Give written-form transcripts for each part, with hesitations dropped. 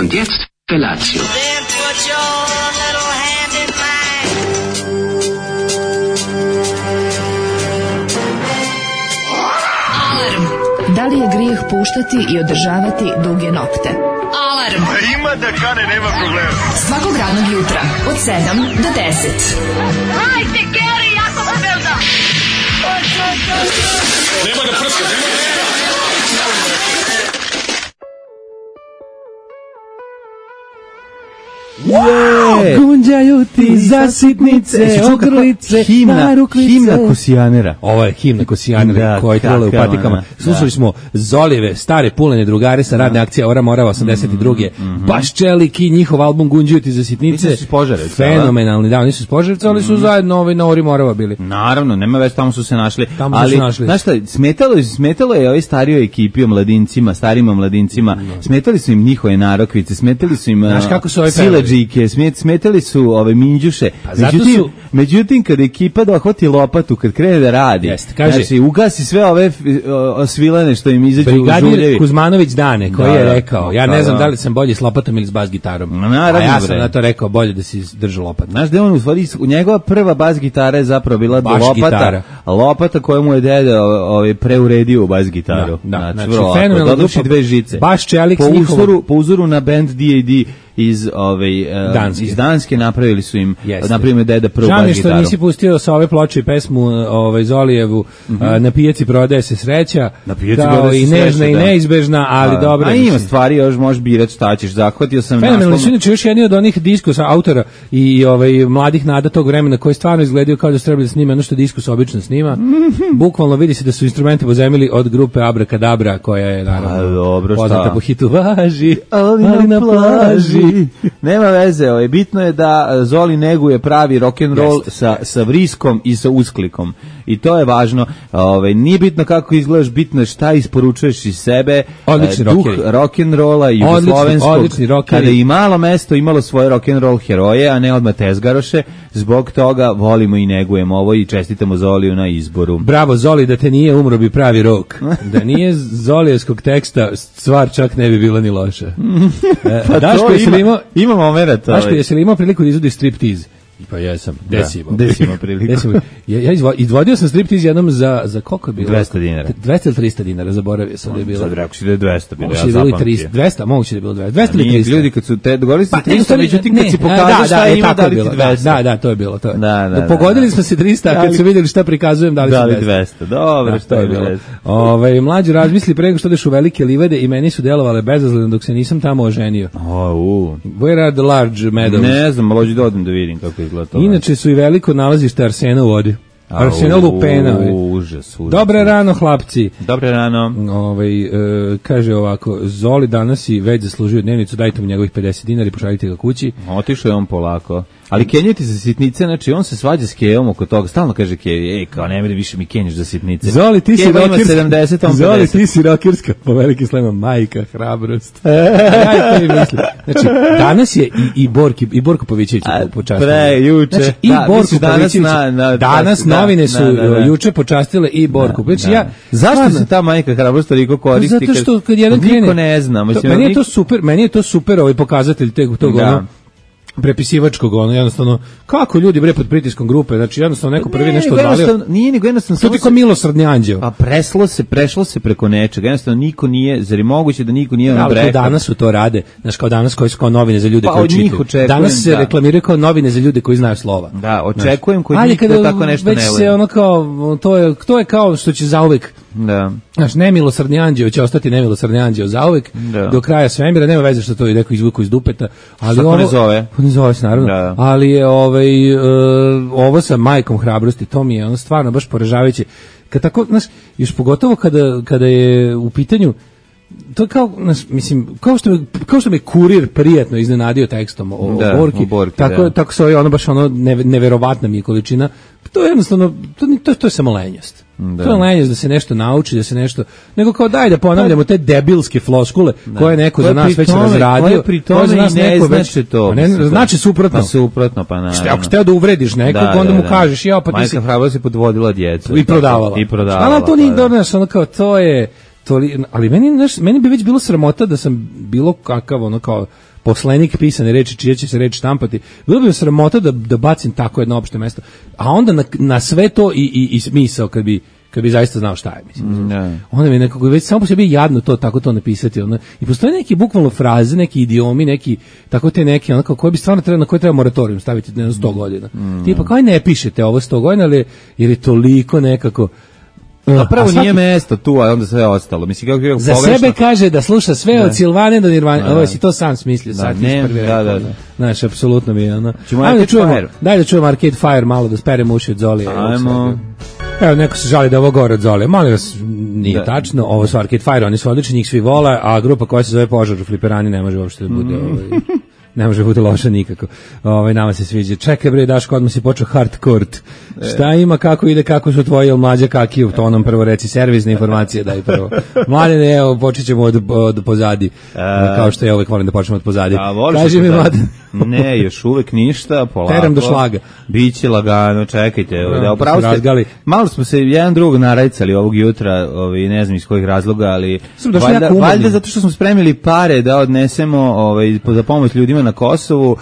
Und jetzt Felatio. Then put your little hand in mine. Alarm. Da li je grijeh puštati i održavati duge nokte? Alarm. Ima da kane, nema problema. Svakog radnog jutra od 7 do 10. Hajde, Geri, jako se velda. Nema da prska, Gunđaju ti za sitnice, ogrlice, narukvice. Himna Kosijanera. Ovo je himna Kosijanera Da, koja je trebala u kakav, patikama. da. Slušali smo Zolive, stare pulene drugare sa radne akcije Ora Morava 82. Baš Čeliki, njihov album Gunđaju ti za sitnice. Nisu iz Požarevca, fenomenalni, da, nisu iz Požarevca, ali su zajedno na Ori Morava bili. Naravno, nema već, tamo su se našli. Tamo su ali, se našli. znaš šta, smetalo je ovoj starijoj ekipi, o mladincima, starima mladincima, smetali su im njihove narokvice, smetali su im Znaš kako su ovi pevali? siledžike, smetali su ove minđuše. zato su- Međutim, kad ekipa dohvati lopatu, kad krene da radi, Jeste, kaže- znači, ugasi sve ove osvilane što im izađu u Brigadir žuljevi. Kuzmanović Dane, koji Da, je da. rekao, ja ne Da, znam da. da li sam bolji s lopatom ili s bas gitarom. Naravno, a ja sam bre. na to rekao, bolje da si držao lopatu. Znaš da je on u stvari, njegova prva bas gitara je zapravo bila Baš gitara. lopata koju mu je deda preuredio u bas gitaru. znači, vrlo lako. fenomenalna Doduše grupa. dve žice. Baš Čelik s Po uzoru na band D.A.D. iz Danske. iz Danske napravili su im, Jeste. napravili deda prvu Žao mi je bas što gitaru. nisi pustio sa ove ploče i pesmu Zolijevu, na pijaci prodaje se sreća, Na pijaci kao prodaje se i nežna sreća, i da. neizbežna, ali dobro. A ima mislim. stvari, još možeš birati šta ćeš, zahvatio sam Fenomenalni su naslov. inače još jedni od onih diskusa autora i mladih nada tog vremena koji stvarno izgledaju kao da su trebali da snime ono što diskus obično snima. Bukvalno vidi se da su instrumente pozajmili od grupe Abrakadabra, koja je naravno dobro, šta? poznata po hitu Važi, Ali na plaži. Nema veze, bitno je da Zoli neguje pravi rock and roll sa vriskom i sa usklikom. I to je važno. Nije bitno kako izgledaš, bitno je šta isporučuješ iz sebe. Odlični duh rockeri. rock and rolla i jugoslovenskog. odlični rockeri. Kada i malo mesto imalo svoje rock and roll heroje, a ne odmah tezgaroše, zbog toga volimo i negujemo ovo i čestitamo Zoliju na izboru. Bravo Zoli, da te nije umro bi pravi rok. Da nije Zolijevskog teksta, stvar čak ne bi bila ni loša. Daško, jesi li imao... Ima momenat. Daško, jesi li imao priliku da izvodi striptiz? Pa jesam, desimo. Desimo priliku. Ja izvodio sam striptiz jednom za koliko je bilo? 200 dinara. 200 ili 300 dinara, zaboravio sam da je bilo. Sad rekao si da je 200 bilo, Moguće ja da je bilo i zapamtio. 200, moguće da je bilo 200. 200 ili Nije, 300. ljudi kad su te dogovorili se 300, to međutim kad si pokazao šta ima, tako dali je ti bilo. 200. Da, to je bilo. To. Da, Pogodili smo se 300, a kad su vidjeli šta prikazujem, dali su 200. Dobro, što je bilo. Mlađi razmisli pre nego što odeš u velike livade i meni su delovale bezazleno dok se nisam tamo oženio. Where are the large meadows? Ne znam, ali hoću da odem da vidim kako izgleda to. Inače su i veliko nalazište arsena u vodi. Arsena lupena. Užas. Dobre rano, hlapci. Dobre rano. Kaže ovako, Zoli danas i već zaslužio dnevnicu, dajte mu njegovih 50 dinara i pošaljite ga kući. Otišao je on polako. Ali kenjati za sitnice, znači on se svađa s Kejom oko toga, stalno kaže Kej, kao ne meni više mi kenješ za sitnice. Zoli, ti si Keva ima rokirska. 70, on 50. Zoli, ti si rokirska, po veliki slema, majka, hrabrost. Ja to i mislim. Znači, danas je i Borko Pavićević počastili. Juče. Znači, i Da, Borko misliš Pavićević. Danas novine su juče počastile i Borku. Zašto se ta majka hrabrost toliko koristi? Zato što kad jedan krene... Niko ne zna. Meni je to super ovaj pokazatelj tog prepisivačkog, jednostavno, kako ljudi bre pod pritiskom grupe, znači jednostavno neko prvi nešto odvalio. Nije nego jednostavno... To ti kao milosrdni anđeo. Pa prešlo se preko nečega, jednostavno niko nije, zar je moguće da niko nije ali brekao? Danas su to rade, znaš, kao danas koji su kao novine za ljude koji čitaju. Danas se reklamiraju kao novine za ljude koji znaju slova. Da, očekujem koji nikada tako nešto ne voli. Već se ono kao, to je kao što će zauvek. Da. Znaš, nemilosrdni anđeo će ostati nemilosrdni anđeo zauvek, do kraja svemira, nema veze što to je neko izvuku iz dupeta. Ali ovo ne zove? Ne zove se, naravno. Da. Ali je ovo sa majkom hrabrosti, to mi je ono stvarno baš poražavajuće. Kad tako, znaš, još pogotovo kada je u pitanju, to kao, mislim, kao što me kurir prijatno iznenadio tekstom o Borki, tako se ono baš ono neverovatna mi je količina. To je jednostavno, to je samo lenjost. To je lenjost da se nešto nauči, da se nešto, nego kao daj da ponavljamo te debilske floskule koje neko za nas već razradio, koje za nas neko već to. Znači suprotno. Pa suprotno, pa naravno. Ako ste da uvrediš nekog, onda mu kažeš, pa ti si... Majka hrabrost je podvodila djecu. I prodavala. Ali to nije dobro, ono kao, to je... ali meni bi već bilo sramota da sam bilo kakav ono kao poslenik pisane reči, čija će se reč štampati. Bilo bi sramota da bacim tako jedno opšte mesto. A onda na sve to i smisao kad bi zaista znao šta je, mislim. Onda mi nekako već samo po sebi jadno tako to napisati. I postoje neki bukvalno fraze, neki idiomi, neki, tako te neki, onako, koje bi stvarno na koje treba moratorijum staviti na 100 godina. Tipa, kao ne pišete ovo 100 godina, ali jer je toliko nekako... Prvo nije mesto tu, a onda sve ostalo. Mislim, kako je za pogrešno. sebe kaže da sluša sve od Silvane do Nirvane. Ovo si to sam smislio. Da. Znaš, apsolutno mi je ono. Daj da čujemo Arcade Fire malo, da speremo uši od Zolije. Ajmo. Evo, neko se žali da ovo gore od Zolije. Molim vas, nije tačno. Ovo su Arcade Fire, oni su odlični, njih svi vole, a grupa koja se zove Požar u Fliperani ne može uopšte da bude... Ne može biti loša nikako. Nama se sviđa. Čekaj bre, Daško, odmah si počeo hardcore. Šta ima, kako ide, kako su tvoji mlađe kakiju? To onom prvo reci, servisne informacije daj prvo. Mladene, evo, počet ćemo od pozadi. Kao što ja uvek volim da počnemo od pozadi. Kaži mi, Mladen. Ne, još uvek ništa, polako. Teram do šlaga. Biće lagano, čekajte. Malo smo se jedan drugog narajcali ovog jutra, ne znam iz kojih razloga, ali valjda zato što smo spremili pare da odnesemo za pomoć ljudima na Kosovu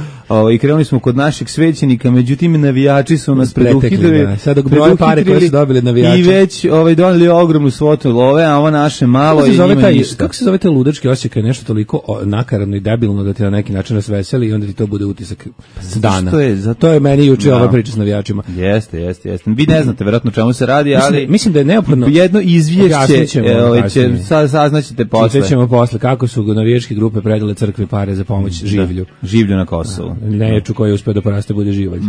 i krenuli smo kod našeg svećenika, međutim navijači su nas preduhitrili. Sada broje pare koje su dobili navijači. I već doneli ogromnu svotu love, a ovo naše malo i njima ništa. Kako se zove taj ludački osjećaj kad je nešto toliko nakaradno i debilno da ti na neki način rasveseli i onda ti to bude utisak dana. To je meni juče ova priča s navijačima. Jeste. Vi ne znate verovatno čemu se radi, ali mislim da je neophodno jedno izvješće saznaćete posle. Ćemo posle kako su navijačke grupe predale crkvi pare za pomoć življu na Kosovu. Neječu koji je uspeo da poraste bude živalj.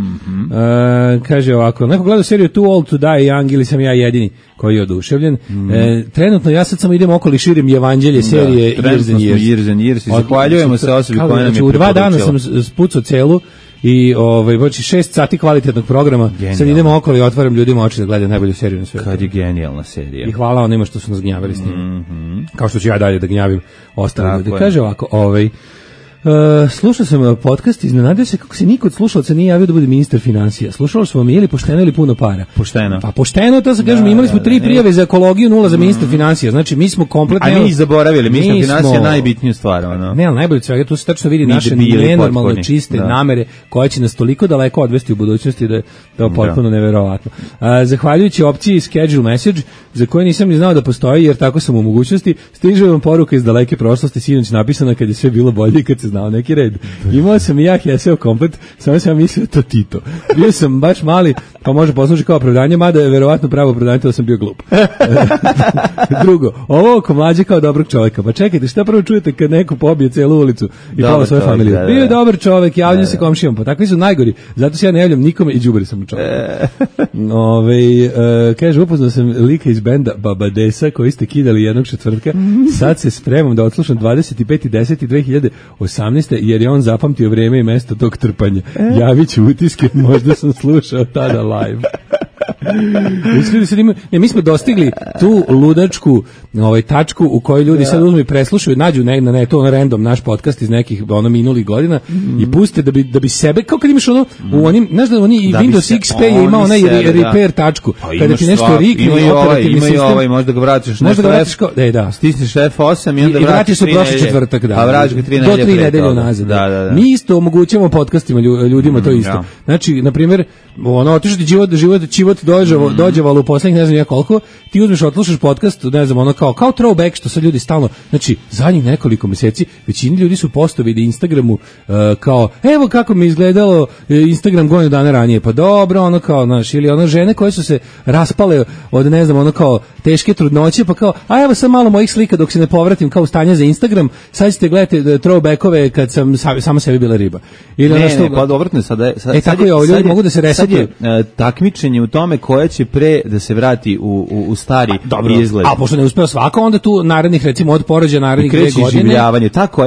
Kaže ovako, neko gleda seriju Too Old to Die Young ili sam ja jedini koji je oduševljen. Trenutno ja sad samo idem okolo i širim evanđelje serije Years and Years. Zahvaljujemo se osobi koja nam je preporučila. U 2 dana sam spucao celu i 6 sati kvalitetnog programa. Genijalno. Sad idemo okolo i otvaram ljudima oči da gledaju najbolju seriju na svijetu. Kad je genijalna serija. I hvala onima što su nas gnjavili s njim. Kao što ću ja dalje da gnjavim ostale ljudi. Kaže ovako, slušao sam podcast, iznenadio se kako se niko od slušalaca nije javio da bude ministar finansija. Slušalo smo mi ili pošteno ili puno para. Pošteno. Pa pošteno, to se kažemo, imali smo 3 prijave za ekologiju, 0 za ministar finansija. Znači mi smo kompletno... A mi zaboravili, ministar finansija je najbitniju stvar. Ne, ali najbolje svega, tu se tačno vidi naše nenormalne čiste namere koje će nas toliko daleko odvesti u budućnosti da je to potpuno neverovatno. Zahvaljujući opciji schedule message, za koje nisam ni znao da postoji, jer tako sam u mogućnosti, stiže vam poruka iz daleke prošlosti, sinoć napisana kad je sve bilo bolje i kad se znao neki red. Imao sam i ja Heseo komplet, samo sam mislio to Tito. Bio sam baš mali, pa može poslušati kao opravdanje, mada je verovatno pravo opravdanje da sam bio glup. Drugo, ovo oko mlađe kao dobrog čovjeka. Pa čekajte, šta prvo čujete kad neko pobije celu ulicu i pola svoje familije? Bio je dobar čovjek, javljam se komšijama, pa takvi su najgori. Zato se ja ne javljam nikome i đubri sam čovjek. Kaže, upoznao sam lika iz benda Babadesa koji ste kidali jednog četvrtka. Sad se spremam da odslušam 25.10.2018. jer je on zapamtio vreme i mesto tog trpanja. Javit ću utiske, možda sam slušao tada live. Mi smo dostigli tu ludačku tačku u kojoj ljudi sad uzmu i preslušaju, nađu na neto random naš podcast iz nekih minulih godina i puste da bi sebe, kao kad imaš ono u onim, znaš da oni i Windows XP je imao onaj repair tačku, kada ti nešto rikne operativni sistem, možda ga vratiš stisniš F8 i onda vratiš se prošli četvrtak, a vratiš ga 3 nedelje unazad. Mi isto omogućujemo podcastima ljudima to isto. Znači, na primjer, otišao ti život dođevalo u poslednjih ne znam ja koliko, ti uzmeš, odslušaš podcast, ne znam, ono kao throwback, što sad ljudi stalno, znači, zadnjih nekoliko meseci, većini ljudi su postavili na Instagramu kao, evo kako mi izgledalo Instagram godinu dana ranije, pa dobro, ono kao, znaš, ili ono žene koje su se raspale od, ne znam, ono kao teške trudnoće, pa kao, a evo sam malo mojih slika dok se ne povratim kao stanje za Instagram, sad ćete gledati throwbackove kad sam sama sebi bila riba. Ili pa dobrotno, sad tako je, ljudi mogu da se resetuju. Takmičenje u tome koja će pre da se vrati u stari izgled. A pošto ne uspeo svako, onda tu narednih, recimo od porođaja narednih 2 godine. Kreće življavanje, tako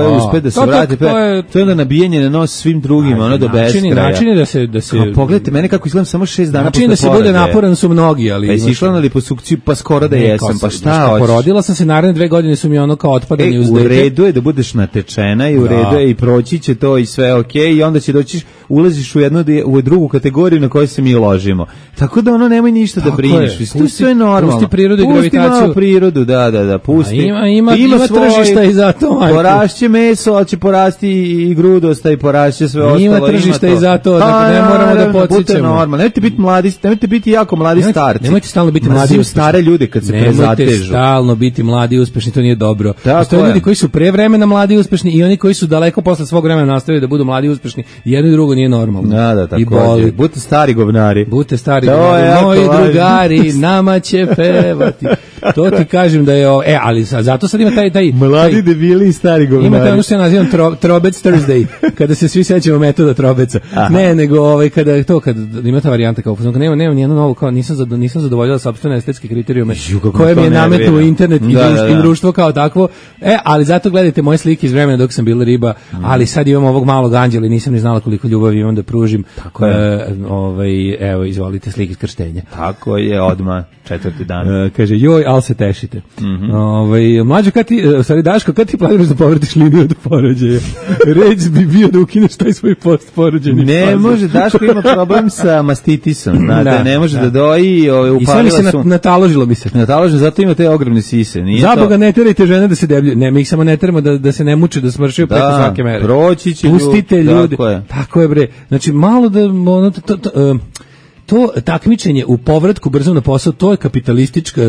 je uspe da se vrati. To je onda nabijanje na nos svim drugim, do beskraja. Načini da se... Pogledajte mene kako izgledam samo 6 dana posle porode. Način da se bude naporan su mnogi, ali... Pa jesi išla na liposukciju, pa skoro da jesam, pa šta hoćeš? Porodila sam se, naredne 2 godine su mi ono kao otpadanje uz dete. U redu je da budeš natečena i u redu je i proći će to i sve okej, i onda će doći, ulaziš u drugu kategoriju na kojoj se mi ložimo. razumemo. Tako da ono nemoj ništa da brineš. To je sve normalno. Pusti prirodu i gravitaciju. Pusti malo prirodu, da, pusti. Ima tržišta i za to. Porašće meso, ali će porasti i grudosta i porašće sve ostalo. Ima tržišta i za to, dakle ne moramo da podsjećamo. Nemojte biti mladi, nemojte biti jako mladi starci. Nemojte stalno biti mladi i uspešni. Stare ljude kad se prezatežu. Nemojte stalno biti mladi i uspešni, to nije dobro. Postoje ljudi koji su pre vremena mladi i uspešni i oni koji su daleko posle svog vremena nastavili da budu mladi i uspešni. Jedno i drugo nije normalno. Da, tako. I boli. Budite stari govnari. Budite stari govnari. Moji drugari, nama će pevati. To ti kažem da je ali zato sad ima taj mladi debili i stari govnari. Ima taj ono što ja nazivam Trobec Thursday, kada se svi sećamo metoda Trobeca. Ne, nego kada ima ta varijanta kao nema nijedno novo, kao nisam zadovoljila sopstvene estetske kriterijume koje mi je nametnuo internet i društvo kao takvo. Ali zato gledajte moje slike iz vremena dok sam bila riba, ali sad imam ovog malog anđela i nisam ni znala koliko ljubavi imam da pružim. Evo, izvolite slike iz krštenja. Tako je, odmah, 4. dan. Kaže, joj, al se tešite. Mlađo, Daško, kad ti planiraš da povratiš liniju od porođaja? Reč bi bio da ukineš taj svoj post-porođajni faze. Ne može, Daško ima problem sa mastitisom, znate, ne može da doji, upalila su... I sve mi se nataložilo mi se. Nataložilo, zato ima te ogromne sise. Zaboga, ne terajte žene da se debljuju. Ne, mi ih samo ne teramo da se ne muče, da smršaju preko svake mere. Proći će pustite ljudi. Tako je, bre. Znači, malo da... To takmičenje u povratku brzo na posao, to je kapitalistička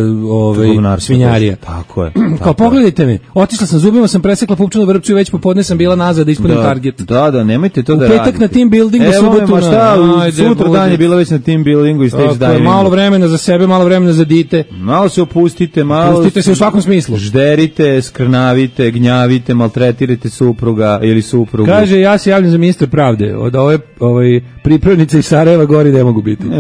svinjarija. Tako je. Kao pogledajte me, otišla sam zubima, sam presekla pupčanu vrpču i već popodne sam bila nazad da ispunim target. Da, nemojte to da radite. U petak na team buildingu, subotu sutra dan je bila već na team buildingu i stage divingu. Malo vremena za sebe, malo vremena za dite. Malo se opustite, Pustite se u svakom smislu. Žderite, skrnavite, gnjavite, maltretirajte supruga ili suprugu. Kaže, ja se javljam za ministra pravde. Od ove pripravnice iz Sarajeva gori ne mogu biti.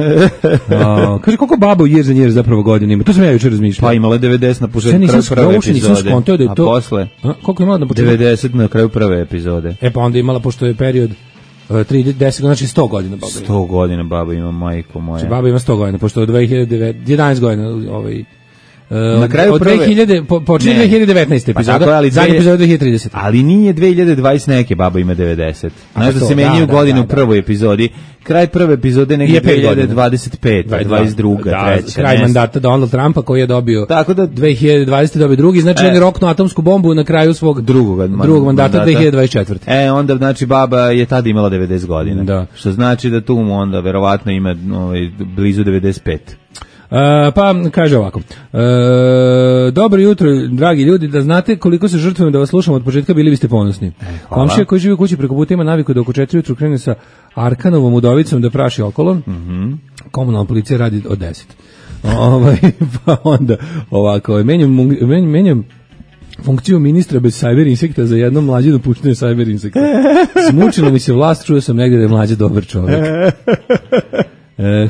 Kaže, koliko baba u Years and Years zapravo godina ima? To sam ja jučer razmišljao. Pa imala 90 na početku prve epizode. A posle? Koliko imala na početku? 90 na kraju prve epizode. Pa onda imala, pošto je period 10, znači 100 godina baba ima. 100 godina baba ima, majko moja. Znači baba ima 100 godina, pošto je 11 godina na kraju od 2000 počinje 2019 epizoda, zadnja epizoda 2030. Ali nije 2020 neke, baba ima 90. Znaš da se menjaju godine u prvoj epizodi. Kraj prve epizode negdje 2025, 22, treća. Kraj mandata Donald Trumpa koji je dobio 2020 dobio drugi, znači on je roknuo atomsku bombu na kraju svog drugog mandata 2024. Onda znači baba je tada imala 90 godina. Da. Što znači da tu onda verovatno ima blizu 95. Pa kaže ovako, dobro jutro dragi ljudi, da znate koliko se žrtvujem da vas slušam od početka, bili biste ponosni. Komšija koji živi u kući preko puta ima naviku da oko 4 jutru krene sa Arkanovom udovicom da praši okolo. Komunalna policija radi od 10. Pa onda ovako, menjam funkciju ministra bez cyber insekta za jednom mlađe dopuštene cyber insekta. Smučilo mi se vlast, čuo sam negdje da je mlađe dobar čovjek.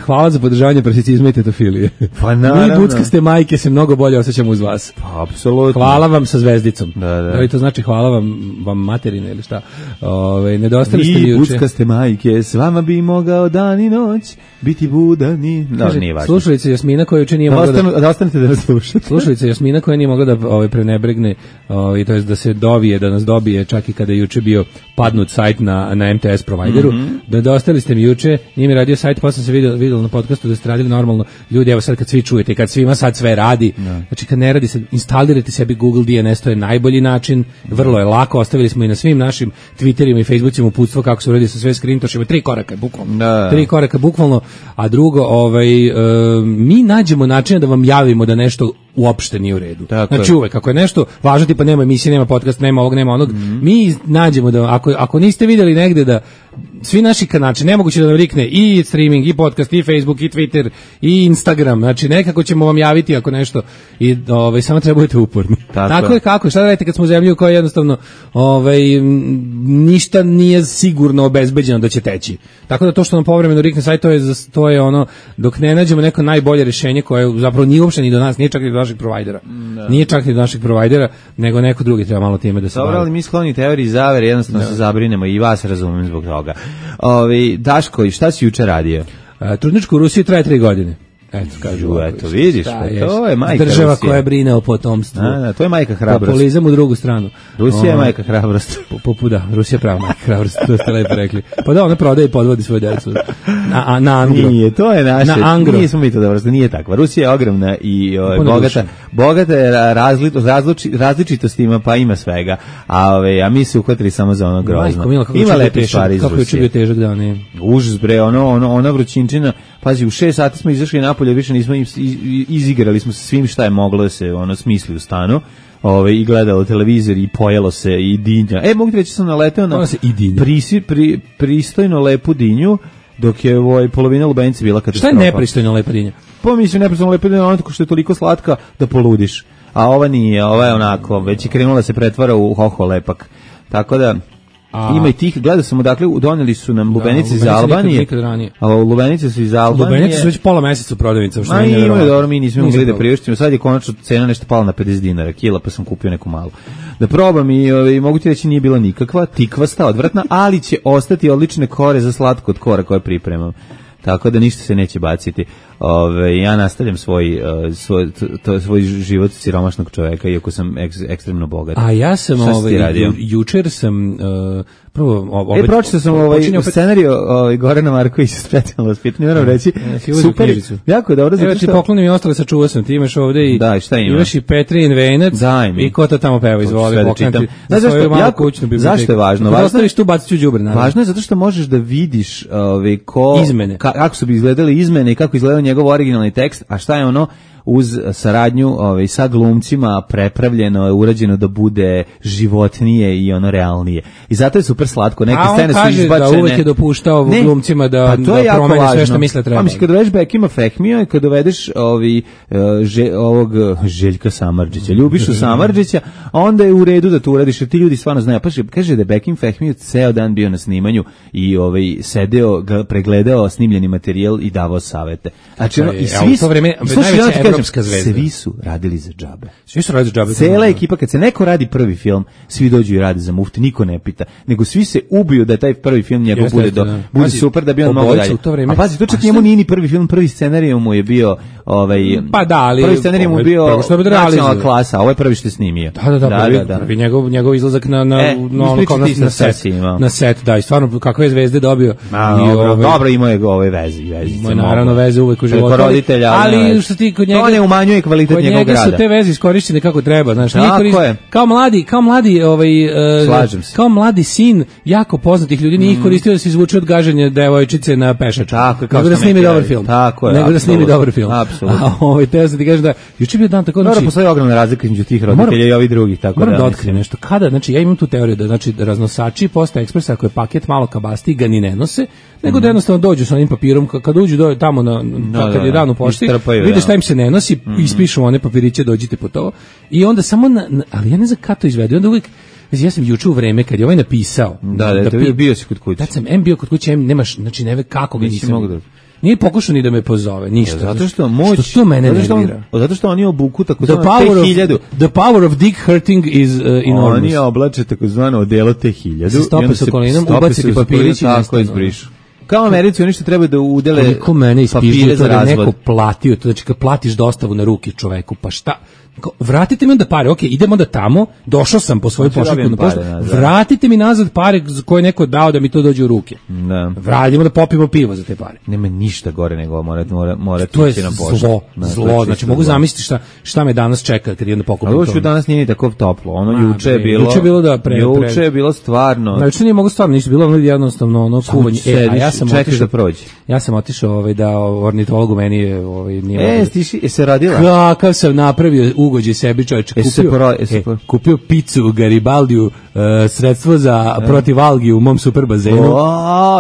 Hvala za podržavanje prasicizma i tetofilije. Pa naravno. Mi buckaste majke se mnogo bolje osjećamo uz vas. Pa apsolutno. Hvala vam sa zvezdicom. Da. To znači hvala vam materine ili šta. Nedostali ste mi juče. Mi buckaste majke, s vama bi mogao dan i noć biti budani. Nije važno. Slušalica Jasmina koja juče nije mogla da ostanete da nas slušate. Slušalica Jasmina koja nije mogla da prenebregne i to jest da se dovije, da nas dobije čak i kada je juče bio padnut sajt na MTS provideru. Dostali ste mi juče, nije mi radio sajt, pa sam se vidjelo na podcastu da ste radili normalno. Ljudi, evo sad kad svi čujete, kad svima sad sve radi, znači kad ne radi se, instalirajte sebi Google DNS, to je najbolji način, vrlo je lako, ostavili smo i na svim našim Twitterima i Facebookima uputstvo kako se uradi sa sve skrintošima, 3 koraka bukvalno. 3 koraka bukvalno, a drugo, mi nađemo način da vam javimo da nešto uopšte nije u redu. Znači uvek, ako je nešto važno, tipa nema emisije, nema podcast, nema ovog, nema onog, mi nađemo da, ako niste vidjeli negde da svi naši kanali, nemoguće da nam rikne i streaming, i podcast, i Facebook, i Twitter, i Instagram, znači nekako ćemo vam javiti ako nešto, i samo treba budete uporni. Tako je kako, šta da radite kad smo u zemlji u kojoj jednostavno ništa nije sigurno obezbeđeno da će teći. Tako da to što nam povremeno rikne sajt, to je ono, dok ne nađemo neko najbolje rješenje koje zapravo nije uopšte ni do nas, nije čak i do naših provajdera. Nije čak i do naših provajdera, nego neko drugi treba malo time da se bavi. Dobro, ali mi skloni teoriji zavere, jednostavno se zabrinemo i vas razumem zbog toga. Daško, i šta si juče radio? Trudničko u Rusiji traje 3 godine. Eto, kažu. Eto, vidiš, to je majka država Rusije. koja brine o potomstvu. Da, to je majka hrabrost. Populizam u drugu stranu. Rusija je majka hrabrost. Da, Rusija je prava majka hrabrost, to ste lepo rekli. Pa da, ona prodaje i podvodi svoju decu. Na Angro. Nije, to je naše. Na Angro. Nismo mi to dobro, nije takva. Rusija je ogromna i bogata je različitostima, pa ima svega. A mi se uhvatili samo za ono grozno. Ima lepe stvari iz Rusije. Kako je bio težak dan, je. Užas bre, ona vrućinčina. Pazi, u 6 sati smo izašli napolje, više nismo izigrali smo se svim šta je moglo da se smisli u stanu. I gledalo televizor i pojelo se i dinja. Mogu ti reći, sam naleteo na pristojno lepu dinju, dok je polovina lubenice bila katastrofa. Šta je nepristojno lepa dinja? Pa mislim, nepristojno lepa dinja, ono tako što je toliko slatka da poludiš. A ova nije, ova je onako, već je krenula da se pretvara u hoho lepak. Tako da... Ima i tih, gledao sam, dakle, doneli su nam lubenice iz Albanije. A lubenice su iz Albanije. Lubenice su već pola meseca u prodavnicama. Imaju dobro, mi nismo mogli da priuštimo. Sad je konačno cena nešto pala na 50 dinara kila, pa sam kupio neku malu. Da probam i mogu ti reći nije bila nikakva, tikvasta, odvratna, ali će ostati odlične kore za slatko od kora koje pripremam. Tako da ništa se neće baciti. Ja nastavljam svoj život siromašnog čoveka, iako sam ekstremno bogat. A ja sam jučer sam prvo pročitao sam scenarijo Gorana Markovića specijalno vaspitanje, moram reći. Super. Jako dobro, zato što ti poklonim i ostale sačuvao sam. Ti imaš ovde i imaš i Petrin venac i ko to tamo peva, izvoli poklanti. Zašto je važno? Ostaviš tu, baciš u đubre. Važno je zato što možeš da vidiš izmene. Kako su bi izgledale izmene i kako izgledao njegov originalni tekst, a šta je ono uz saradnju sa glumcima prepravljeno, urađeno da bude životnije i realnije. I zato je super slatko. Neke scene su izbačene. A on kaže da uvek je dopuštao glumcima da promene sve što misle treba. Pa mislim, kad dovedeš Bekima Fehmija i kad dovedeš ovog Željka Samardžića, Ljubišu Samardžića, onda je u redu da to uradiš, jer ti ljudi stvarno znaju. Pa kaže da je Bekim Fehmiju ceo dan bio na snimanju i sedeo, pregledao snimljeni materijal i davao savete. Znači, i svi to vreme evropska zvezda. Svi su radili za džabe. Svi su radili za džabe. Cela ekipa, kad se neko radi prvi film, svi dođu i rade za mufti, niko ne pita. Nego svi se ubiju da taj prvi film njegov bude super, da bi on mogao dalje. A pazi, to čak njemu nije ni prvi film, prvi scenarij mu je bio pa da, ali prvi scenarij mu bio nacionalna klasa, a ovo je prvi što je snimio. Da. Prvi njegov izlazak na set, da, i stvarno kakve je zvezde dobio. Dobro, imao je ove veze. Imao naravno veze uvek u životu. Ali što ti kod njega ne umanjuje kvalitet njegovog rada. Kod njega su te veze iskorišćene kako treba, znaš. Kao mladi sin jako poznatih ljudi nije ih koristio da se izvuče od gaženja devojčice na pešaču. Nego da snimi dobar film. Nego da snimi dobar film. Apsolutno. Teo sam ti kažem da juče bio dan tako, znači postoji ogromna razlika između tih roditelja i ovih drugih, tako da otkrijem nešto. Kada, znači ja imam tu teoriju da znači raznosači Posta Ekspresa, ako je paket malo kabasti, ga ni ne nose, nego da jednostavno dođu sa onim papirom, kad uđu tamo kad je dan u pošti, vide šta im se ne nosi, ispišu one papiriće, dođite po to, i onda samo, ali ja ne znam kako to izvede, onda uvijek, ja sam juče u vreme kad je ovaj napisao, bio si kod kuće. Tad sam bio kod kuće, nemaš, znači ne ve kako ga nisam. Nije pokušao ni da me pozove, ništa. Zato što moć, što to mene nervira. Zato što oni obuku takozvano T1000. The power of dick hurting is enormous. Oni oblače takozvano odelo T1000. Stope s okolinom, ubaciti papirići i tako izbrišu. Kao Americi, oni što treba da udele koliko mene ispižuje to da neko platio, to znači kad platiš dostavu na ruke čoveku, pa šta? Vratite mi onda pare, ok, idemo da tamo, došao sam po svoju pošiljku na poštu, vratite mi nazad pare koje je neko dao da mi to dođe u ruke. Vratimo da popijemo pivo za te pare. Nema ništa gore nego mora to je zlo, znači mogu zamisliti šta me danas čeka kad idem da pokupim to. Ali danas nije tako toplo, juče je bilo stvarno. Znači nije mogu stvarno, nisu bilo jednostavno kuvanje. A ja sam čekaš da prođe. Ja sam otišao da ornitologu meni nije. Se radila? Kakav sam napravio ugođe sebi, čovječe, kupio picu u Garibaldiju, sredstvo za protiv algi u mom super bazenu.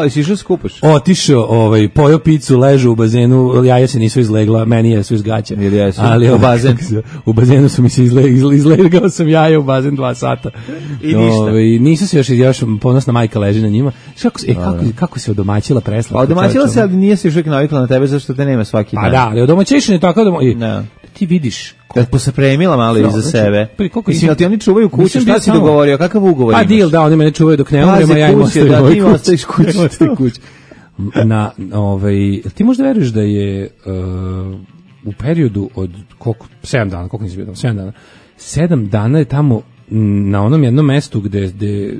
Jesi išao skupaš? Otišao, pojeo picu, ležu u bazenu, jaja se nisu izlegla, meni je su iz gaća. Ali u bazen. U bazenu su mi se izlegao sam jaja u bazen 2 sata. I ništa. Nisu se još ponosna majka leži na njima. Kako se odomaćila presla? Odomaćila se, ali nije se još uvijek navikla na tebe, zašto te nema svaki dan. Pa da, ali odomaćišen je tako da ti vidiš. Kad posapremila malo iza sebe. Mislim, ali ti oni čuvaju kuću, šta si dogovorio, kakav ugovor imaš? Pa deal, da, oni mene čuvaju dok ne umrem, a ja im ostavim kuću. ti možda veruješ da je u periodu od 7 dana, koliko nisi bio tamo, 7 dana, 7 dana je tamo na onom jednom mestu gde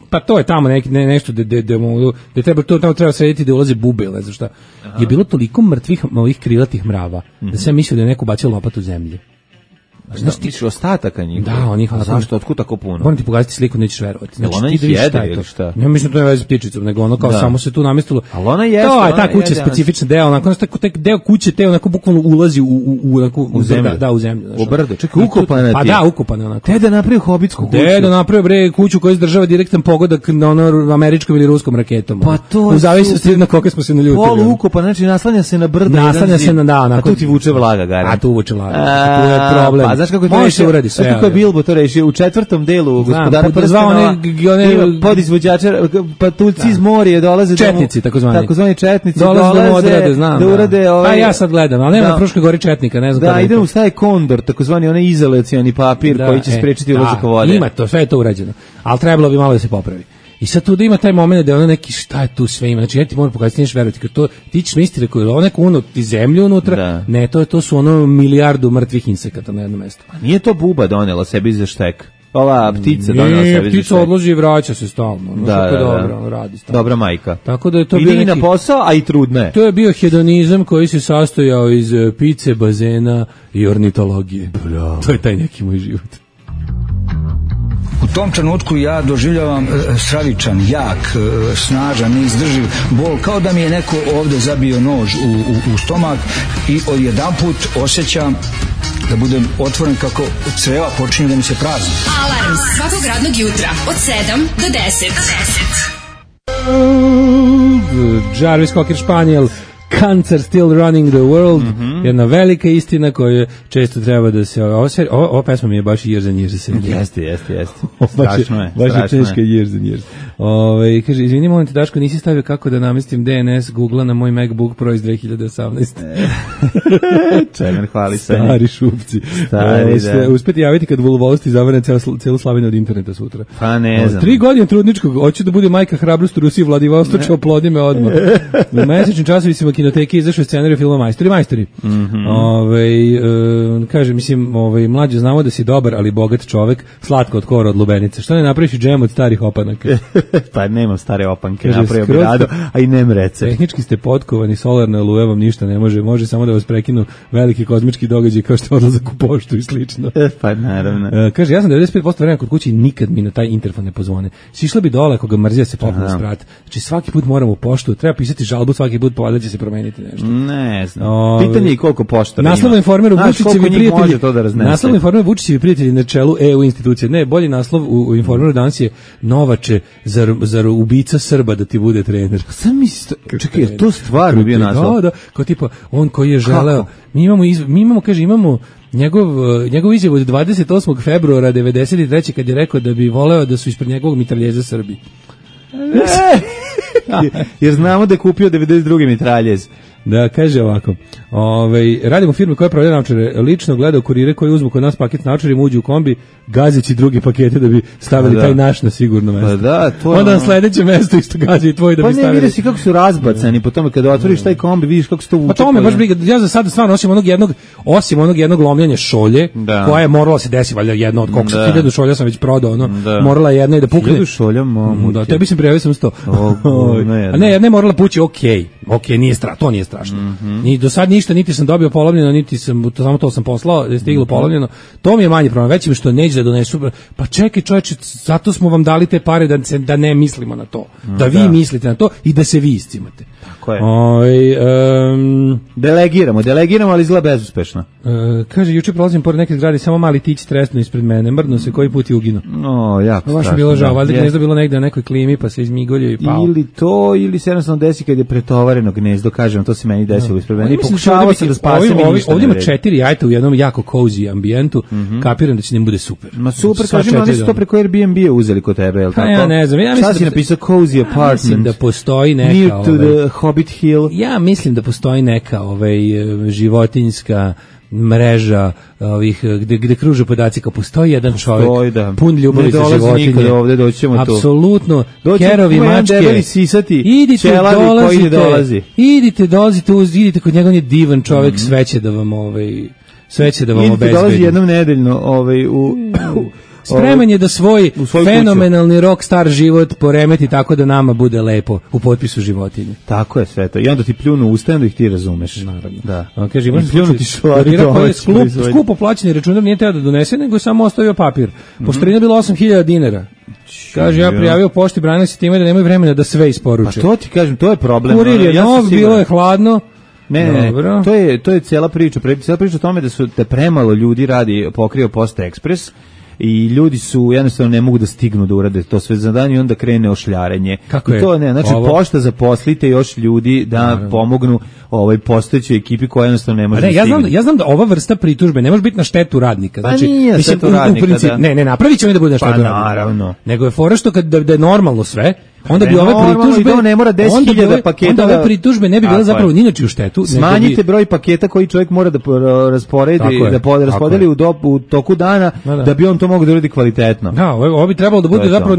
pa to je tamo nešto gde treba to tamo treba srediti da ulaze bube, ne znam šta. Je bilo toliko mrtvih ovih krilatih mrava da sam mislio da je neko bacio lopatu u zemlju. Znaš ti ostataka njih? Da, onih. Zašto, otkud tako puno? Moram ti pogledati sliku, nećeš verovati. Znači, ona ih jede ili šta? Ja mislim da to je veze s ptičicom, nego ono kao samo se tu namestilo. Ali ona jeste. To je ta kuća specifična deo, onako deo kuće te onako bukvalno ulazi u zemlju. Da, u zemlju. U brdo. Čekaj, ukopana ti. Pa da, ukopana onako. Te da napravi hobitsku kuću. Te da napravi bre kuću koja izdržava direktan pogodak na ono američkom ili ruskom raketom. Pa to u zavisnosti na koliko smo se naljutili. Polu ukopana, znači naslanja se na brdo. Naslanja se na da, onako. A tu ti vuče vlaga, garant. A tu vuče vlaga. Tu je problem. Pa znaš kako to uradi sve. Kako je Bilbo to rešio u 4. delu Gospodara prstenova. Ima podizvođača, patuljci iz morja dolaze četnici, takozvani četnici dolaze da urade ovaj. Pa ja sad gledam, ali nema na Fruškoj gori četnika, ne znam. Da, ide u staje kondor, takozvani onaj izolacioni papir koji će sprečiti ulazak vode. Ima to, sve je to urađeno. Al trebalo bi malo da se popravi. I sad tu da ima taj moment da je ono neki šta je tu sve ima. Znači ja ti moram pokazati, neš verovati, kad to ti ćeš misliti da je ono neko ti zemlju unutra. Ne, to su ono milijardu mrtvih insekata na jednom mestu. A nije to buba donela sebi za štek. Ova ptica donela sebi za štek. Ptica odloži i vraća se stalno. Dobro, radi stalno. Dobra majka. Tako da je to bio neki na posao, a i trudna je. To je bio hedonizam koji se sastojao iz pice, bazena i ornitologije. Bravo. To je taj neki moj život. U tom trenutku ja doživljavam stravičan, jak, snažan, neizdrživ bol, kao da mi je neko ovde zabio nož u stomak i odjedanput osjećam da budem otvoren kako creva počinju da mi se prazni. Alarm svakog radnog jutra od 7 do 10. Jarvis Cocker Spaniel, Cancer Still Running the World, jedna velika istina koju često treba da se... Ova pesma mi je baš years and years. Jeste. Strašno je. Baš je teška years and years. Kaže, izvini, molim te, Daško, nisi stavio kako da namestim DNS Google-a na moj MacBook Pro iz 2018. Čemer, hvali se. Stari šupci. Uspeti javiti kad Vulvosti zavrne celu Slavinu od interneta sutra. Pa ne znam. 3 godine trudničkog, hoću da bude majka hrabrost u Rusiji, Vladivostoče, oplodi me odmah. U mesečnim časovisima kinoteke izašao scenarij filma Majstori. Kaže, mislim, mlađe, znamo da si dobar, ali bogat čovek, slatko od kora od lubenice. Što ne napraviš i džem od starih opanaka? Pa nemam stare opanke, napravio bi rado, a i nem recept. Tehnički ste potkovani, solarna oluja vam ništa ne može samo da vas prekinu veliki kozmički događaj kao što je odlazak u poštu i slično. Pa naravno. Kaže, ja sam 95% vremena kod kuće i nikad mi na taj interfon ne pozvone. Sišla bi dole ako ga mrzija se popne sprat. Znači svaki put moram u poštu, treba pisati žalbu svaki put, pa će se promeniti nešto. Ne znam. Pitanje je koliko poštara ima. Naslov informeru Vučićevi prijatelji. Naslov informeru Vučićevi prijatelji na čelu EU institucije. Ne, bolji naslov u informeru danas je Novače, zar ubica Srba da ti bude trener. Sam misli, čekaj, to stvarno bio naslov. Da, kao tipa on koji je želeo. Mi imamo njegov izjavu od 28. februara 93. kad je rekao da bi voleo da su ispred njegovog mitraljeza Srbi. Jer znamo da je kupio 92. mitraljez. Da, kaže ovako, radimo firme koja prodaje naočare, lično gledao kurire koji uzmu kod nas paket naočarima, uđu u kombi, gazeći drugi pakete da bi stavili taj naš na sigurno mesto. Pa da, to je onda na sledeće mesto isto gazi i tvoj da bi stavili. Pa ne, vidiš kako su razbacani, po tome kada otvoriš taj kombi, vidiš kako se to vuče. Pa to me baš briga, ja za sada stvarno osim onog jednog lomljanja šolje, koja je morala se desiti, valjda jedna od koliko 1000 šolja sam već prodao, morala je jedna i da pukne. 1000 šolja, mamu. Da, tebi sam prijavio sam 100. A ne, jedna je morala pući, okej, nije strašno, to nije strašno. Ni do sad ništa, niti sam dobio polovljeno, niti sam, samo to sam poslao, da je stiglo polovljeno. To mi je manji problem, već mi što neće da donesu. Pa čekaj čoveče, zato smo vam dali te pare da ne mislimo na to. Da vi mislite na to i da se vi iscimate. Tako je. Delegiramo, ali izgleda bezuspešno. Kaže, juče prolazim pored neke zgrade, samo mali tić tresno ispred mene, mrdno se koji put je ugino. Jako strašno. Baš mi bilo žao, valjda gnezdo bilo negde na nekoj klimi, pa se izmigolio i pao. Ili se jednostavno desi kad je pretovareno gnezdo, kažem, to se meni desilo ispred mene. I pokušavao sam da spasim i ništa ne ovdje ima 4 jajta u jednom jako cozy ambijentu, kapiram da će njim bude super. Ma super, kažem, ali su to preko Airbnb-a uzeli kod tebe, je li tako? Ja ne znam, ja mislim da si napisao cozy apartment. Mislim da postoji neka... Near to the Hobbit Hill. Ja mislim da postoji neka životinjska mreža ovih gde kruže podaci kao postoji jedan čovjek pun ljubavi za životinje. Ne dolazi nikada ovde, doćemo tu. Apsolutno. Kerovi, mačke. Idite, idite kod njega, on je divan čovjek, sve će da vam obezbedi. Idite, dolazi jednom nedeljno spreman je da svoj fenomenalni rockstar život poremeti tako da nama bude lepo u potpisu životinje. Tako je sve to. I onda ti pljunu usta, onda ih ti razumeš. Naravno. Da. Kaže, imaš pljunuti skupo plaćeni računar nije teo da donese, nego je samo ostavio papir. Poštarina je bila 8.000 dinara. Kaže, ja prijavio pošti, branili se time da nemaju vremena da sve isporuče. Pa to ti kažem, to je problem. Kurir je nov, bilo je hladno. Ne, to je cijela priča. Cijela priča o tome da premalo ljudi pokrio Posta Ekspres i ljudi su jednostavno ne mogu da stignu da urade to sve za dan i onda krene ošljarenje. Kako je? I to ne, znači pošta zaposlite još ljudi da pomognu postojećoj ekipi koja jednostavno ne može da stigne. Ja znam da ova vrsta pritužbe ne može biti na štetu radnika. Znači, nije štetu radnika. Ne, napravit će oni da bude na štetu radnika. Naravno. Nego je fora što da je normalno sve, onda bi ove pritužbe ne mora 10.000 paketa. Onda ove pritužbe ne bi bile zapravo ni inače u štetu. Smanjite broj paketa koji čovjek mora da rasporedi, da raspodeli u toku dana, da bi on to mogao da uradi kvalitetno. Da, ovo bi trebalo da bude zapravo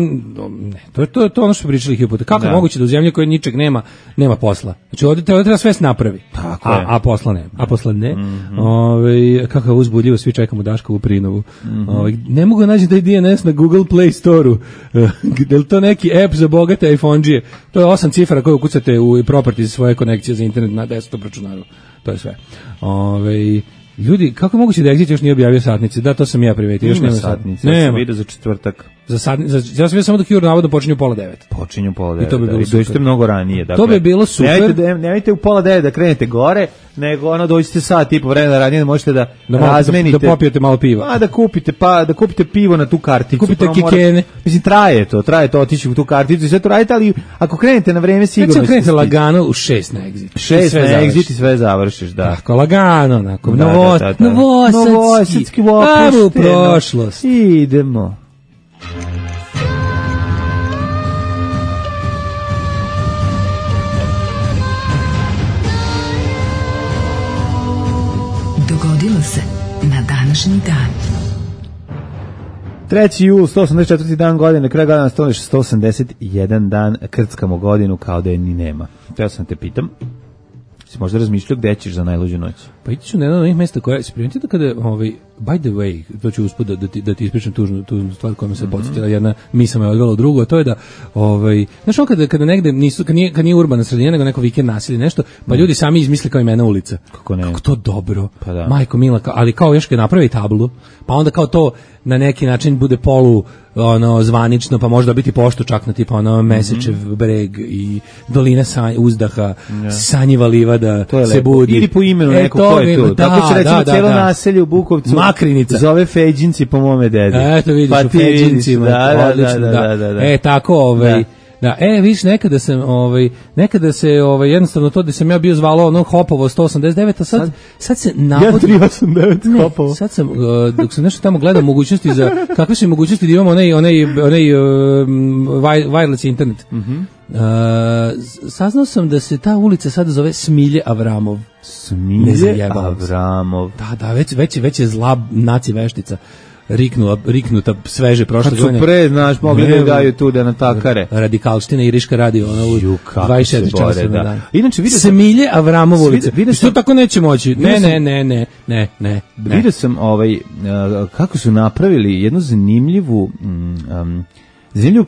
to je ono što pričali hipote. Kako je moguće da u zemlji koja ničeg nema posla? Znači ovdje treba sve napravi. A posla ne. Kako je uzbudljivo, svi čekamo Daškovu prinovu. Ne mogu naći da je DNS na Google Play Store-u. Je li to neki app za bogate iPhone-đije? To je 8 cifara koje ukucate u properties svoje konekcije za internet na desktop računaru. To je sve. Ljudi, kako je moguće da Exit još nije objavio satnice? Da, to sam ja primetio. Još nema satnice, ja sam vidio za četvrtak. Ja sam vidio samo da Cure navodno počinju 8:30. Počinju 8:30. I to bi bilo super. Dođite mnogo ranije. Dakle, to bi bilo super. Nemojte u 8:30 da krenete gore, nego dođite sat i po vremena ranije da možete da razmenite. Da popijete malo piva. Da kupite pivo na tu karticu. Kupite kikene. Mislim, traje to otići u tu karticu i sve to radite, ali ako krenete na vreme sigurno ćete krenete lagano u 6 na Exit. 6 na Exit i sve završiš, da. Tako, lagano, onako. Novosadski opušteno. U prošlost. Idemo. Dogodilo se na današnji dan. 3. jul, 184. dan godine, kraj godina 181 dan, krckamo godinu kao da je ni nema. Ja sam te pitam, si možda razmišljao gde ćeš za najluđu noć? Pa ići ću na jedno od onih mesta koja se primetio da kada, by the way, to ću usput da ti ispričam tužnu stvar koja me se podsjetila, jedna misla me odvela u drugu, a to je da, znaš kada negde nisu, kad nije urbana sredina, nego neko vikend naselje nešto, pa ljudi sami izmisle kao imena ulica. Kako ne? Kako to dobro. Pa da. Majko mila, ali kao još kad napravi tablu, pa onda kao to na neki način bude polu zvanično, pa možda biti pošto čak na tipa Mesečev breg i dolina uzdaha, Sanjiva livada se budi. Ili po imenu neko ko je tu. Tako će recimo cijelo naselje u Bukovcu Makrinica. Zove Feđinci po mome dedi. Eto vidiš, pa u Feđincima. Da. Tako Da, vidiš, nekada se jednostavno to da sam ja bio zvalo Hopovo 189, a sad se navodno... Ja 389 Hopovo. Sad sam, dok sam nešto tamo gledao mogućnosti za, kakve su mogućnosti da imamo onaj wireless internet. Saznao sam da se ta ulica sada zove Smilje Avramov. Smilje Avramov. Da, već je zla naci veštica. Riknuta sveže prošle godine. Kad su pre, znaš, mogli da daju tu da natakare. Radikalština i Iriška radio, ono u 24 časa na dan. Inače, vidio sam... Smilje Avramov ulica. Što tako neće moći? Ne. Vidio sam kako su napravili jednu zanimljivu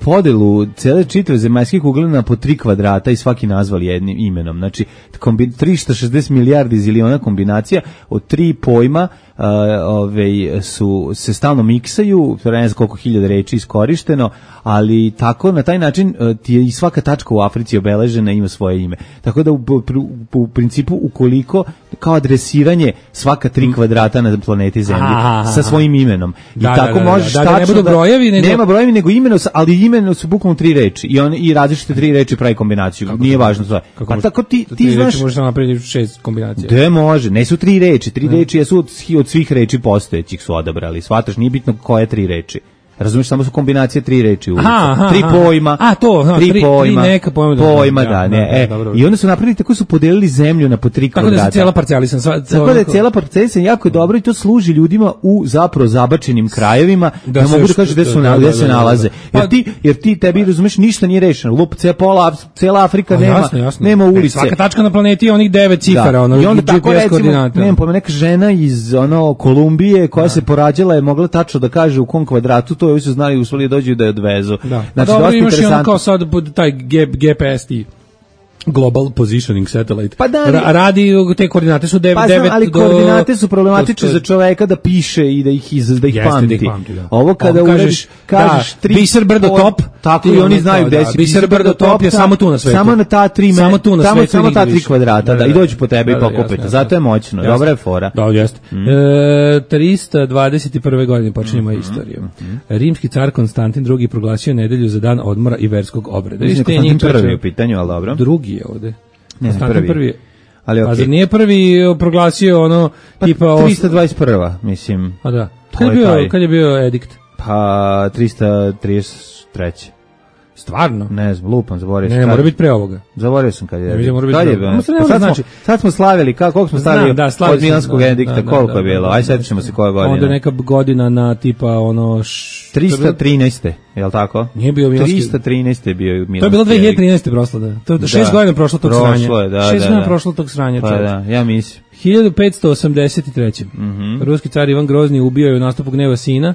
podelu cele čitave zemaljske kugle na po 3 kvadrata i svaki nazvali jednim imenom. Znači, 360 milijardi ziliona kombinacija od 3 pojma se stalno miksaju, ne znam koliko hiljada reči iskorišteno, ali tako, na taj način ti je i svaka tačka u Africi obeležena, ima svoje ime. Tako da u principu, ukoliko kao adresiranje svaka 3 kvadrata na planeti Zemlji sa svojim imenom. I tako možeš tačno ne budu brojevi, nema brojevi, nego imeno, ali imeno su bukvalno 3 reči i različite 3 reči pravi kombinaciju. Nije važno sve. Pa tako ti znaš... Možeš napraviti 6 kombinacija. Da, može. Ne su 3 reči. 3 reči jesu od svih reči postojećih su odabrali. Shvataš, nije bitno koje 3 reči. Razumiješ, samo su kombinacije 3 reči ulica. Aha, 3 pojma. A, to, tri pojma. Tri neka pojma. Pojma, da, ne. Dobro. I onda su napravili, tako su podelili zemlju na po 3 kvadrata. Tako da se cijela parcelisan. Tako da je cijela parcelisan jako dobro i to služi ljudima u zapravo zabačenim krajevima, da mogu da kažu gde se nalaze. Jer ti tebi, razumiješ, ništa nije rešeno. Lup, cijela Afrika nema ulice. Svaka tačka na planeti je onih 9 cifara, ono, i onda tako GPS recimo, koordinata. nemam pojma, neka žena iz Kolumbije koja se porađala je mogla tačno da kaže u kom kvadratu, to ovi su znali, uspeli dođu da je odvezu. Da. Znači, dobro, imaš i ono kao sad pod taj GPS ti Global Positioning Satellite. Pa da, radi te koordinate su 9 ali koordinate su problematične za čoveka da piše i da ih pamti. Da. Ovo kada kažeš Biser Brdo top, tako i oni znaju gde si. Biser Brdo top je samo tu na svetu. Samo na ta 3 samo ta 3 kvadrata, da, i dođu po tebe i pokupe. Zato je moćno. Dobra je fora. Da, jeste. 321. godine počinjemo istoriju. Rimski car Konstantin II proglasio nedelju za dan odmora i verskog obreda. Konstantin prvi u pitanju, al dobro. Drugi je ovde. Ne, prvi. Ali okay. Pa zar nije prvi proglasio ono tipa 321. mislim. A da. Kad je bio edikt? Pa 333. Stvarno? Ne znam, lupam, zaboravio sam. Ne, mora biti pre ovoga. Zaboravio sam kad je. Sad smo slavili, koliko smo slavili od Milanskog edikta, koliko je bilo? Aj sad ćemo se koja godina. Onda neka godina na tipa ono 313. Je li tako? Nije bio Milanski. 313 je bio Milanski. To je bilo 2013. prošlo, da. To 6 godina prošlo tog sranja. 6 godina prošlo tog sranja. Pa da, ja mislim. 1583. Ruski car Ivan Grozni ubio je u nastupu gneva sina.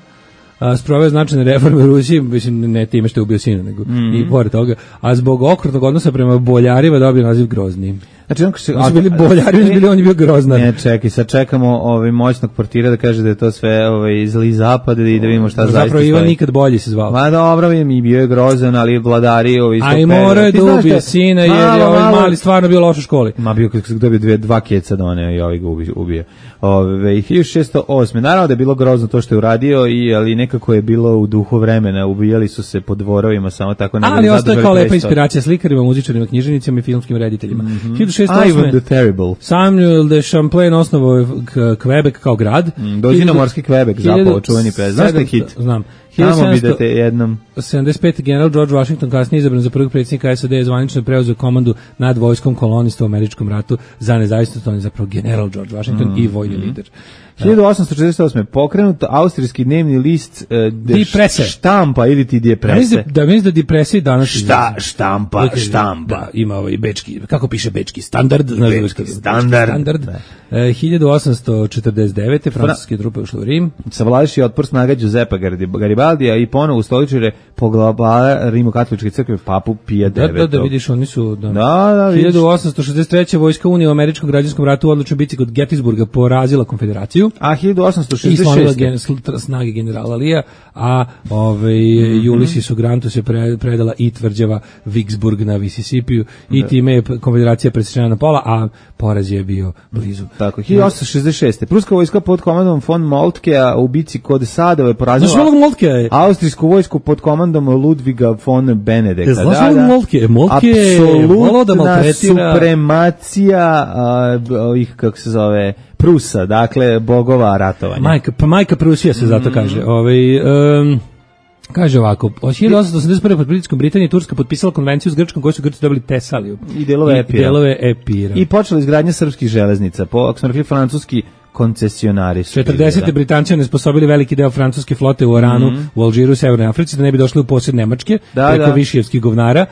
Sproveo značajne reforme u Rusiji, mislim ne time što je ubio sina, nego i pored toga, a zbog okrutnog odnosa prema boljarima dobio naziv Grozni. Znači, oni su bili boljari, on je bio Groznar. Ne, čekaj, sad čekamo moćnog portira da kaže da je to sve zli zapad i da vidimo šta zaista stoji. Zapravo Ivan nikad bolji se zvao. Ma dobro, mi bio je grozan, ali vladari a i morao je da ubije sina jer je ovaj mali stvarno bio loš u školi. Ma bio kako se dobio 2 keca da one i ovaj ga ubije. 1608. Naravno da je bilo grozno to što je uradio, ali nekako je bilo u duhu vremena, ubijali su se po dvorovima, samo tako. Ali ostaje kao lepa inspiracija slikarima, muzičarima, književnicima i filmskim rediteljima. 1608. The Terrible. Samuel de Champlain osnovao Quebec kao grad. Dođi na morski Quebec, zapao čuveni pes. Znaš te hit? Znam. Tamo bi da te jednom... 75. general George Washington kasnije izabran za prvog predsjednika SAD je zvanično preuzeo komandu nad vojskom kolonista u američkom ratu za nezavisnost. On je zapravo general George Washington i vojni lider. 1848. pokrenut austrijski dnevni list Die Presse. Štampa ili ti Die Presse. Mislim da Die Presse danas... Štampa. Da, ima ovaj bečki, kako piše bečki standard? Bečki standard. 1849. francuske trupe ušle u Rim. Savladaši otpor snaga Giuseppa Garibaldija i ponovo ustoličire poglavara Rimokatoličke crkve papu Pija IX. Da vidiš, oni su... Da, 1863. vojska Unije u američkom građanskom ratu u odlučnoj bici kod Gettysburga porazila konfederaciju. A 1866. I slonila snage generala Lija, a Ulyssesu Grantu se predala i tvrđava Vicksburg na Mississipiju i time je konfederacija presečena na pola, a poraz je bio blizu. Tako, 1866. Pruska vojska pod komandom von Moltkea u bici kod Sadove porazila austrijsku vojsku pod komandom Ludviga von Benedekta. Apsolutna supremacija ovih, kako se zove, Prusa, dakle, bogova ratovanja. Majka Prusija se zato kaže. Kaže ovako, od 1881. pod pritiskom Britanije Turska potpisala konvenciju s Grčkom koju su Grci dobili Tesaliju. I delove Epira. I počela izgradnja srpskih železnica, ako smo rekli francuski koncesionari su. 40. Britanci onesposobili veliki deo francuske flote u Oranu, u Alžiru, u Severnoj Africi, da ne bi došli u posjed Nemačke, preko Višijevskih govnara.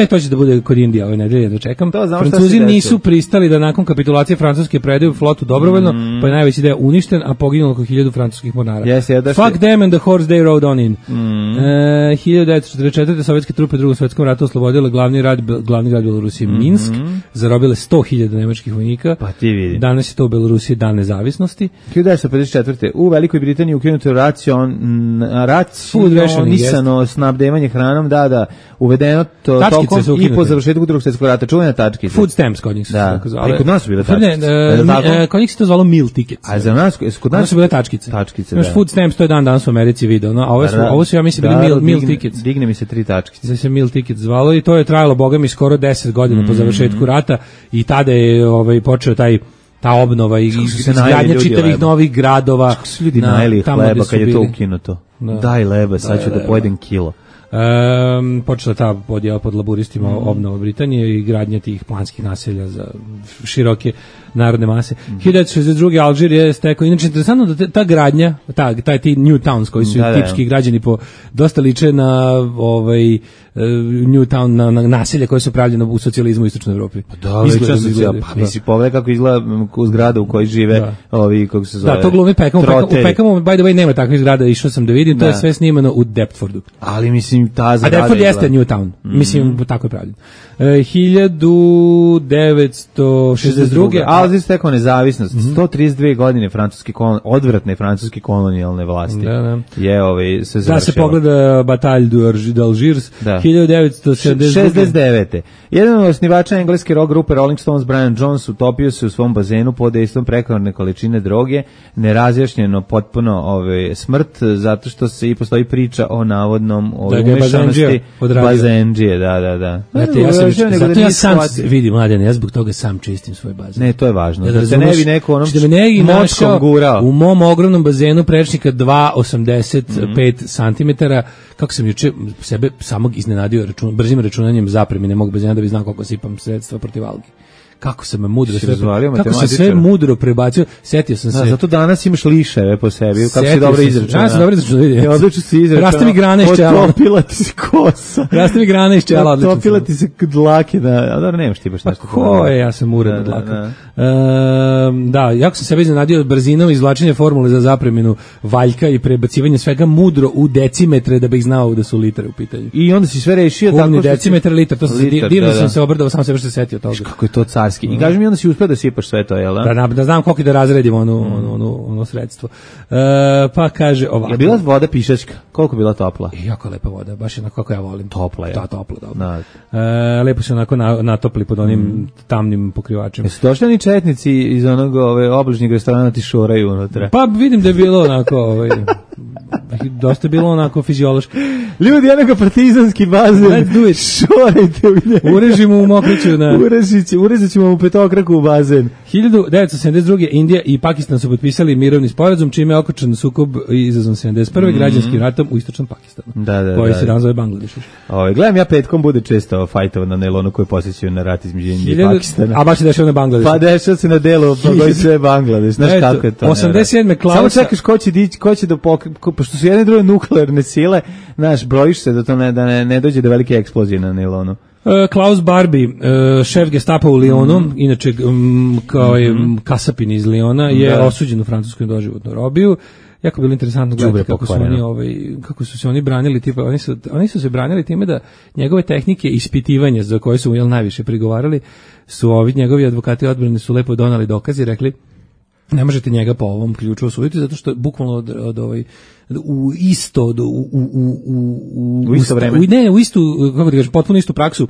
To će da bude kod Indije ove nedelje, da čekam. Francuzi nisu pristali da nakon kapitulacije Francuske predaju flotu dobrovoljno, pa je najveći deo uništen, a poginulo oko 1000 francuskih mornara. Fuck them and the horse they rode on in. 1944. sovjetske trupe u Drugom svjetskom ratu oslobodile glavni grad Belorusije Minsk, zarobile 100.000 nemačkih vojnika. Pa ti vidi. Danas je to u Belorusiji dan nezavisnosti. 1954. U Velikoj Britaniji ukinuto racionisano snabdevanje hranom, uvedeno tokom i po završetku Drugog svjetskog rata, čuvene tačkice. Food stamps kod njih su tako zvale. A i kod nas su bile tačkice. Kod njih se to zvalo meal tickets. A za nas, kod nas su bile tačkice. Imaš food stamps, to je danas u Americi video, a ovo su, ja mislim, bili meal tickets. Digne mi se 3 tačkice. Da se meal tickets zvalo i to je trajalo, boga mi, skoro 10 godina po završetku rata i tada je počeo taj ta obnova i izgradnja čitavih novih gradova. Kako su ljudi najeli hleba kad je to ukinuto? Daj leba, sad ću da pojedem kilo. Počela ta podjela pod laburistima obnova Britanije i gradnja tih planskih naselja za široke narodne mase. 1962. Alžir je stekao, inače interesantno da ta gradnja, taj ti New Towns koji su tipski građani po dosta liče na New Town, na naselja koje su pravljene u socijalizmu u istočnoj Evropi. Da, misli pogledaj kako izgleda zgrada u kojoj žive ovi, kako se zove. Da, to glumi Peckham. U Peckhamu, by the way, nema takvih zgrada, išao sam da vidim, to je sve snimano u Deptfordu. Ali mislim, ta zgrada... A Deptford jeste New Town, mislim, tako je pravljeno. 1962. Alžir stekao nezavisnost, 132 godine odvratne francuske kolonijalne vlasti. Je se završilo. Da se pogleda Batalj d'Algiers, 1969. Jedan od osnivača engleske rock grupe Rolling Stones, Brian Jones, utopio se u svom bazenu pod dejstvom prekomerne količine droge, nerazjašnjeno potpuno smrt, zato što se i postoji priča o navodnom umešanosti bazendžije, da. Zato ja sam vidim, mladen, ja zbog toga sam čistim svoj bazen. Ne, to je važno. Da se ne bi neko onom močkom gurao. U mom ogromnom bazenu prečnika 2,85 cm, kako sam juče sebe samog iznenadio brzim računanjem zapremine mog bazena da bi znao koliko sipam sredstva protiv algi. Kako sam sve mudro prebacio, setio sam se. Zato danas imaš liševe po sebi, kako si dobro izračunao. Ja sam dobro izračunao. Odlično si izračunao. Raste mi grane iz čela. Otopila ti se kosa. Raste mi grane iz čela. Otopila ti se dlake. Dobro, nemaš ti baš nešto. Ko je, ja sam uredno dlaka. Da, jako sam sebe iznenadio brzinom izvlačenja formule za zapreminu valjka i prebacivanje svega mudro u decimetre da bih znao da su litre u pitanju. I onda si sve rešio tako što decimetar, litar, to sam divno sam se obrdao, sam se baš setio toga. Kako je to carski. I kaži mi, onda si uspeo da sipaš sve to, jel da? Da znam koliko da razredim ono sredstvo. Pa kaže ovako. Je bila voda pišačka? Koliko bila topla? Jako lepa voda, baš onako kako ja volim. Topla je. Da, topla, dobro. Lepo se onako natopli pod onim tamnim pokrivačem. Jesu došli oni četnici iz onog obližnjeg restorana ti šoraju unutra? Pa vidim da je bilo onako dosta bilo onako fiziološki. Ljudi, jednako partizanski bazen. Šorajte u njega. Urežimo u mokriću. Urezat ćemo u petokraku u bazen. 1972. Indija i Pakistan su potpisali mirovni sporazum, čime je okončan sukob izazvan 71. građanskim ratom u istočnom Pakistanu. Koji se danas zove Bangladeš. Gledam ja petkom bude često fajtova na nailonu koji posjećaju na rat između Indije i Pakistana. A baš se dešava na Bangladešu. Pa dešava se na delu koji sve Bangladeš. Znaš kako je to? 87. Klausa. Samo čekaš ko će da pošto su jedne druge nuklearne sile, znaš, brojiš se da to ne dođe do velike eksplozije na nailonu. Klaus Barbie, šef Gestapa u Lyonu, inače kao je kasapin iz Lyona, je osuđen u Francuskoj doživotnu robiju. Jako bilo interesantno gledati kako su se oni branili, tipa oni su se branili time da njegove tehnike ispitivanja za koje su najviše prigovarali, su njegovi advokati odbrane su lepo donali dokaze i rekli ne možete njega po ovom ključu osuditi zato što bukvalno u isto vreme. U istu, kako ti kažeš, potpuno istu praksu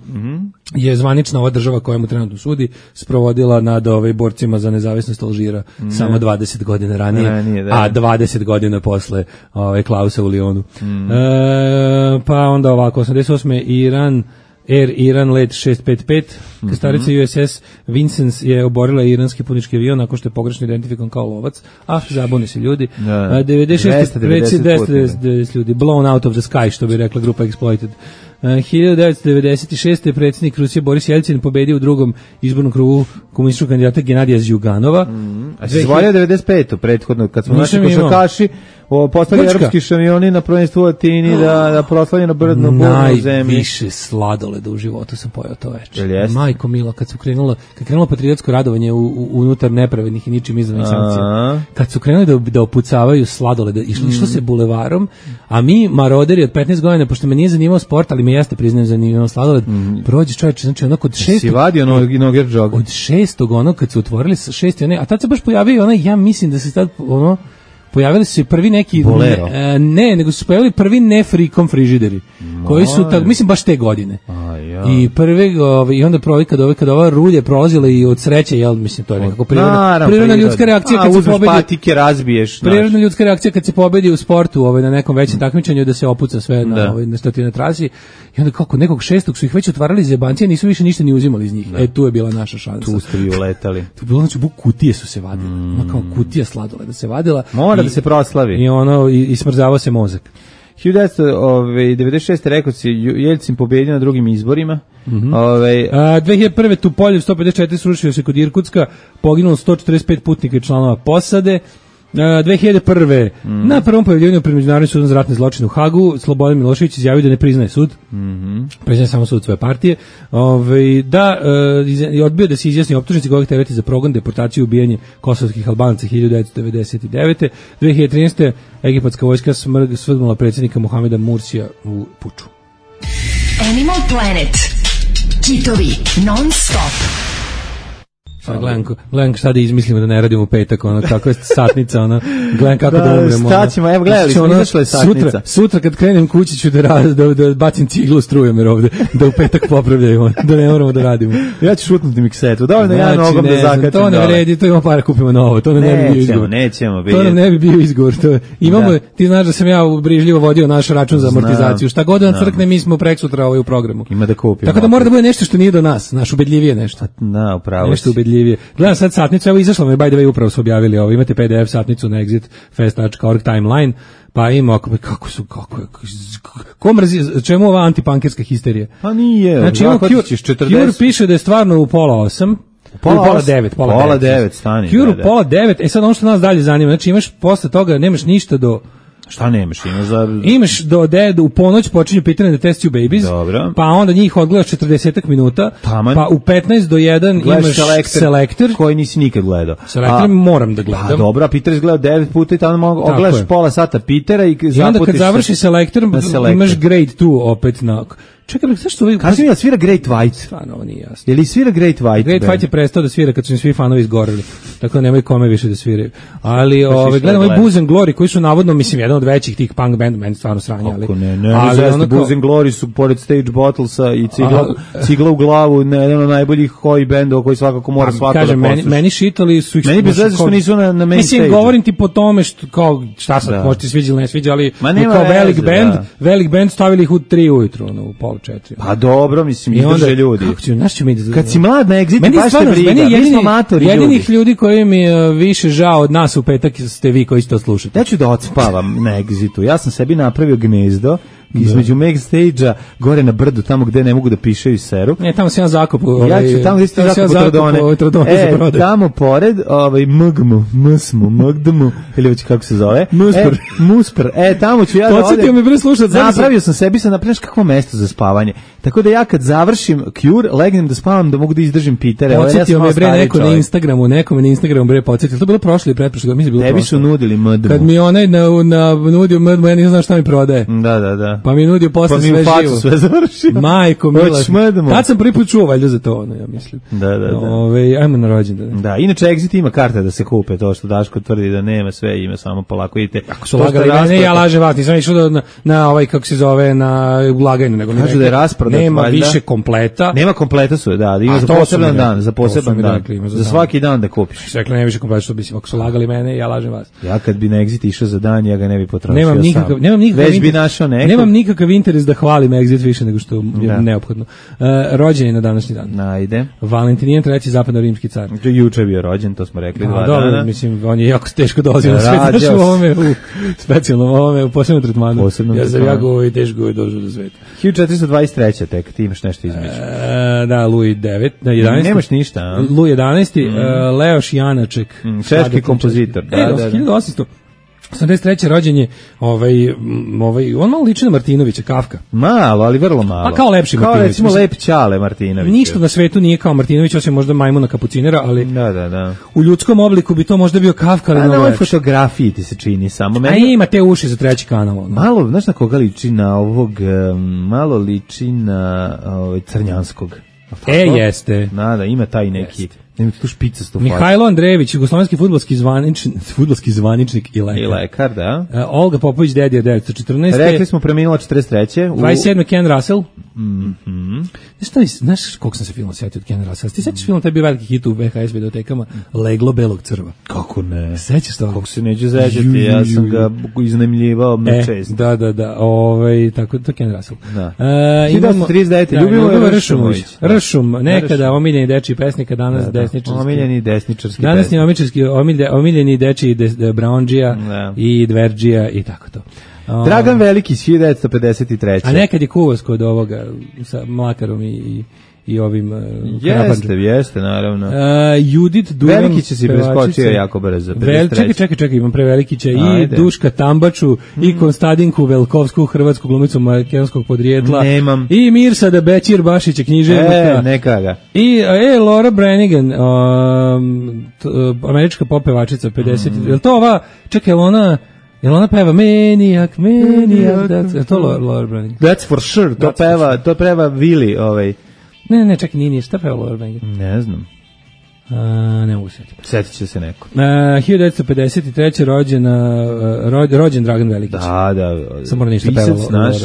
je zvanična ova država koja mu trenutno sudi sprovodila nad borcima za nezavisnost Alžira samo 20 godina ranije, a 20 godina posle Klausa u Lyonu. Pa onda ovako, 88. Air Iran let 655, krstarica USS Vincennes je oborila iranski putnički avion nakon što je pogrešno identifikovan kao lovac, zabune se ljudi. 290 ljudi, blown out of the sky, što bi rekla grupa Exploited. 1996. predsjednik Rusije Boris Jelcin pobedio u drugom izbornom krugu komunističkog kandidata Genadija Zjuganova. A si zvolio 95. prethodno, kad smo naši košarkaši postali evropski šampioni na prvenstvu u Atini da proslavljaju na brdnu zemlji. Najviše sladoleda u životu sam pojao to večer. Majko mila, kad krenulo patriotsko radovanje unutar nepravednih i ničim izvanih sankcija. Kad su krenuli da opucavaju sladoleda, išlo se bulevarom, a mi maroderi od 15 godina, pošto me nije zanimao sport, ali me jeste priznajem zanimao sladoled, prođe čovječe, znači onako od 6. Si vadio noger džog. Od 6. onog, kad su otvorili 6. a tad se baš pojavio ja mislim da se tad pojavili su se prvi neki nego su se pojavili prvi ne frikom frižideri koji su mislim baš te godine. I prvi, i onda kada ova rulje prolazila i od sreće, jel, mislim, to je nekako prirodna ljudska reakcija kad se pobedi. Patike, razbiješ. Prirodna ljudska reakcija kad se pobedi u sportu, na nekom većem takmičenju, da se opuca sve na stotine trasi. I onda kako nekog šestog su ih već otvarali za jebancije, nisu više ništa ni uzimali iz njih. Tu je bila naša šansa. Tu ste vi uletali. Tu je bilo, znači, kutije su se vadile. Kao kutija sladoleda se vadila. Mora da se proslavi. I smrzavao se mozak. 1996. rekao si, Jeljcin pobedio na drugim izborima. 2001. Tupoljev 154 srušio se kod Irkutska, poginulo 145 putnika i članova posade. 2001. Na prvom pojavljivanju pred Međunarodnim sudom za ratne zločine u Hagu Slobodan Milošević izjavio da ne priznaje sud. Priznaje samo sud svoje partije. Odbio da se izjasni optužnici kojeg tereti za progon, deportaciju i ubijanje kosovskih Albanaca 1999. 2013. Egipatska vojska svrgnula predsjednika Mohameda Mursija u puču. Animal Planet. Kitovi non stop. Gledam šta da izmislimo da ne radimo u petak, kako je satnica, gledam kako da umremo. Staćemo, evo gledali smo, izašla je satnica. Sutra kad krenem kući ću da bacim ciglu strujem jer ovde, da u petak popravljaju, da ne moramo da radimo. Ja ću šutnuti miksetu, dovoljno ja nogom da zakačem. To ne vredi, to imamo para, kupimo novo, to nam ne bi bio izgovor. Nećemo. To nam ne bi bio izgovor. Ti znaš da sam ja brižljivo vodio naš račun za amortizaciju. Šta god da crkne, mi smo preksutra u programu. Ima da kupimo. Tako da mora da bude nešto što nije do nas, naš ubedljivije nešto. Da, upravo. Gledam sad satnicu, evo izašla me, by the way, upravo su objavili ovo, imate PDF satnicu na exitfest.org timeline, pa ima, ko mrzi, čemu ova antipankirska histerija? Pa nije, znači, Cure piše da je stvarno u 7:30, pola 9 stani. Cure u 8:30, sad ono što nas dalje zanima, znači imaš posle toga, nemaš ništa do... Šta nemaš? Imaš u ponoć počinju pitanje da Test You Babies, dobro. Pa onda njih odgledaš 40 minuta, taman. Pa u 15 do 1 imaš Selector koji nisi nikad gledao. Selector moram da gledam. Pa dobro, Peter izgledao 9 puta i tamo ogledaš pola sata Petera i zaputiš. I onda kad završi Selector imaš Grade 2 opet na... Čekaj, zašto ovaj... Kaži mi da svira Great White? Stvarno, ovo nije jasno. Je li svira Great White? Great White je prestao da svira kad su im svi fanovi izgoreli. Tako da nemaju kome više da sviraju. Ali, gledam ovaj Booze and Glory, koji su navodno, mislim, jedan od većih tih punk band, meni stvarno sranja. Ako ne, Booze and Glory su pored Stage Bottlesa i cigla u glavu, jedan od najboljih hoj bendova koji svakako mora svako da posluša. Meni šitali su ih... Meni bez veze što nisu na main stage. Mislim, govorim ti po tome što, kao, šta sad, možete sviđa ili ne sviđa, ali kao velik band stavili ih u 3 ujutru, u pola 4. Pa dobro, mislim, izdrže ljudi. Kad si mlad na Exitu, baš te briga, mi smo matori ljudi. Jedinih ljudi koji mi više žao od nas u petak ste vi koji ste to slušate. Ja ću da odspavam na Exitu. Ja sam sebi napravio gnezdo između main stage-a, gore na brdu, tamo gde ne mogu da pišaju seru. Ne, tamo se ja zakopu. Ja ću tamo gde ste zakopu Trodone. Tamo pored, Mgmu, ili već kako se zove. Muspr. Tamo ću ja da odem. Podsjetio me bre slušat. Napravio sam sebi, napravio kakvo mesto za spavanje. Tako da ja kad završim Cure, legnem da spavam, da mogu da izdržim Petere. Podsjetio me bre neko na Instagramu, nekome na Instagramu bre podsjetio. To je bilo prošle i pretprošle, mislim bilo prošle. Tebi su nudili Mgmu. Kad mi onaj nudio Mgmu, ja nisam znao šta mi prodaje. Da. Pa mi nudio posle sve živo. Sve završi. Majko mila. Tad sam prvi put čuo valjda za to, ja mislim. Da. Ajmo na rođendan. Da, inače Exit ima karte da se kupe, to što Daško tvrdi da nema, sve ima, samo polako idete. Ako su lagali mene, ja lažem vas, nisam išao na ovaj, kako se zove, na ulagajnu, nego kažu da je rasprodat, nema više kompleta. Nema kompleta su, da, ima za poseban dan, za svaki dan da kupiš. Rekli, nema više kompleta, što mislim, ako su lagali mene, ja lažem vas. Ja kad bi na Exit išao za dan, ja ga ne bi potrošio sam. Nemam nikakav interes da hvalim Exit više nego što je neophodno. Rođen je na današnji dan. Najde. Valentinijan III. Zapadno-rimski car. Juče je bio rođen, to smo rekli 2 dana. Dobro, mislim, on je jako teško dolazio na svet. Znaš u ovome, u specijalnom ovome, u posebnom tretmanu. Ja sam jako i teško došao do sveta. 1423. tek, ti imaš nešto između. Da, Louis IX. Nemaš ništa, a? Louis XI. Leoš Janaček. Češki kompozitor. 1883. rođen je on malo liči na Martinovića, Kafka. Malo, ali vrlo malo. Pa kao lepši Martinović. Kao recimo lep Ćale Martinović. Ništa na svetu nije kao Martinović, osim možda majmuna kapucinera, ali da. U ljudskom obliku bi to možda bio Kafka, ali na ovoj fotografiji ti se čini samo. A ima te uši za treći kanal. Malo, znaš na koga liči na ovog, malo liči na Crnjanskog. Jeste. Da, ima taj neki Imate tu špicastu facu. Mihajlo Andrejević, jugoslovenski fudbalski zvaničnik i lekar. I lekar, da. Olga Popović, Dedija 1914. Rekli smo preminula 43. 27. Ken Russell. Znaš koliko sam se filma sjetio od Ken Russell? Ti sećaš film, taj bio veliki hit u VHS videotekama, Leglo belog crva. Kako ne? Sećaš to? Kako se neću sećati, ja sam ga iznajmljivao na čest. Da. Tako, to Ken Russell. Da. 1939. Ljubimo Ršumović. Ršum, nekada omiljeni dečiji pesnik, danas desničarski. Omiljeni desničarski danas pesnik. Omiljeni dečiji Brownđija i Dverđija i tako to. Dragan Veliki, 1953. A nekad je kuvas kod ovoga sa Mlakarom i ovim Jeste, naravno. Judit Duran, Veliki će si preskočio jako brzo. Čekaj, imam Prevelikića i Duška Tambaču i Konstadinku Velkovsku, hrvatsku glumicu makedonskog podrijetla. Nemam. I Mirsada Bećir Bašića, književnika. Neka ga. I Laura Branigan, američka pop pevačica 50. Je li to ova, čekaj, jel ona peva Maniac, je to Laura Branigan? That's for sure, to peva Willy, Ne, čekaj, nije, šta peva Laura Branigan? Ne znam. Ne mogu sjetiti. Sjetit će se neko. 1953. rođen Dragan Velikić. Da. Sam mora ništa pisac naš.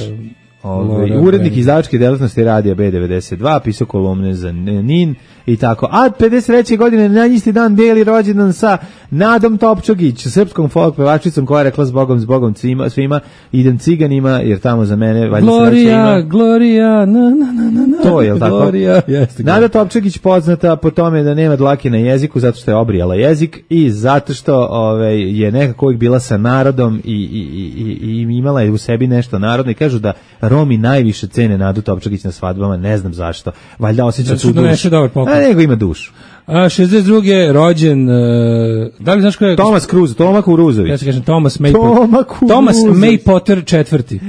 Urednik izdavačke delatnosti radija B92, pisao kolumne za NIN i tako. A 53. godine na isti dan deli rođendan sa Nadom Topčagić, srpskom folk pevačicom koja je rekla zbogom svima idem ciganima jer tamo za mene valjda sreća ima. Gloria, na. To je, jel tako? Gloria, jeste. Nada Topčagić poznata po tome da nema dlake na jeziku zato što je obrijala jezik i zato što je nekako uvijek bila sa narodom i imala je u sebi nešto narodno i kažu da Romi najviše cene Nadu Topčagić na svadbama, ne znam zašto. Valjda osjeća tu dušu. Nego ima dušu. 62. rođen, da li znaš ko je? Toma Kuruzović. Ja se kažem Thomas May Potter četvrti.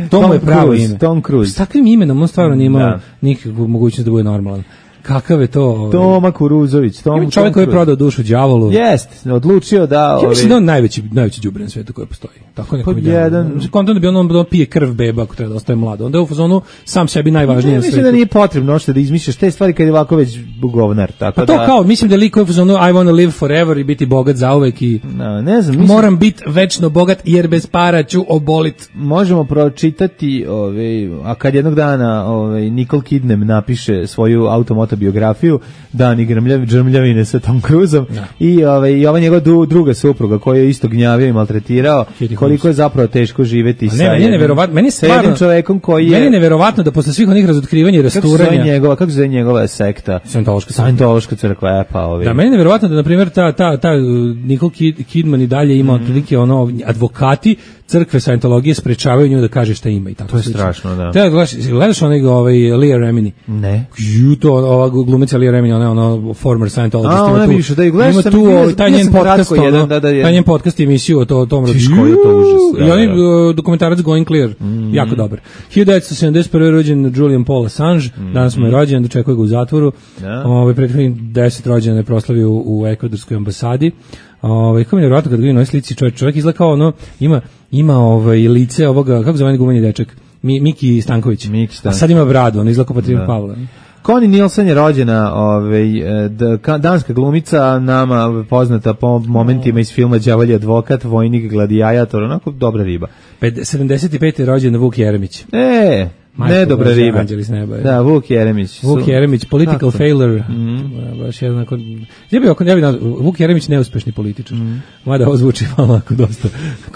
To mu je pravo ime. Tom Cruise. S takvim imenom on stvarno nije imao nikakvu mogućnost da bude normalan. Kakav je to? Toma Kuruzović. Čovjek koji je prodao dušu đavolu. Jest, odlučio da... Ja mislim da on najveći đubre na svijetu koji postoji. Tako neko mi kontam da bi on pije krv beba ako treba da ostaje mlad. Onda je u fazonu sam sebi najvažnije na svijetu. Mislim da nije potrebno što da izmišljaš te stvari kad je ovako već govnar. Pa to kao, mislim da liko je u fazonu I wanna live forever i biti bogat zauvek i ne znam, moram biti večno bogat jer bez para ću obolit. Možemo pročitati, a kad jednog dana Nicole Kidman napiše svoju automotobiografiju, Dani Grmljavine sa Tom Cruiseom i ova njegova druga supruga koju je isto gnjavio i maltretirao, koliko je zapravo teško živeti sa jednim čovekom koji je... Meni je neverovatno da posle svih onih razotkrivanja i rasturanja... Kako se zove njegova sekta? Scientološka crkva, Da, meni je neverovatno da, na primjer, ta Nicole Kidman i dalje ima otprilike advokati crkve Scientologije sprečavaju nju da kaže šta ima i tako. To je strašno, da. Gledaš onog Leah Remini? Ne. Ova glumica Leah Remini, ona former Scientologist. Ona više, da je gledaš ima tu taj njen podcast, taj njen podcast emisiju o tom koji je to užas. I oni dokumentarac Going Clear, jako dobar. 1971. rođen Julian Paul Assange, danas mu je rođen, dočekuje ga u zatvoru. Prethodnih 10 rođena je proslavio u ekvadorskoj ambasadi. Kako mi je nevjerojatno kad vidim na ovoj slici, čovjek izgleda kao ima lice ovoga, kako zove gumeni dečak, Miki Stanković. A sad ima bradu, on izgleda kao Patrick Pavla. Connie Nielsen je rođena, danska glumica, nama poznata po momentima iz filma Đavolji advokat, vojnik, gladijator, onako dobra riba. 75. je rođen Vuk Jeremić. Ne dobra riba. Da, Vuk Jeremić, political failure. Baš jednako. Vuk Jeremić neuspešni političar. Mada ovo zvuči malo dosta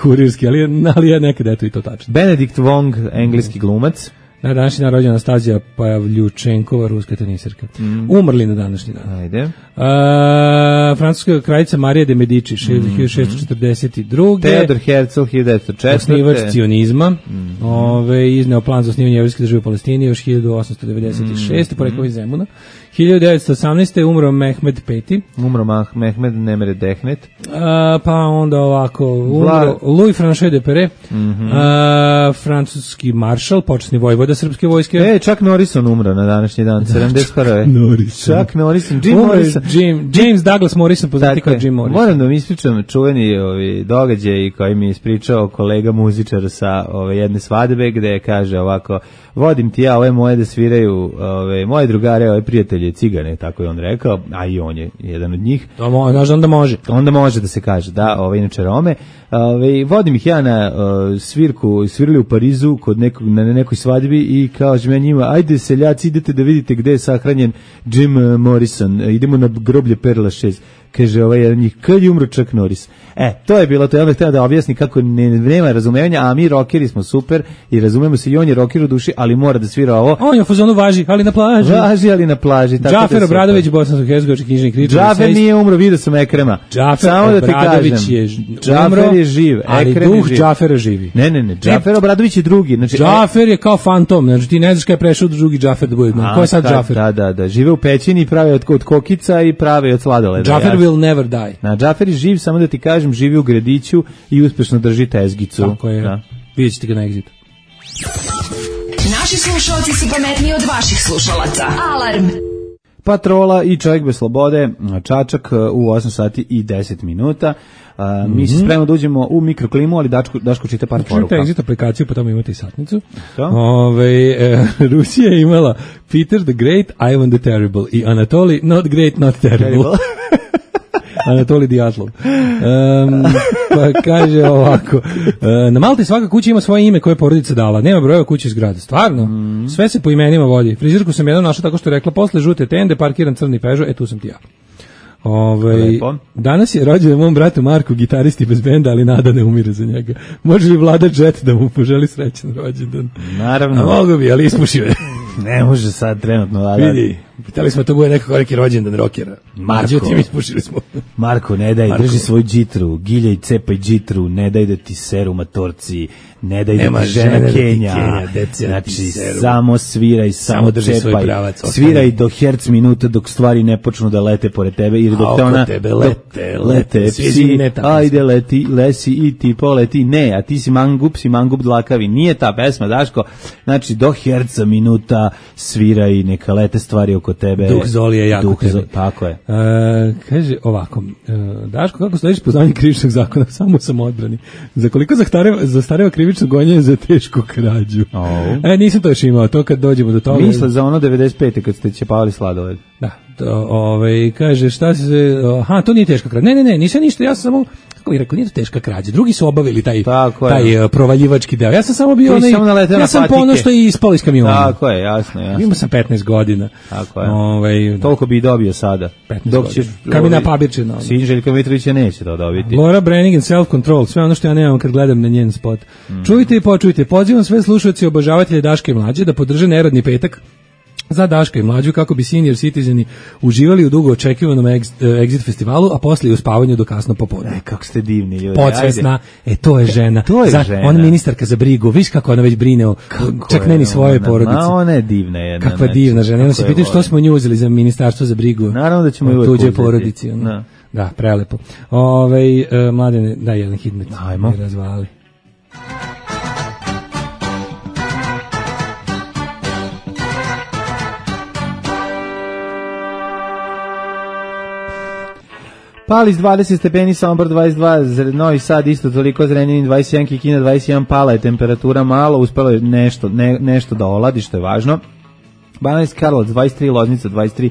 kurirski, ali je nekad eto i to tačno. Benedikt Wong, engleski glumac. Na današnji dan rođena Anastazija Pavljučenkova, ruska tenisirka. Umrli na današnji dan. Ajde. Francuska kraljica Marija de Medici, 1642. Theodor Herzl, 1904. Osnivač cionizma. Izneo plan za osnivanje evrijske države u Palestini još 1896. Porekao iz Zemuna. 1918. umro Mehmed V. Umro Mehmed Nemre Dehnet. Pa onda ovako, umro Louis François de Perret, francuski maršal, počasni vojvoda srpske vojske. Chuck Norrison umro na današnji dan, 71. Chuck Norrison. James Douglas Morrison, poznati kao Jim Morrison. Moram da mi ispričam čuveni događaj koji mi je ispričao kolega muzičar sa jedne svadbe, gde kaže ovako, vodim ti ja ove moje da sviraju, moje drugare, ove prijatelje, cigane, tako je on rekao, a i on je jedan od njih. Onda može. Onda može da se kaže, da, inače Rome. Vodim ih ja na svirali u Parizu na nekoj svadbi i kažem ja njima, ajde seljaci, idete da vidite gde je sahranjen Jim Morrison, idemo na groblje Perla 6. Kaže jedan njih, kad je umro Chuck Norris? To je bilo, to ja bih htio da objasni kako nema razumevanja, a mi rockeri smo super i razumemo se i on je rocker u duši, ali mora da svira ovo. On je u fazonu važi, ali na plaži. Važi, ali na plaži. Džafer Obradović, bosansko-hercegovački knjižnik Richard. Džafer nije umro, vidio sam Ekrema. Džafer Obradović je Džafer je živ, ali duh Džafera živi. Ne, Džafer Obradović je drugi. Znači, Džafer je kao fantom, znači ti ne znaš kada je prešao do drugi Džafer da bude. Ko je sad Džafer? Da, žive u pećini i prave od kokica i prave od sladoleda. Džafer will never die. Džafer je živ, samo da ti kažem, živi u gradiću i uspešno drži tezgicu. Tako je, vidjet ćete ga na Exitu. Naši slušalci su pametniji od vaših slušalaca. Alarm! Patrola i Čovjek bez slobode, Čačak u 8 sati i 10 minuta. Mi se spremno da uđemo u mikroklimu, ali Daško čita par poruka. Čujte Exit aplikaciju, pa tamo imate i satnicu. Rusija je imala Peter the Great, Ivan the Terrible i Anatoly not great, not terrible. Anatolij Dijatlov. Pa kaže ovako, na Malti svaka kuća ima svoje ime koje je porodica dala, nema brojeva kuće iz grada, stvarno, sve se po imenima vodi. Frizirku sam jednom našla tako što je rekla, posle žute tende, parkiran crni Peugeot, tu sam ti ja. Danas je rođendan mom bratu Marku, gitaristi bez benda, ali nada ne umire za njega. Može li Vlada Jet da mu poželi srećan rođendan? Naravno. A mogu bi, ali ispušio je. Ne može sad trenutno Vlada. Vidi, pitali smo to bude neko koliki rođendan rokera. Međutim, ispušili smo. Marko, ne daj, drži svoju džitru, giljaj, cepaj džitru, ne daj da ti seru matorci, ne daj da ti žena Kenja. Znači, samo sviraj, samo čepaj. Sviraj do herc minuta dok stvari ne počnu da lete pored tebe, ili dok te ona lete, psi, ajde leti, lesi i ti poleti, ne, a ti si mangup dlakavi, nije ta pesma, Daško, znači do herca minuta sviraj, neka lete stvari oko tebe. Duh Zoli je jako tebe. Tako je. Kaže ovako, Daško, kako sledeći poznavanje krivičnog zakona, samo sam odbrani. Za koliko zastareva krivično gonjenje za tešku krađu? Nisam to još imao, to kad dođemo do toga. Misle za ono 95. kad ste čepavali sladoled. Da, kaže šta se, to nije teška krađa. Ne, nisam ništa, ja sam samo, kako bih rekao, nije to teška krađa. Drugi su obavili taj provaljivački deo. Ja sam samo bio ja sam po ono što je ispalo iz kamiona. Tako je, jasno. Imao sam 15 godina. Tako je. Toliko bi dobio sada. 15 godina. Kamina Pabirčina. Željka Mitrovića neće to dobiti. Laura Brannigan, Self Control, sve ono što ja nemam kad gledam na njen spot. Čujte i počujte, pozivam sve slušalce i obožavatelje Daške i Mlađe da podrže neradni petak za Daška i Mlađu kako bi senior citizeni uživali u dugo očekivanom Exit festivalu, a posle i u spavanju do kasno popodne. Kako ste divni ljudi. Podsvesna, to je žena. Ona ministarka za brigu, viš kako ona već brine o čak ne ni svoje porodice. Ona je divna jedna. Kakva divna žena. Ona se pitaju što smo nju uzeli za ministarstvo za brigu. Naravno da ćemo uvek tuđe porodici. Da, prelepo. Mladene, daj jedan hitmet. Ajmo. Razvali. Palis 20 stepeni, Sombor 22, Novi Sad isto toliko, Zrenjanin 21, Kikinda 21, pala je temperatura malo, uspelo je nešto da oladi, što je važno. Banatski Karlovac 23, Loznica 23,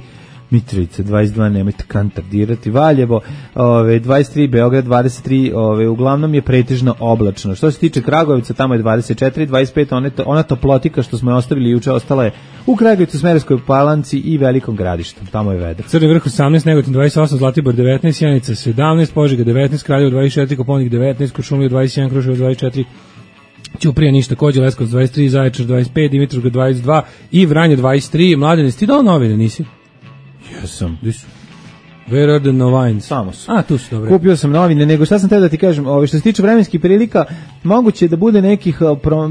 Mitrovica 22, nemojte kantardirati, Valjevo 23, Beograd 23, uglavnom je pretežno oblačno. Što se tiče Kragujevca, tamo je 24, 25, ona toplotika što smo je ostavili juče, ostala je u Kragujevcu, Smederevskoj Palanci i Velikom Gradištu, tamo je vedro. Crni vrh 18, Negotin 28, Zlatibor 19, Sjenica 17, Požega 19, Kraljevo 24, Koponik 19, Kuršumlija 21, Kruševac 24, Ćuprija ništa, Kođe, Leskovac 23, Zaječar 25, Dimitrovgrad 22 i Vranje 23. Mladene, si ti dao novine, nisi? Jesam. Gdje su? Where are the novines? Samo su. Tu su, dobro. Kupio sam novine, nego šta sam teo da ti kažem, što se tiče vremenskih prilika, moguće da bude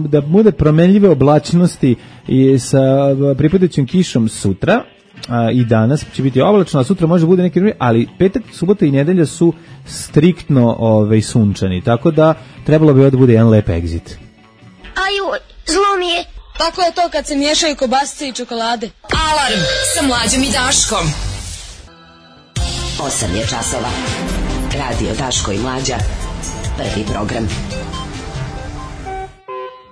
da bude promenljive oblačnosti i sa pripadajućim kišom sutra, i danas će biti oblačno, a sutra može bude neki drugi, ali petak, subota i nedelja su striktno sunčani, tako da trebalo bi da bude jedan lep Exit. Aju, zlo mi je. Tako je to kad se miješaju kobasice i čokolade. Alarm sa Mlađom i Daškom. 8 je časova. Radio Daško i Mlađa. Prvi program.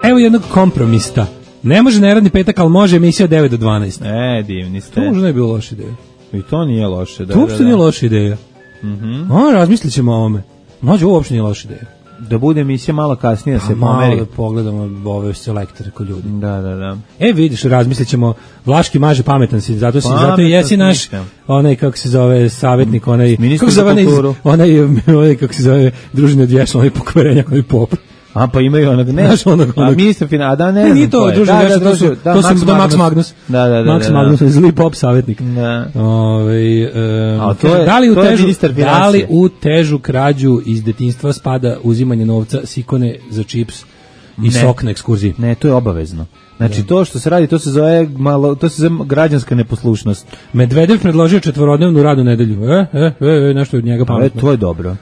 Evo jednog kompromista. Ne može neradni petak, ali može emisija 9 do 12. Divni ste. To možda ne bi bilo loša ideja. I to nije loše. To uopšte nije loša ideja. Razmislit ćemo o ovome. Mlađe, ovo uopšte nije loša ideja. Da bude emisija malo kasnije, da se pomeri. Malo da pogledamo ove selektore ko ljudi. Da. Vidiš, razmislit ćemo, Vlaški maže, pametan si, zato jesi naš, onaj, kako se zove, savjetnik, onaj, kako se zove, družine od vješla, onaj pokvarenjak, onaj pop. Pa imaju onog, ne, ministar financija, da ne znam. Nije to, družine od vješla, to su Max Magnus. Max Magnus, zli pop savjetnik. Da li u težu krađu iz detinjstva spada uzimanje novca s ikone za čips i sok na ekskurziji? Ne, to je obavezno. Znači to što se radi, to se zove građanska neposlušnost. Medvedev predložio 4-dnevnu radnu nedelju. Nešto od njega pametno. To je dobro,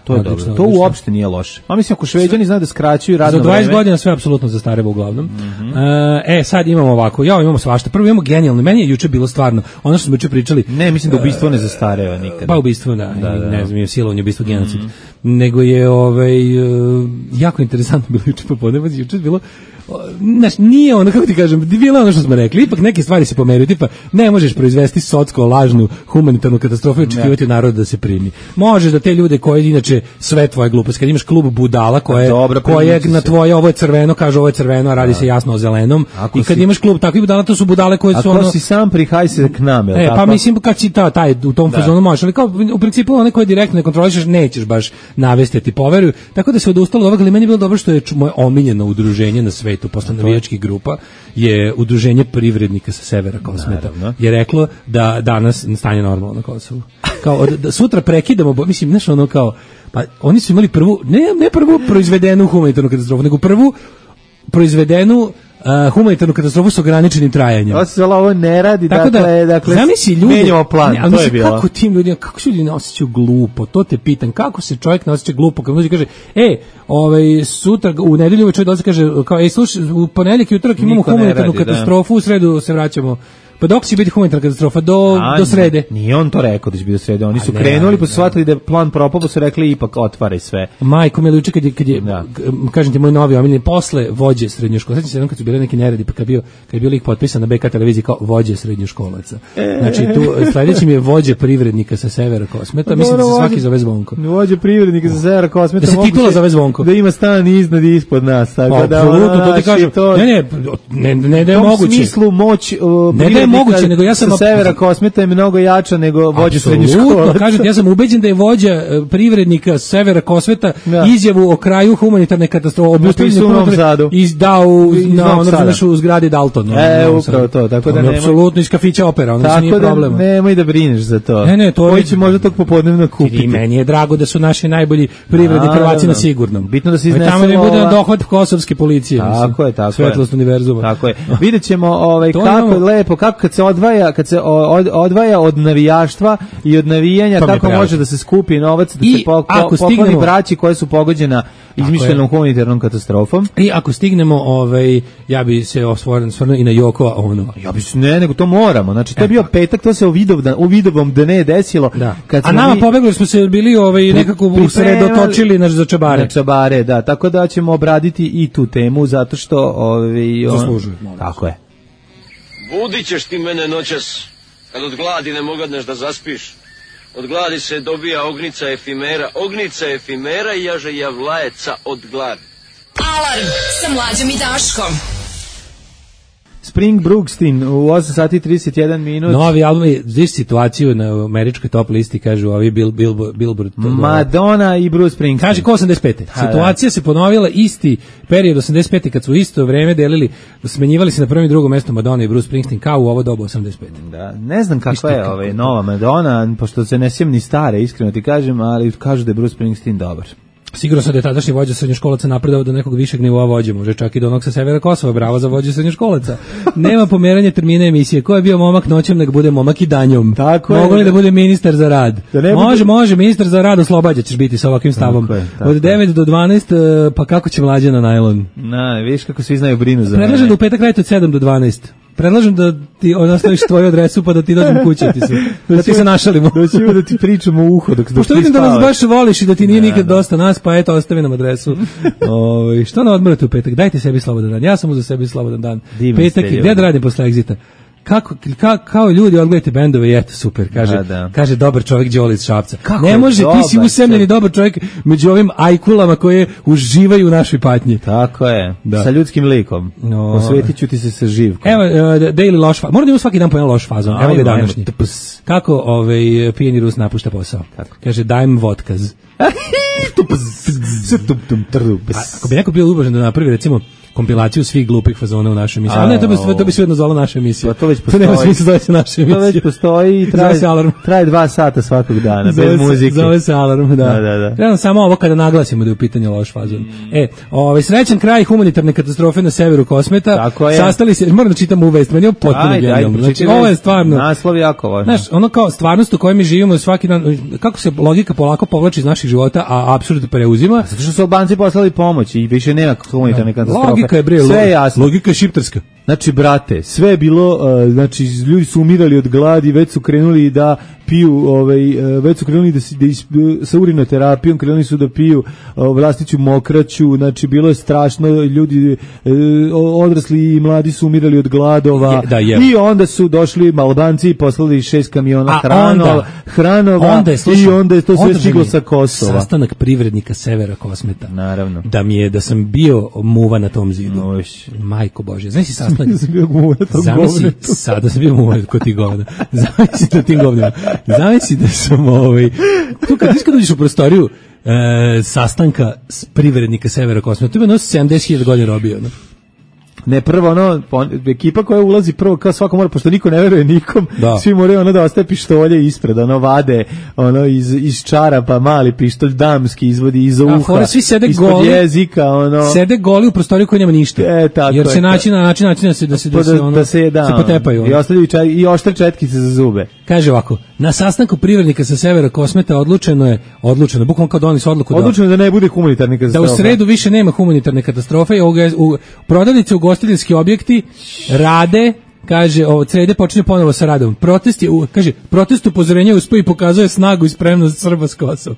to uopšte nije loše. A mislim, ako Šveđani znaju da skraćuju radno vreme. Za 20 godina sve apsolutno zastareva uglavnom. Sad imamo ovako, imamo svašta. Prvo imamo genijalno, meni je juče bilo stvarno, ono što smo juče pričali. Ne, mislim da ubistvo ne zastareva nikada. Pa ubistvo, ne znam, je silovanje, ubistvo, genocid. Nego je jako interesantno bilo juče popodne, juče bilo, nije ono, kako ti kažem, bilo ono što smo rekli, ipak neke stvari se pomeraju, tipa ne možeš proizvesti socko, lažnu, humanitarnu katastrofu i očekivati od naroda da se primi. Možeš da te ljude koji inače sve tvoje gluposti, kad imaš klub budala koje na tvoje ovo je crveno, kaže ovo je crveno, a radi se jasno o zelenom, i kad imaš klub takvih budala, to su budale koje su ono... Ako si sam prihaj se k nam, tako? Pa mislim, kad si taj u tom fazonu možeš, ali kao u principu one koje direktno ne kontrolišeš, nećeš baš navesti, ti poveruju, tako da se odustalo od ovoga, ali meni je bilo dobro što je moje omiljeno udruženje na svetu posle navijačkih grupa je udruženje privrednika sa severa Kosmeta. Je reklo da danas stanje normalno na Kosovu. Kao da sutra prekidamo, mislim, znaš, ono kao, pa oni su imali prvu, ne prvu proizvedenu humanitarnu katastrofu, nego prvu proizvedenu humanitarnu katastrofu s ograničenim trajanjem. Ovo ne radi, dakle menjamo plan, to je bilo. Kako tim ljudima, kako se ljudi ne osjećaju glupo, to te pitam, kako se čovjek ne osjeća glupo, kad ljudi kaže, sutra, u nedelju čovjek dolazi kaže, kao, slušaj, u ponedjeljak i utorak imamo humanitarnu katastrofu, u sredu se vraćamo. Pa dok će biti humanitarna katastrofa? Do srede. Nije on to rekao da će biti do srede. Oni su krenuli, pa su shvatili da je plan propao, pa su rekli ipak otvaraj sve. Majko mi juče kad je kažem ti moj novi omiljeni posle vođe srednjoškolaca. Sećam se kad su bile neki neredi, pa kad je bio lik potpisan na BK televiziji kao vođe srednjoškolaca. Znači tu sledeći mi je vođe privrednika sa severa Kosmeta. Mislim da se svaki zove Zvonko. Vođe privrednika sa severa Kosmeta. Da se titula zove Zvonko. Da ima stan iznad i ispod nas, tako da apsolutno to ti kažem. Ne da je moguće. U smislu moć moguće, nego ja sam sa severa Kosmeta je mnogo jača nego vođa srednje škole. Kažem, ja sam ubeđen da je vođa privrednika severa Kosmeta izjavu o kraju humanitarne katastrofe izdao u zgradi Dalton. Upravo to, tako da nema. Apsolutno iz kafića Opera, ono nije problema. Nemoj da brineš za to. Koji će možda tog popodnevno kupiti. I meni je drago da su naši najbolji privredni prvaci na sigurnom. Bitno da se iznesemo. Tamo ne bude dohvat kosovske policije. Tako je. Svetlost univerzuma. Tako je. Videćemo kako je lepo, kako kad se odvaja od navijaštva i od navijanja, kako može da se skupi novac da se pokloni braći koje su pogođena izmišljenom humanitarnom katastrofom. I ako stignemo, ja bi se osvrnuo i na Jokova ono. Ja bi se nego to moramo. Znači to je bio petak, to se u Vidovom da ne desilo. A nama pobegli smo se bili nekako usredotočili za čabare. Na čabare, da. Tako da ćemo obraditi i tu temu zato što zaslužuju. Tako je. Budit ćeš ti mene noćas, kad od gladi ne mogadneš da zaspiš. Od gladi se dobija ognica efimera i jaže javlajeca od gladi. Alarm sa Mlađom i Daškom. Spring Brooksteen u 8 sati i 31 minut. Novi album, vidiš situaciju na američkoj top listi, kažu ovi Billboard. Madonna i Bruce Springsteen. Kaže ko 85. Situacija se ponovila isti period 85. kad su isto vreme delili, smenjivali se na prvom i drugom mestu Madonna i Bruce Springsteen kao u ovo dobu 85. Da, ne znam kakva je nova Madonna, pošto se ne sjećam ni stare, iskreno ti kažem, ali kažu da je Bruce Springsteen dobar. Sigurno sam da je tadašnji vođa srednjoškolaca napredao do nekog višeg nivoa vođe, može čak i do onog sa severa Kosova, bravo za vođe srednjoškolaca. Nema pomeranja termina emisije, ko je bio momak noćem, nek bude momak i danjom. Mogu li da bude ministar za rad? Može, ministar za rad oslobađa ćeš biti sa ovakvim stavom. Od 9 do 12, pa kako će Mlađa na najlon? Viš kako svi znaju brinu za mene. Predlažem da u petak radite od 7 do 12. predlažem da ti ostaviš tvoju adresu pa da ti dođem kući da ti se našalimo. Da ti pričamo u uho dok pošto vidim da nas baš voliš i da ti nije nikad dosta nas, pa eto, ostavi nam adresu. Što na odmorate u petak? Dajte sebi slobodan dan. Ja sam uzeo sebi slobodan dan. Petak i gde da radim posle Exita? Kao ljudi odgledajte bendove i eto super, kaže dobar čovjek Đole iz Šapca. Ne može, ti si usemljeni dobar čovjek među ovim ajkulama koje uživaju u našoj patnji. Tako je, sa ljudskim likom. Osvetit ću ti se sa živkom. Evo, Daily loš fazon. Moram da imamo svaki dan po jedan loš fazon. Evo ga današnji. Kako pijeni Rus napušta posao? Kaže, dajem vodkaz. Ako bi neko bio ljubažan da napravi, recimo, kompilaciju svih glupih fazona u našoj emisiji. Ali ne, to bi svejedno zvala naša emisija. To već postoji. To nema smisla zove se naša emisija. To već postoji i traje 2 sata svakog dana, bez muzike. Zove se Alarm, da. Gledam samo ovo kada naglasimo da je u pitanju loš fazon. Srećan kraj humanitarne katastrofe na severu Kosmeta. Sastali se, moram da čitam u vest, meni je potpuno genijalno. Znači, ovo je stvarno... Naslov jako važno. Znaš, ono kao stvarnost u kojoj mi živimo svaki dan, kako se logika polako povlači iz naših života, a apsurd preuzima. Zato što su Albanci poslali pomoć i više nema humanitarne katastrofe. Logika je bre, logika je šiptarska. Znači, brate, sve je bilo, znači, ljudi su umirali od gladi, već su krenuli da piju, već su krenuli sa urinoterapijom, krenuli su da piju vlastiću mokraću, znači, bilo je strašno, ljudi, odrasli i mladi su umirali od gladova, i onda su došli Albanci i poslali 6 kamiona hranova, i onda je to sve stiglo sa Kosova. Sastanak privrednika severa Kosmeta. Naravno. Da sam bio muva na tom zidu. Majko Bože, znaš si sastanak? Sada sam bio muva kod tih govna. Zamisli da tim govnima. Zamisli da sam tu kad uđeš u prostoriju sastanka privrednika severa Kosmeta, tu ima 70.000 godina robio. Ne, prvo ekipa koja ulazi prvo kao svako mora, pošto niko ne veruje nikom, svi moraju da ostaje pištolje ispred, vade iz čarapa mali pištolj damski izvodi iz uha, svi sede ispod goli, jezika, sede goli u prostoriju koji nema ništa, jer se naći na način da se potepaju. I ostavljaju i oštre četkice za zube. Kaže ovako, na sastanku privrednika sa severa Kosmeta odlučeno, bukvalno kao doneli su odluku da ne bude humanitarne katastrofe. Da u sredu više nema humanitarne katastrofe i prodavnice ugostiteljski objekti rade, kaže, od srede počinje ponovo sa radom. Protest upozorenja uspio i pokazuje snagu i spremnost Srba s Kosova.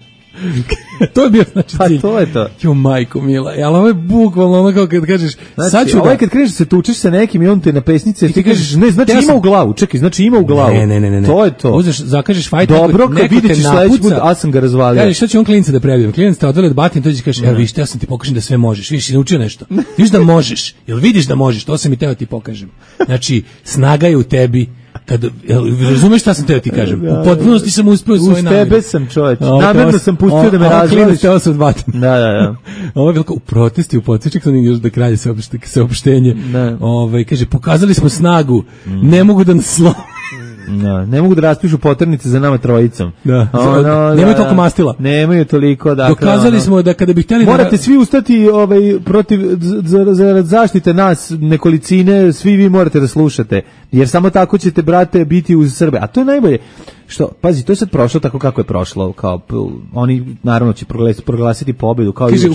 To je bio cilj. To je to. Jo, majko mila. Ali ovo je bukvalno kao kad kažeš, sad ću kad kreneš se tučeš sa nekim i on te na pesnice i ti kažeš, ne, znači ima u glavu. Čekaj, znači ima u glavu. Ne. To je to. Uzeš, zakažeš fajt. Dobro, kad vidiš sledeći put, a sam ga razvalio. Kažeš, šta će on klinca da prebijem? Klinac te odveli od batin, dođe i kažeš, evo vidiš, ja sam ti pokažem da sve možeš. Vidiš, si naučio nešto. Vidiš da možeš. Jel vidiš da možeš? To sam i teo ti pokažem. Znači, snaga je u tebi. Razumeš šta sam teo ti kažem? U potpunosti sam uspeo svoj namjer. Uz tebe sam, čoveč. Namerno sam pustio da me razvališ. Teo sam odbatim. Da. Ovo je veliko u protesti, u podsječek sam još da kralje saopštenje. Kaže, pokazali smo snagu, ne mogu da nas slome. Ne mogu da raspišu poternice za nama trojicom. Nemaju toliko mastila. Nemaju toliko, dakle. Dokazali smo da kada bi htjeli morate svi ustati protiv za zaštite nas nekolicine, svi vi morate da slušate, jer samo tako ćete, brate, biti uz Srbe. A to je najbolje. Što, pazi, to je sad prošlo tako kako je prošlo, kao oni naravno će proglasiti pobedu, kao kaže,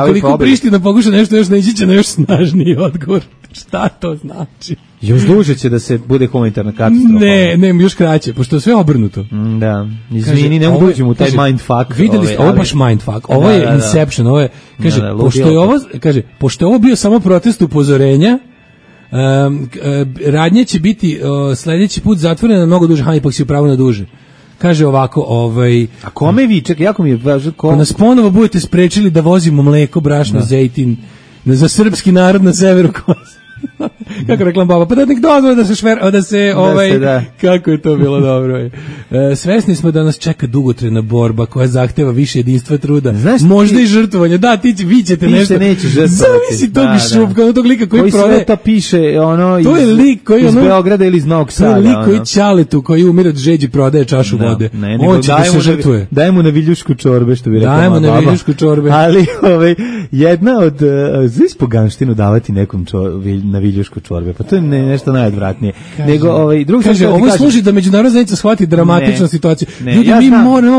ukoliko Priština pokuša nešto još neći će na još snažniji odgovor. Šta to znači? Još duže će da se bude humanitarna katastrofa. Ne, još kraće, pošto je sve obrnuto. Da, izvini, ne mogu uđem u taj mindfuck. Videli ste, ovo je baš mindfuck, ovo je Inception, ovo je, kaže, pošto je ovo bio samo protest upozorenja, radnje će biti sljedeći put zatvorena na mnogo duže, ipak si upravo na duže. Kaže ovako, a kome vi, čekaj, jako mi je važno, ko nas ponovo budete sprečili da vozimo mleko, brašno, zejtin za srpski narod na severu Kosova. Kako reklam baba, pa da nek dozvore da se kako je to bilo dobro. Svesni smo da nas čeka dugotrajna borba koja zahteva više jedinstva, truda, možda i žrtvovanja. Da, vi ćete nešto. Zavisi tog šupka, tog lika koji prodaje. Koji sve to piše, to je lik koji iz Beograda ili iz Novog Sada. To je lik koji Ćaletu, koji umire od žeđi, prodaje čašu vode. On će da se žrtvuje. Daj mu na viljušku čorbe, što bi rekao baba. Dajmo na viljušku čorbe. Ali jedna od, znaš poganštinu davati nekom na viljušku čorbe. Pa to je nešto najodvratnije. Nego drugi kaže, ovo služi da međunarodna zajednica shvati dramatičnu situaciju. Ljudi, mi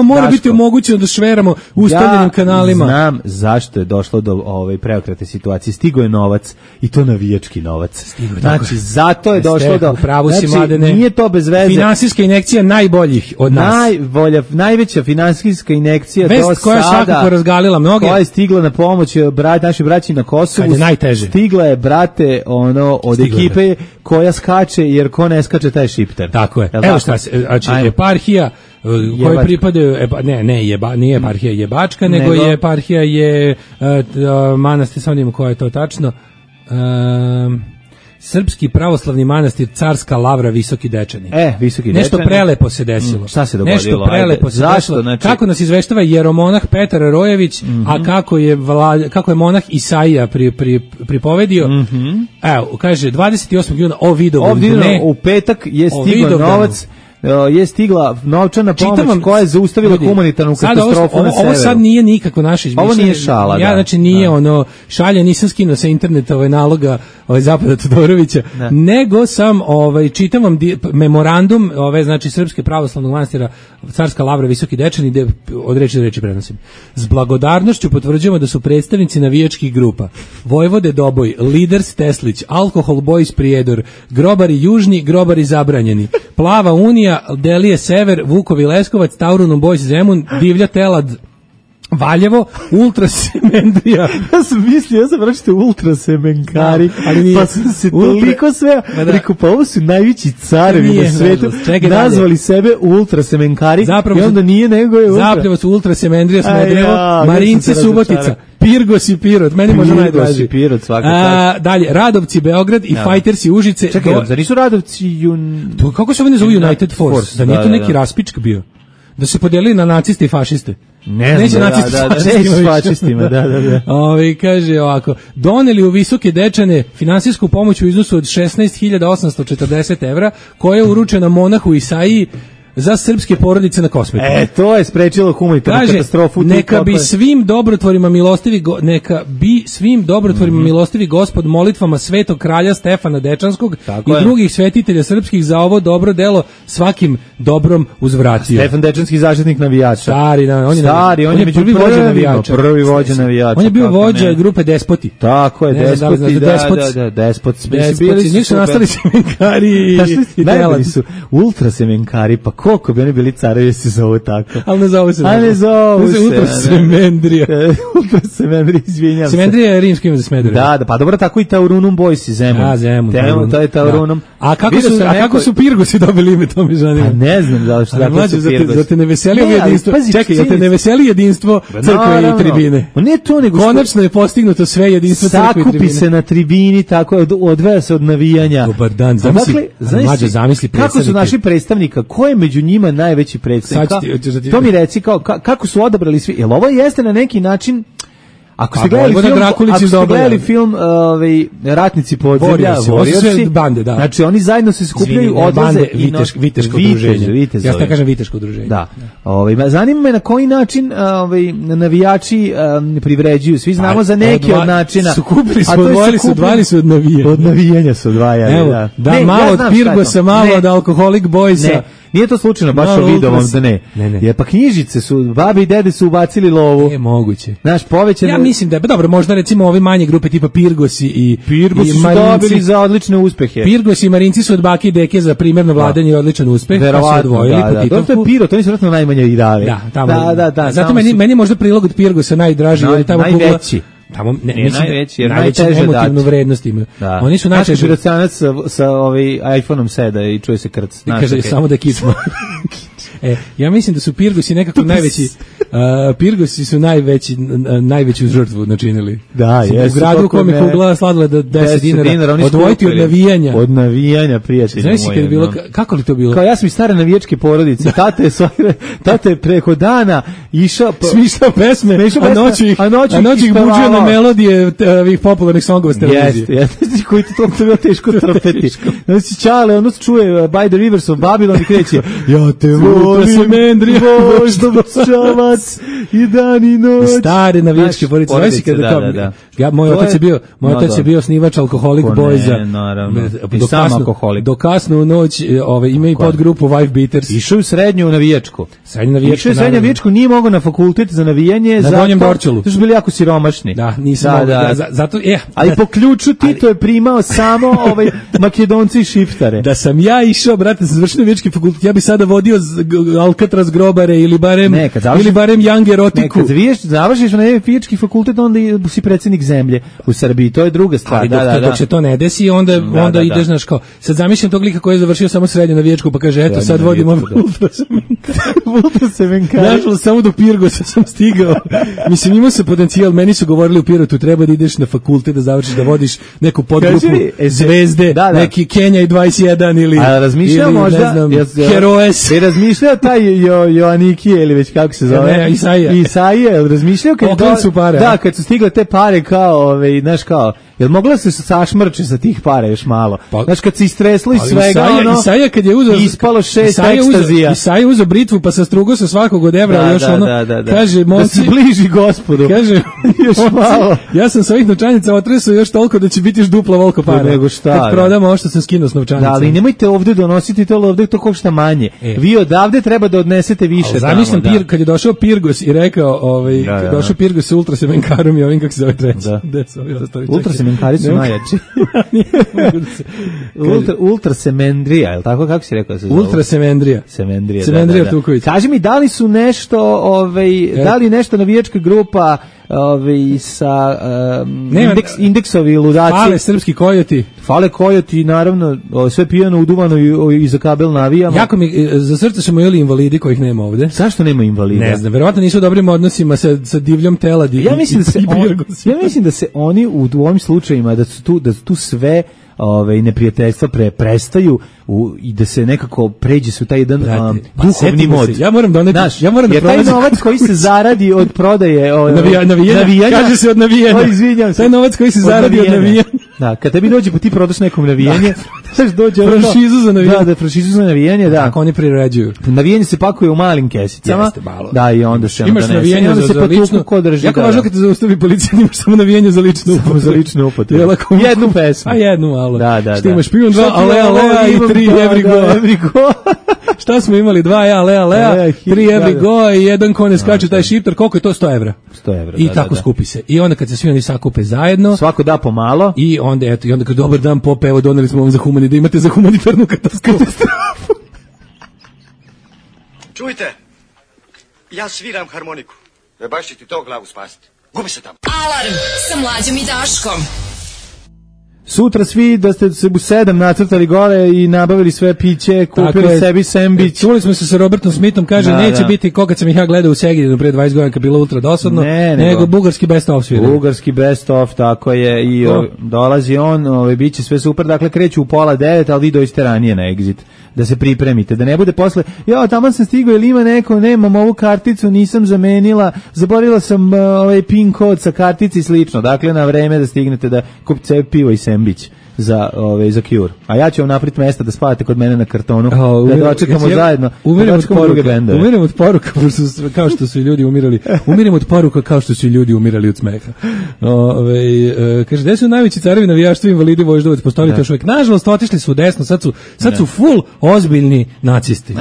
mora biti omogućeno da šveramo ustaljenim kanalima. Znam zašto je došlo do preokrete situacije. Stigo je novac i to navijački novac. Znači, zato je došlo do... Znači, nije to bez veze. Finansijska injekcija najboljih od nas. Najveća finansijska injekcija do sada. Vest koja je svakako razgalila mnoge. Koja je stigla na pomoć našoj braći na Kosovu. Kad je najteže. Stigla je, brate, od ekipe koja skače, jer ko ne skače, taj šipter. Tako je. Evo šta se, znači, eparhija koji pripadaju, nije eparhija jebačka, nego je eparhija je manastir, samo nimo koja je to tačno, Srpski pravoslavni manastir Carska Lavra Visoki Dečani. Visoki Nešto Dečani. prelepo se desilo. Šta se dogodilo? Nešto prelepo se desilo. Znači... Kako nas izveštava jeromonah Petar Rojević, a kako je monah Isaija pripovedio. Evo, kaže 28. juna u petak je stigao novac. Je stigla novčana pomoć koja je zaustavila humanitarnu katastrofu na severu. Ovo sad nije nikako naše izmišljanje. Ovo nije šala, ja, znači nije šalje, nisam skinuo sa interneta naloga Zapada Todorovića, nego sam čitam vam memorandum znači Srpske pravoslavnog manastira Carska Lavra Visoki Dečani, gde od reči do reči prenosim. S blagodarnošću potvrđujemo da su predstavnici navijačkih grupa Vojvode Doboj, Liders Teslić, Alkohol Boys Prijedor, Grobari Južni, Grobari Zabranjeni, Plava Unija, Delije Sever, Vukovi Leskovac, Taurunum Boys Zemun, Divlja Telad Valjevo, Ultrasemendrija. Ja sam pročitao Ultrasemenkari, pa sam se toliko sve rekao, pa ovo su najveći carevi na svetu, nazvali sebe Ultrasemenkari i onda nije, nego je zapravo su Ultrasemendrija Smedrevo, Marince Subotica, Pirgos i Pirot, meni može najdraži. Pirot, dalje, Radovci Beograd i Fajtersi Užice. Čekaj, da nisu Radovci kako se oni zovu United Force? Da nije to neki raspičk bio? Da se podelili na naciste i fašiste. Neće nacisti s fašistima. Kaže ovako, doneli u Visoke Dečane finansijsku pomoć u iznosu od 16.840 evra, koja je uručena monahu Isaiji za srpske porodice na Kosmetu. To je sprečilo humanitarnu katastrofu. Neka bi svim dobrotvorima milostivi Gospod molitvama Svetog kralja Stefana Dečanskog i drugih svetitelja srpskih za ovo dobro delo svakim dobrom uzvratio. Stefan Dečanski zaštitnik navijača. On je prvi vođa navijača. Prvi vođa navijača. On je bio vođa grupe Despoti. Tako je, Despoti. Nisu nastali semenkari i najbolji su ultrasemenkari, pa koliko bi oni bili carevi se zovu tako. Ali ne zovu se. Ultrasemendrija. Ultrasemendrija, izvinjam se. Semendrija je rimsko ime za Smederevo. Da, pa dobro, tako i Taurunum Boys i Zemun. Zemun. To je Taurunum. A kako su Pirgosi dobili ime, to mi zanima. A ne znam da što su Pirgosi. Zar te ne veseli jedinstvo? Čekaj, zar te ne veseli jedinstvo crkve i tribine? Ne to, nego konačno je postignuto sve jedinstvo crkve i tribine. Sakupi se na tribini, tako odvaja se od navijanja. Dobar dan, zamisli kako su naši predstavnika, ko je među njima najveći predstavnik? To mi reci, kako su odabrali svi? Jel ovo jeste na neki način... Ako ste gledali film Ratnici podzemlja, bande, da. Znači oni zajedno se skupljaju, odlaze i viteško udruženje. Ja se kažem viteško udruženje. Da. Zanima me na koji način navijači privređuju. Svi znamo za neke od načina. Skupili su, odvojili su od navijanja. Od navijanja su odvajali. Evo, da malo od Pirgosa, malo od Alkoholik Boysa. Nije to slučajno, baš vidovom da ne. Jer pa knjižice su, babi i dede su ubacili lovu. Moguće. Znaš, povećano... Ja mislim da je, dobro, možda recimo ove manje grupe tipa Pirgosi i Pirgosi su dobili za odlične uspehe. Pirgosi i Marinci su od bake i deke za primjerno vladanje i odličan uspeh. Verovatno, da. To je Pirot, oni su vratno najmanje i dali. Da. Zato meni možda prilog od Pirgosa najdraži. Najveći. Tamo najveći, najveću emotivnu vrednost imaju. Oni su najčešće Pirocanac sa iPhone-om seda i čuje se krc. Kaže samo da kičmo. Ja mislim da su Pirgosi nekako najveći. Pirgosi su najveću žrtvu načinili. Da, jesu. U gradu u kome kugla sladoleda 10 dinara odvojiti od navijanja. Od navijanja, prijatelji moji. Znaš kad je bilo, kako li to bilo? Kao ja sam iz stare navijačke porodice. Tate je preko dana išao... Smišljao pesme, a noći ih buđio na melodije ovih popularnih songova s televizije. Jeste, koji to bilo teško trpeti. Znači, Čale, ono čuje By the Rivers of Babylon i kreće, ja te volim, voždom čavac, nas i dan i noć. Stare navijačke porodice. Moj otac je bio osnivač Alkoholik Boyza. Naravno. I sam alkoholik. Do kasno u noć ima i podgrupu Wife Beaters. Išao u srednju navijačku. Srednju navijačku, nije mogao na fakultet za navijanje. Na Donjem Dorčelu. To su bili jako siromašni. Da, nisam mogao. Zato, ali po ključu Tito je primao samo Makedonci i Šiftare. Da sam ja išao, brate, sa završenom navijački fakultet, ja bi sada vodio Alcatraz grobare ili barem Young erotiku. Kad završiš na navijački fakultet, onda si predsjednik zemlje u Srbiji, to je druga stvar. Dok se to ne desi, onda ideš, znaš, kao, sad zamišljam tog lika koji je završio samo srednju navijačku, pa kaže, eto, sad vodimo ultrasemenkari. Našlo samo do Pirgosa sam stigao. Mislim, imao se potencijal, meni su govorili u Pirotu, treba da ideš na fakultet, da završiš, da vodiš neku podgrupu Zvezde, neki Kenja i 21 ili možda, ne znam, Heroes. I razmišljao taj Joannikije ili već kako se zove? Isaija, razmišljao kad su stigle te pare kao, znaš kao, jel mogla se sašmrče sa tih para još malo? Znaš, kad se istreslo iz svega, Isaija kad je uzeo, ispalo 6 ekstazija. Isaija uzeo britvu pa sa strugo sa svakog od evra, još kaže, da se bliži gospodu. Kaže, još malo. Ja sam sa ovih novčanica otresao još toliko da će biti još dupla volko para. Nego šta? Kad prodamo ovo što sam skinuo s novčanica. Da, ali nemojte ovde donositi to, ovde to košta manje. Vi odavde treba da odnesete više tamo. Zamišljam kad je došao Pirgos i rekao, došao Pirgos sa ultrasemenkarom i ovim kako se zove treći. Ultrasemenkari su najjači. Ultrasemendrija, je li tako kako si rekao se zove? Ultrasemendrija. Semendrija Tuković. Kaži mi, da li su nešto, da li nešto navijačka grupa sa indeksovi ludaci? Fale srpski kojoti. Fale kojoti, naravno, sve pijano, uduvano i za kabel navijamo. Jako mi, za srce su mojili invalidi kojih nema ovde. Zašto nema invalida? Ne znam, verovatno nisu u dobrim odnosima sa divljom teladi. Ja mislim da se oni u ovim slučajima, da su tu sve neprijateljstva prestaju i da se nekako pređe su taj jedan duhovni mod. Ja moram doneti, jer taj novac koji se zaradi od prodaje navijanja, kaže se od navijanja. Izvinjam se. Taj novac koji se zaradi od navijanja. Da, kad tebi dođe, pa ti prodaš nekom navijanje, dođe franšizu za navijanje. Da, franšizu za navijanje, da. Tako oni priređuju. Navijanje se pakuje u malim kesicama. Jeste, malo. Da, i onda se imaš navijanje za lično. Jako važno kad te zaustavi policija, imaš samo navijanje za ličnu upotrebu. Za ličnu upotrebu. Jednu pesmu. A jednu malo. Da. Što imaš pion 2 alea i 3 every go. Šta smo imali? 2 alea, 3 every go i jedan ko ne skače taj šiptar. Koliko je to? 100 evra. 100 evra. I tako skupi se. I onda kad se svi oni sakupe zajedno, svako da pomalo. I onda kad dobar dan Pope, evo doneli smo vam da imate za humanitarnu katastrofu. Čujte, ja sviram harmoniku. Baš će ti to glavu spasiti. Gubi se tamo. Alarm sa Mlađom i Daškom. Sutra svi da ste se u 7 nacrtali gore i nabavili sve piće, kupili sebi sendvič. Čuli smo se sa Robertom Smithom, kaže neće biti ko kad sam ih ja gledao u Segedinu pre 20 godina kad bilo ultra dosadno, nego bugarski best of svira. Bugarski best of, tako je, i dolazi on, biće sve super, dakle kreću u 8:30, ali vi dođete ranije na Exit, da se pripremite, da ne bude posle, tamo sam stigao, ili ima neko, nemam ovu karticu, nisam zamenila, zaboravila sam pin kod sa kartici i slično, dakle na vreme da stignete da kupite pivo i sendvič za Cure. A ja ću vam napraviti mesta da spavate kod mene na kartonu, da dočekamo zajedno. Umiram od poruka kao što su ljudi umirali. Umiram od poruka kao što su ljudi umirali od smeha. Kaže, gde su najveći carevi navijaštva invalidi Voždovac, postoji to još uvijek. Nažalost, otišli su u desno, sad su full ozbiljni nacisti.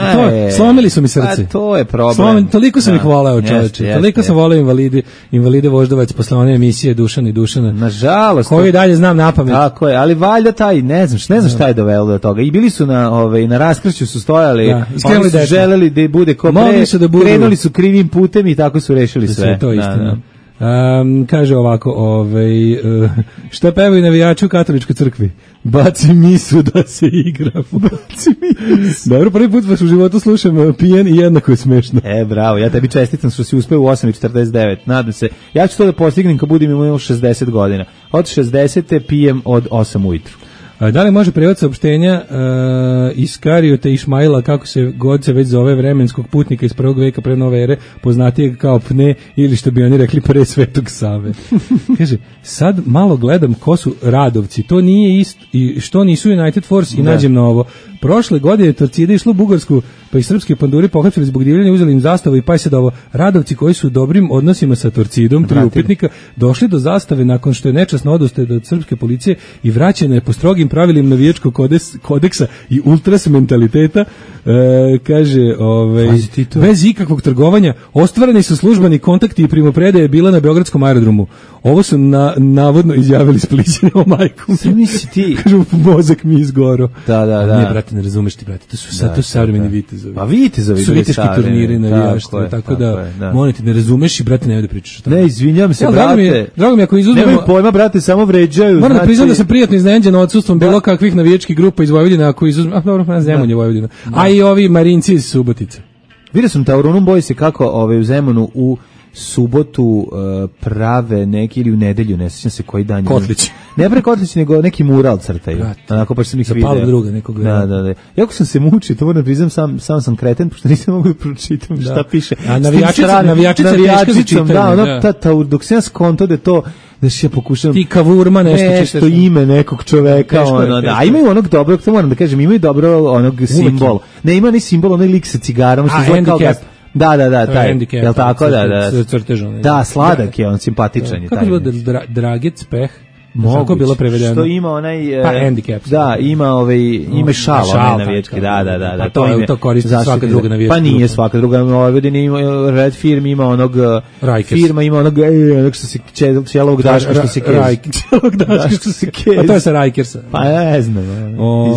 Slomili su mi srce. To je problem. Toliko sam ih voleo, čoveče. Toliko sam voleo invalide Voždovac posle one emisije Dušan i Dušana. Nažalost. Koji dalje znam napamet. Tako je, ali valjda taj, ne znam šta je dovelo do toga. I bili su na raskršću su stojali, oni su želeli da bude ko pre, krenuli su krivim putem i tako su rešili sve. To je istina. Kaže ovako, šta pevaju navijači u katoličkoj crkvi? Baci misu da se igramo. Baci misu. Dobro, prvi put vas u životu slušam pijen i jednako je smešno. Bravo, ja tebi čestitam što si uspeo u 8:49. Nadam se, ja ću to da postignem kad budem imao 60 godina. Od 60. pijem od 8 ujutru. Da li može prevod saopštenja Iskariota Išmaila, kako se god se već zove, vremenskog putnika iz 1. veka pre nove ere, poznatijeg kao Pne, ili što bi oni rekli pre Svetog Save. Kaže, sad malo gledam ko su Radovci, to nije isto, i što nisu United Force i nađem na ovo. Prošle godine Torcida išlo u Bugarsku pa ih srpski panduri pohapsili zbog divljanja, uzeli im zastavu i Pajsedovo. Radovci koji su u dobrim odnosima sa Torcidom, 3 upitnika, došli do zastave nakon što je nečasno odustao od srpske policije i vraćena je po strogim pravilima navijačkog kodeksa i ultras mentaliteta. Kaže, bez ikakvog trgovanja ostvareni su službeni kontakti i primopredaje bila na beogradskom aerodromu. Ovo su navodno izjavili Splićani o majkom. Ti kažu mozak mi izgoro. Da. Ne, brate, ne razumeš ti, brate. To su savremeni vitezovi. Pa vitezovi su viteški turniri navijaštva, tako da molim te, ne razumeš i brate nemoj da pričaš. Ne, izvinjavam se, brate. Drago mi ako izuzmemo. Nemoj pojma, brate, samo vređaju. Moram da priznam da sam prijatno iznenađen odsustvom bilo kakvih navijačkih grupa iz Vojvodine, ako izuzmemo. Dobro, Zemun je Vojvodina. A i ovi Marinci iz Subotice. Vidio sam Taurunum boji se kako u Zemunu u subotu prave neki ili u nedelju, ne sjećam se koji dan. Kotlić. Ne pre Kotlić, nego neki mural crtaju. Onako pa sam ih video. Zapalo druga nekog. Da. Jako sam se mučio, to moram priznam, sam sam kreten, pošto nisam mogu da pročitam šta piše. A navijačica teško za čitanje. Dok sam ja skonto da to da se ja pokušam ti kavurma nešto ime nekog čoveka, a imaju onog dobrog, to moram da kažem, imaju dobro onog simbol. Ne, ima ni simbol, onaj lik sa cigarom što izgleda kao da, taj. Jel tako, da. Da, sladak je, on simpatičan je taj. Kako je Dragec Peh? Moguće, bilo prevedeno. Što ima onaj handicap. Da, ima šal onaj navijački. Da. To koristi svaka druga navijačka. Pa nije svaka druga. Vojvodina ima Red Firm, ima onog firma, ima onog što se Čelovog Daška što se kez. Čelovog Daška što se kez. A to je sa Rajkersa. Pa ne znam.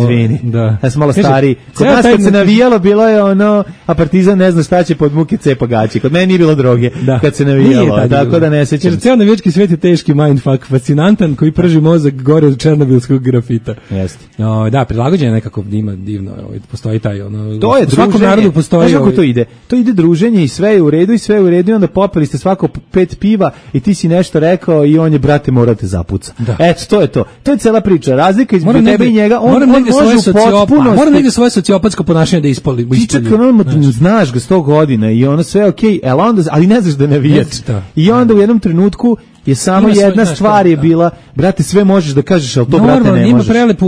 Izvini. Da. Ja sam malo stariji. Kod nas kad se navijalo bilo je ono, a Partizan ne zna šta će pod muke cepa gaći. Kod mene nije bilo droge kad se navijalo. Tako da ne sećam. Ceo navijački svet je teški mindfuck, fascinantan, koji prži mozak gore od černobilskog grafita. Jeste. Da, prilagođen je nekako divno, postoji taj ono. To je svakom narodu postoji. Kako to ide? To ide druženje i sve je u redu i onda popili ste svako 5 piva i ti si nešto rekao i on je brate morate zapuca. Eto, to je to. To je cela priča. Razlika između tebe i njega, on može potpuno. Mora negde svoje sociopatsko ponašanje da ispoli. Ti čak znaš ga 100 godina i ono sve okej, ali ne znaš da navijač. I onda u jednom trenutku je samo jedna stvar je bila, brate, sve možeš da kažeš, al to brate ne možeš. Ima prelepu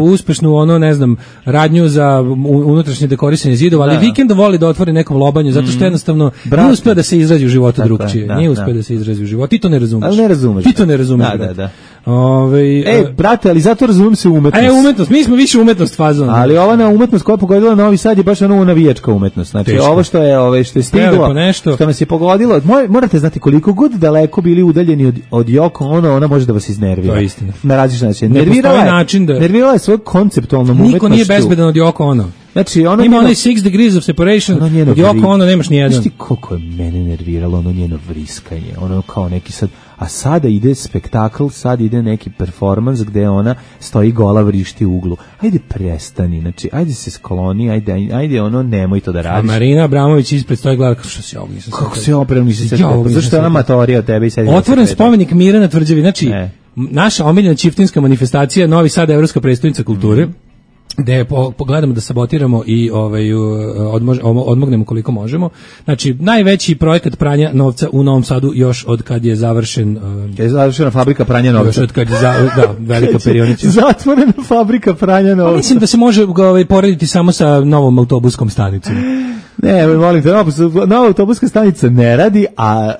uspešnu ne znam, radnju za unutrašnje dekorisanje zidova, ali vikendom voli da otvori nekom lobanju zato što jednostavno nije uspeo da se izrazi u životu drugčije. Nije uspeo da se izrazi u životu. Ti to ne razumeš. Ali ne razumeš. Ti to ne razumeš. Da. Brate, ali zato razumem se umetnost. Umetnost, mi smo više umetnost fazon. Ali ova na umetnost koja je pogodila Novi Sad je baš ono navijačka umetnost. Znači ovo što je stiglo, što nas je pogodilo, morate znati koliko god daleko bili udaljeni od Yoko Ono, ona može da vas iznervira. To je istina. Na različit način. Nervirala je svoj konceptualnom umetnošću. Niko nije bezbedan od Yoko Ono. Znači, ima onaj 6 degrees of separation, od Yoko Ono nemaš nijedan. Znaš ti koliko je mene nerviralo ono njeno vriskanje, ono kao neki sad, a sada ide spektakl, sad ide neki performans gde ona stoji gola vrišti u uglu. Ajde prestani, znači, ajde se skloni, ajde ono, nemoj to da radiš. A Marina Abramović ispred stoji gleda, što si ovo nisam kako se opravo nisi sad zašto je ona matorija od tebe i sad otvoren spomenik mira na Tvrđavi, znači, naša omiljena čiftinska manifestacija, Novi Sad, evropska prestonica kulture, gde pogledamo da sabotiramo i odmognemo koliko možemo. Znači, najveći projekat pranja novca u Novom Sadu još od kad je završen... je završena fabrika pranja novca. Još od kad je velika perionica. Zatvorena fabrika pranja novca. Mislim da se može porediti samo sa novom autobuskom stanicom. Ne, molim te, nova autobuska stanica ne radi, a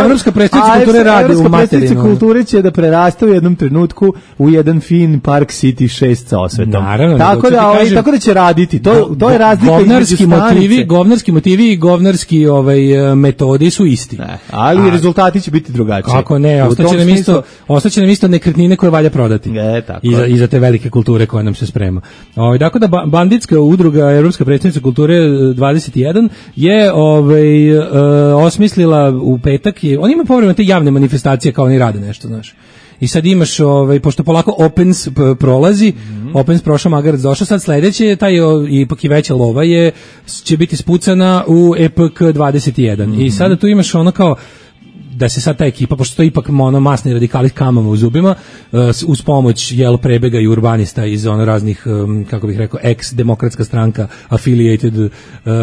Evropska prestonica kulture radi u materinu. Evropska prestonica kulture će da preraste u jednom trenutku u jedan fin Park City 6 sa osvetom. Naravno. Tako da će raditi. To je razlika između stanice. Govnarski motivi i govnarski metodi su isti. Ali rezultati će biti drugačiji. Kako ne, ostaće nam isto nekretnine koje valja prodati. I za te velike kulture koje nam se sprema. Tako da banditska udruga Evropska prestonica kulture 21 je osmislila u petak, oni imaju povremeno te javne manifestacije kao oni rade nešto, znaš. I sad imaš, pošto polako Opens prolazi, Opens prošao, Magarac došao, sad sledeće, taj ipak i veća lova će biti spucana u EPK 21. I sada tu imaš ono kao, da se sad ta ekipa, pošto to je ipak masni radikali s kamama u zubima, uz pomoć prebega i urbanista iz raznih, kako bih rekao, ex-demokratska stranka, affiliated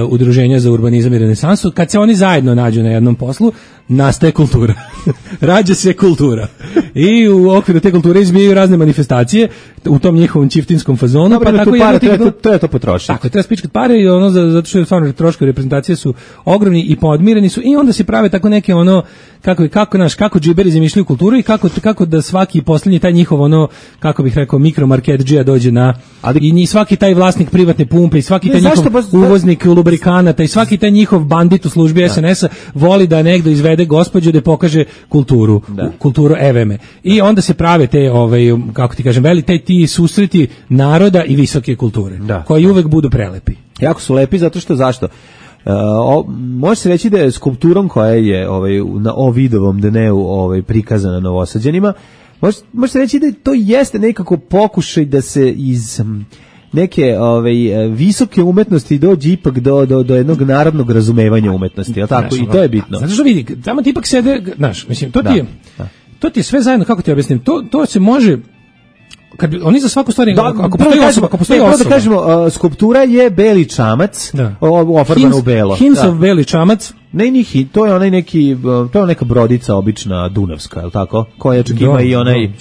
udruženja za urbanizam i renesansu, kad se oni zajedno nađu na jednom poslu, nastaje kultura. rađa se kultura. I u okviru te kulture izbijaju razne manifestacije u tom njihovom čiftinskom fazonu. Dobro, pa tako treba to potrošiti. Tako, treba spičkat pare i ono, zato što stvarno troškovi reprezentacije su ogromni i podmireni su i onda se prave tako neke ono, kako džiberi zamišljaju kulturu i kako da svaki poslednji taj njihov ono, kako bih rekao, mikromarketdžija dođe na, i svaki taj vlasnik privatne pumpe i svaki taj njihov uvoznik lubrikanata i svaki taj njihov bandit u službi SNS-a voli da negdo izvede gospođu da pokaže kulturu eveme. I onda se prave te, kako ti kažem, ti susreti naroda i visoke kulture, koji uvek budu prelepi. Jako su lepi, zato što zašto? Može se reći da je skulpturom koja je na Ovidovom dneu prikazana Novosađanima, može se reći da to jeste nekako pokušaj da se iz neke visoke umetnosti dođe ipak do jednog narodnog razumevanja umetnosti, tako? I to je bitno. Zato što vidi, tamo ti ipak sede, znaš, mislim, to ti je sve zajedno, kako ti objasnim, to se može. Kad bi, oni za svaku stvar, ako postoji osoba. Da kažemo, skulptura je beli čamac, ofarbana u belo. Hinsov beli čamac. To je onaj neki, to je neka brodica obična dunavska, je li tako? Koja čak ima i onaj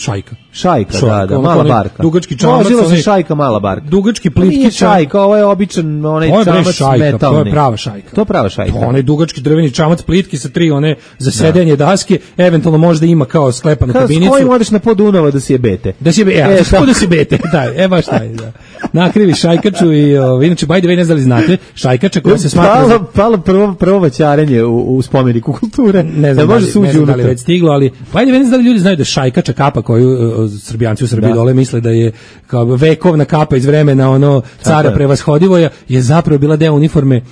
šajka, da, mala barka. Dugački čamac, vozila se šajka, mala barka. Dugački plitki nije šajka, ovo je običan onaj čamac metalni. To je prava šajka. To je prava šajka. Onaj dugački drveni čamac plitki sa 3 one za sedenje daske, eventualno možda ima kao sklepanu kabinicu. S kojim odeš na pod Dunava da si je bete? Da si je bete, da, baš taj, da. Nakrivi šajkaču i inače, by the way, ne znam li znate, šajkača koja se smatra... Palo prvo vaćarenje u spomeniku kulture. Ne znam da li već stiglo, ali by the way, ne znam da li ljudi znaju da šajkača kapa koju Srbijanci u Srbiji dole misle da je kao vekovna kapa iz vremena ono cara prevashodivoja, je zapravo bila deo uniforme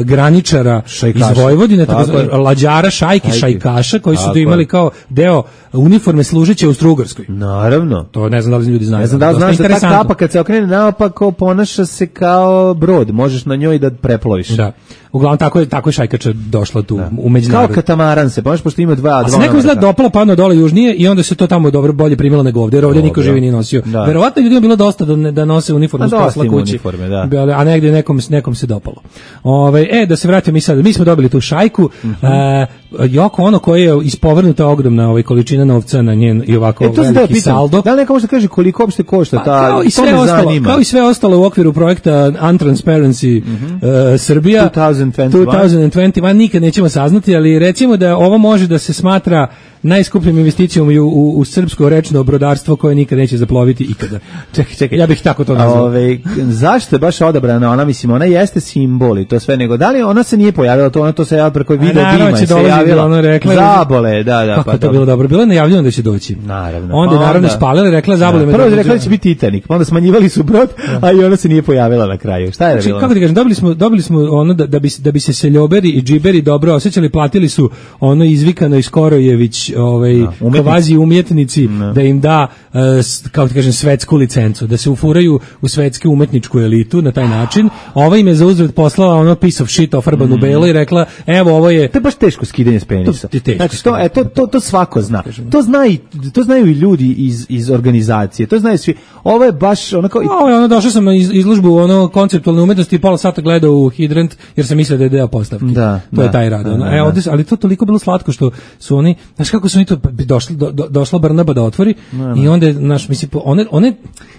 graničara iz Vojvodine, lađara, šajkaša, koji su imali kao deo uniforme služeće u Strugarskoj. Naravno. To ne znam da li ljudi znaju. Ne znam da li znaš da ta kapa kad se okrene naopako ponaša se kao brod, možeš na njoj da preploviš. Da. Uglavnom tako je šajkača došla tu u međunarodnu. Kao katamaran se, pošto ima dva. A se neko izgleda dopalo padno dole južnije i onda se to tamo bolje primilo nego ovdje, jer ovdje niko živi nije nosio. Verovatno ljudima bilo dosta da nose uniformu s posla kući, a negdje nekom se dopalo. Da se vratimo mi smo dobili tu šajku, Joko ono koje je ispovrnuta ogromna količina novca na njen i ovako veliki saldo. Da li neka može da kaže koliko uopšte košta ta, kao i sve ostalo u okviru projekta Untransparency Srbija 2021, nikad nećemo saznati, ali recimo da ovo može da se smatra najskupljom investicijom u srpsko rečno brodarstvo koje nikad neće zaploviti ikada. Čekaj, ja bih tako to nazvao. Zašto je baš odabrana ona, mislim, ona jeste simbol i to sve, nego da li ona se nije pojavila, to se javila preko video dima, se javila Zabole, da. Kako to bilo dobro, bilo je najavljeno da će doći. Naravno. Onda je naravno spalila, rekla Zabole. Prvo je rekla da će biti Titanic, onda smanjivali su brod, a i ona se nije pojavila na kraju. Šta je bilo? Kako ti kažem, dobili smo ono da bi se seljoberi i džiberi dobro osjećali, platili su ono izvikano i Skorojević kvazi umjetnici da im da, kako ti kažem, svetsku licencu, da se ufuraju u svetsku umetničku elitu na taj način. Ova im je za uzvrat poslala ono piece of shit ofarbanu belo i rekla, evo ovo je... To je baš teško skidanje s penisa. Znači, to svako zna. To znaju i ljudi iz organizacije, to znaju svi. Ovo je baš onako... Došao sam na izložbu konceptualne umetnosti i pola sata gledao u Hidrant jer sam mislio da je deo postavke. To je taj rad. Ali to toliko bilo slatko što su oni, znaš kako su oni to došla Brnaba da otvori i onda je, znaš, mislim, one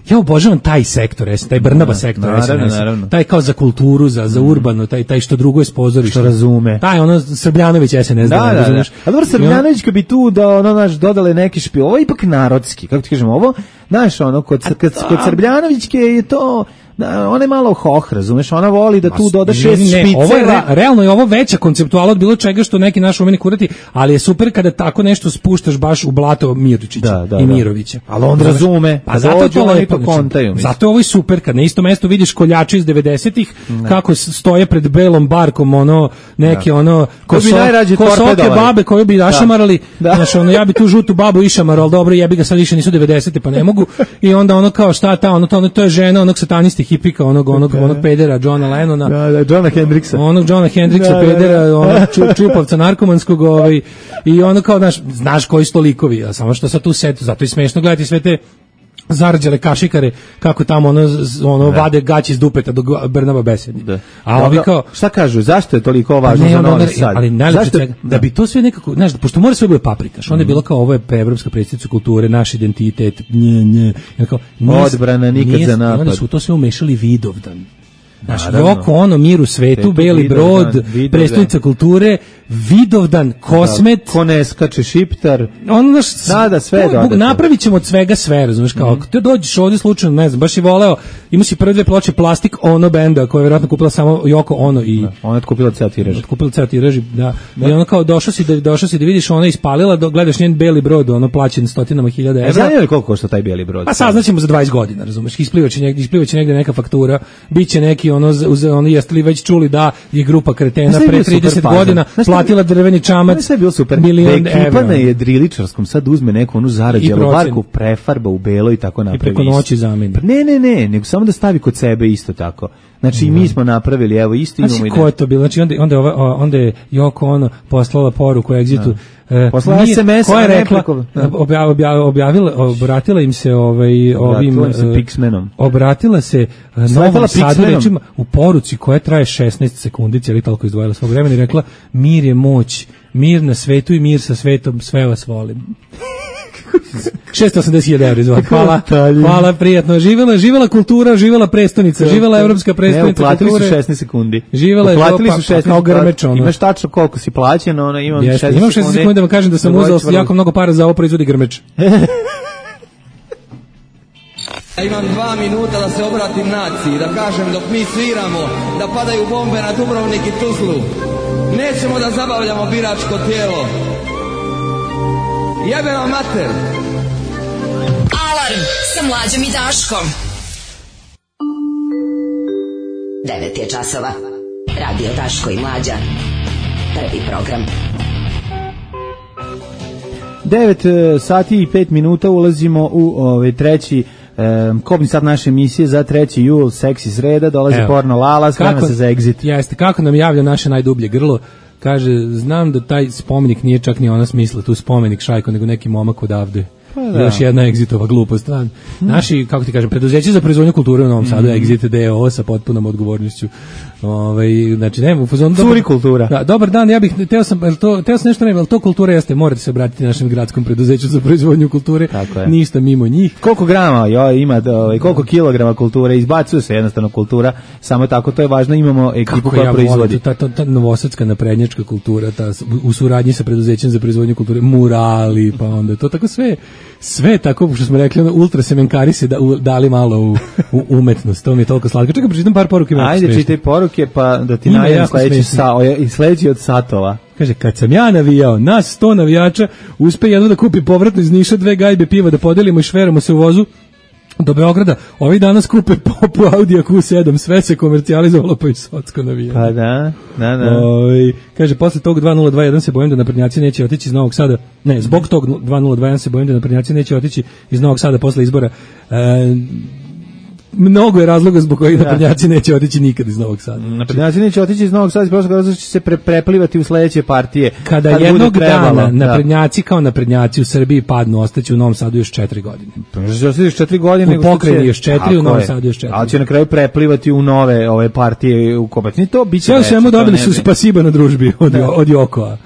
ja obožavam taj sektor, taj Brnaba sektor, naravno. Taj kao za kulturu, za urbano, taj što drugo je s pozorišta. Što razume. Taj Srbljanović SNS, da. A dobro, Srbljanović kad bi tu dodale neki špil, ovo je ipak narodski, kako ti kažemo, ovo, znaš, kod Srbljanovićke je to... ona je malo hoh, razumeš, ona voli da tu doda 6 špiceva. Realno je ovo veća konceptuala od bilo čega što neki naš umeni kurati, ali je super kada tako nešto spuštaš baš u blato Mirčića i Mirovića. Ali on razume, pa zato to lepo kontaju. Zato ovo je super, kad na isto mesto vidiš koljače iz 90-ih, kako stoje pred belom barkom, neke kosoke babe koje bi našamarali, znaš, ja bi tu žutu babu išamarao, ali dobro, jebi ga, sad više nisu 90-te, pa ne mogu, i onda kao šta ta, to je žena onog satanisti hipika, onog pedera Johna Lennona, Johna Hendrixa, onog Johna Hendrixa, pedera, onog čupavca narkomanskog, i kao, znaš koji su to likovi, a samo što sad tu setu, zato je smešno gledati sve te zarđale kašikare, kako tamo ono vade gaći iz dupeta dok Brnaba besedi. Da. A ovi kao šta kažu, zašto je toliko važno za Novi Sad? Ali najlepše svega, da bi to sve nekako, znaš, pošto mora sve bude paprikaš, onda je bilo kao ovo je evropska predsjednica kulture, naš identitet, odbrana nikad za napad. Onda su to sve umešali Vidovdan. Znaš, Joko Ono, Mir u svetu, Beli brod, predstavnica kulture, Vidovdan, Kosmet, ko ne skače Šiptar, ono sve dodato. Napravit ćemo od svega sve, razumiješ, kao ako te dođeš ovdje slučajno, ne znam, baš je voleo, ima si prve 2 ploče Plastik Ono benda, koja je vjerojatno kupila samo Joko Ono i... Ona je kupila ceo tiraž. Kupila ceo tiraž, da. I ono kao došao si da vidiš, ona ispalila, gledaš njen Beli brod, ono plaćen 100.000 evra. Znaju li koliko košta taj Beli brod? Pa saznaćemo za 20 godina, razumiješ, isplivaće negde neka faktura, biće neki ono jeste li već čuli da je grupa kretena pre 30 godina platila drveni čamac. Sve je bilo super. Ekipa na jedriličarskom sad uzme neku onu zarađelu barku, prefarba u belo i tako napravi. I preko noći zameni. Ne, nego samo da stavi kod sebe isto tako. Znači, mi smo napravili, evo, isto imamo. Znači, ko je to bilo? Znači, onda je Joko Ono poslala poruku Exitu. Poslala SMS, koja je rekla, obratila im se ovim Pixmanom. Obratila se Novom Sadu rečima u poruci koja traje 16 sekundi, cijeli toliko izdvojila svog vremena i rekla, mir je moć, mir na svetu i mir sa svetom, sve vas volim. 680.000 evra izvod. Hvala, prijatno. Živela kultura, živela prestonica, živela evropska prestonica kulture. Platili su 16 sekundi. Živela je kao Grmeč. Imaš tačno koliko si plaćen, imam 16 sekundi. Imam 16 sekundi da vam kažem da sam uzeo jako mnogo para za ovo proizvodi Grmeč. Ja imam 2 minuta da se obratim naciji, da kažem dok mi sviramo, da padaju bombe na Dubrovnik i Tuzlu. Nećemo da zabavljamo biračko tijelo. Jebe vam mater! Alarm sa Mlađom i Daškom. 9 je časova. Radio Daško i Mlađa. Prvi program. 9 sati i 5 minuta ulazimo u treći kobni sat naše emisije za 3. jul, seksi sreda, dolazi Porno Lala, sprema se za Exit. Jeste, kako nam javlja naše najdublje grlo. Kaže, znam da taj spomenik nije čak ni ona smisla, tu spomenik Šajko, nego neki momak odavde. Još jedna Exitova glupost. Naši, kako ti kažem, preduzeće za proizvodnju kulture u Novom Sadu, Exit DO sa potpunom odgovornošću. Znači, nema u fazonu... Curi kultura. Da, dobar dan, ja bih, teo sam nešto ali to kultura jeste, morate se obratiti našem gradskom preduzeću za proizvodnju kulture, ništa mimo njih. Koliko grama ima, koliko kilograma kulture, izbacuje se jednostavno kultura, samo tako, to je važno, imamo ekipu koja proizvodi. Ta novosadska naprednjačka kultura, u suradnji sa preduzećem za proizvodnju kulture, murali, pa onda to tako sve tako, što smo rekli, ultra semenkari se dali malo u umetnost, to mi je toliko slatko. Čekaj, pročitam par poruke. Ajde, čitaj poruke, pa da ti najavim sledeći od satova. Kaže, kad sam ja navijao, nas 100 navijača, uspe jedno da kupi povratno iz Niša 2 gajbe piva, da podelimo i šveramo se u vozu do Beograda, ovih dana skupe po Audi Q7, sve se komercijalizovalo pa i socko navijanje. Pa da. Kaže, posle tog 2021 se bojim da naprednjaci neće otići iz Novog Sada, zbog tog 2021 se bojim da naprednjaci neće otići iz Novog Sada posle izbora. Mnogo je razloga zbog kojih naprednjaci neće otići nikad iz Novog Sada. Naprednjaci neće otići iz Novog Sada, prosto zato što će se preplivati u sledeće partije. Kada jednog dana naprednjaci kao naprednjaci u Srbiji padnu, ostaće u Novom Sadu još 4 godine. Može ostati još 4 godine. U pokrajini još 4, u Novom Sadu još 4. Ali će na kraju preplivati u nove ove partije u Kobacni. To biće sve svemu dobili su spasiba na družbi od Jokoa.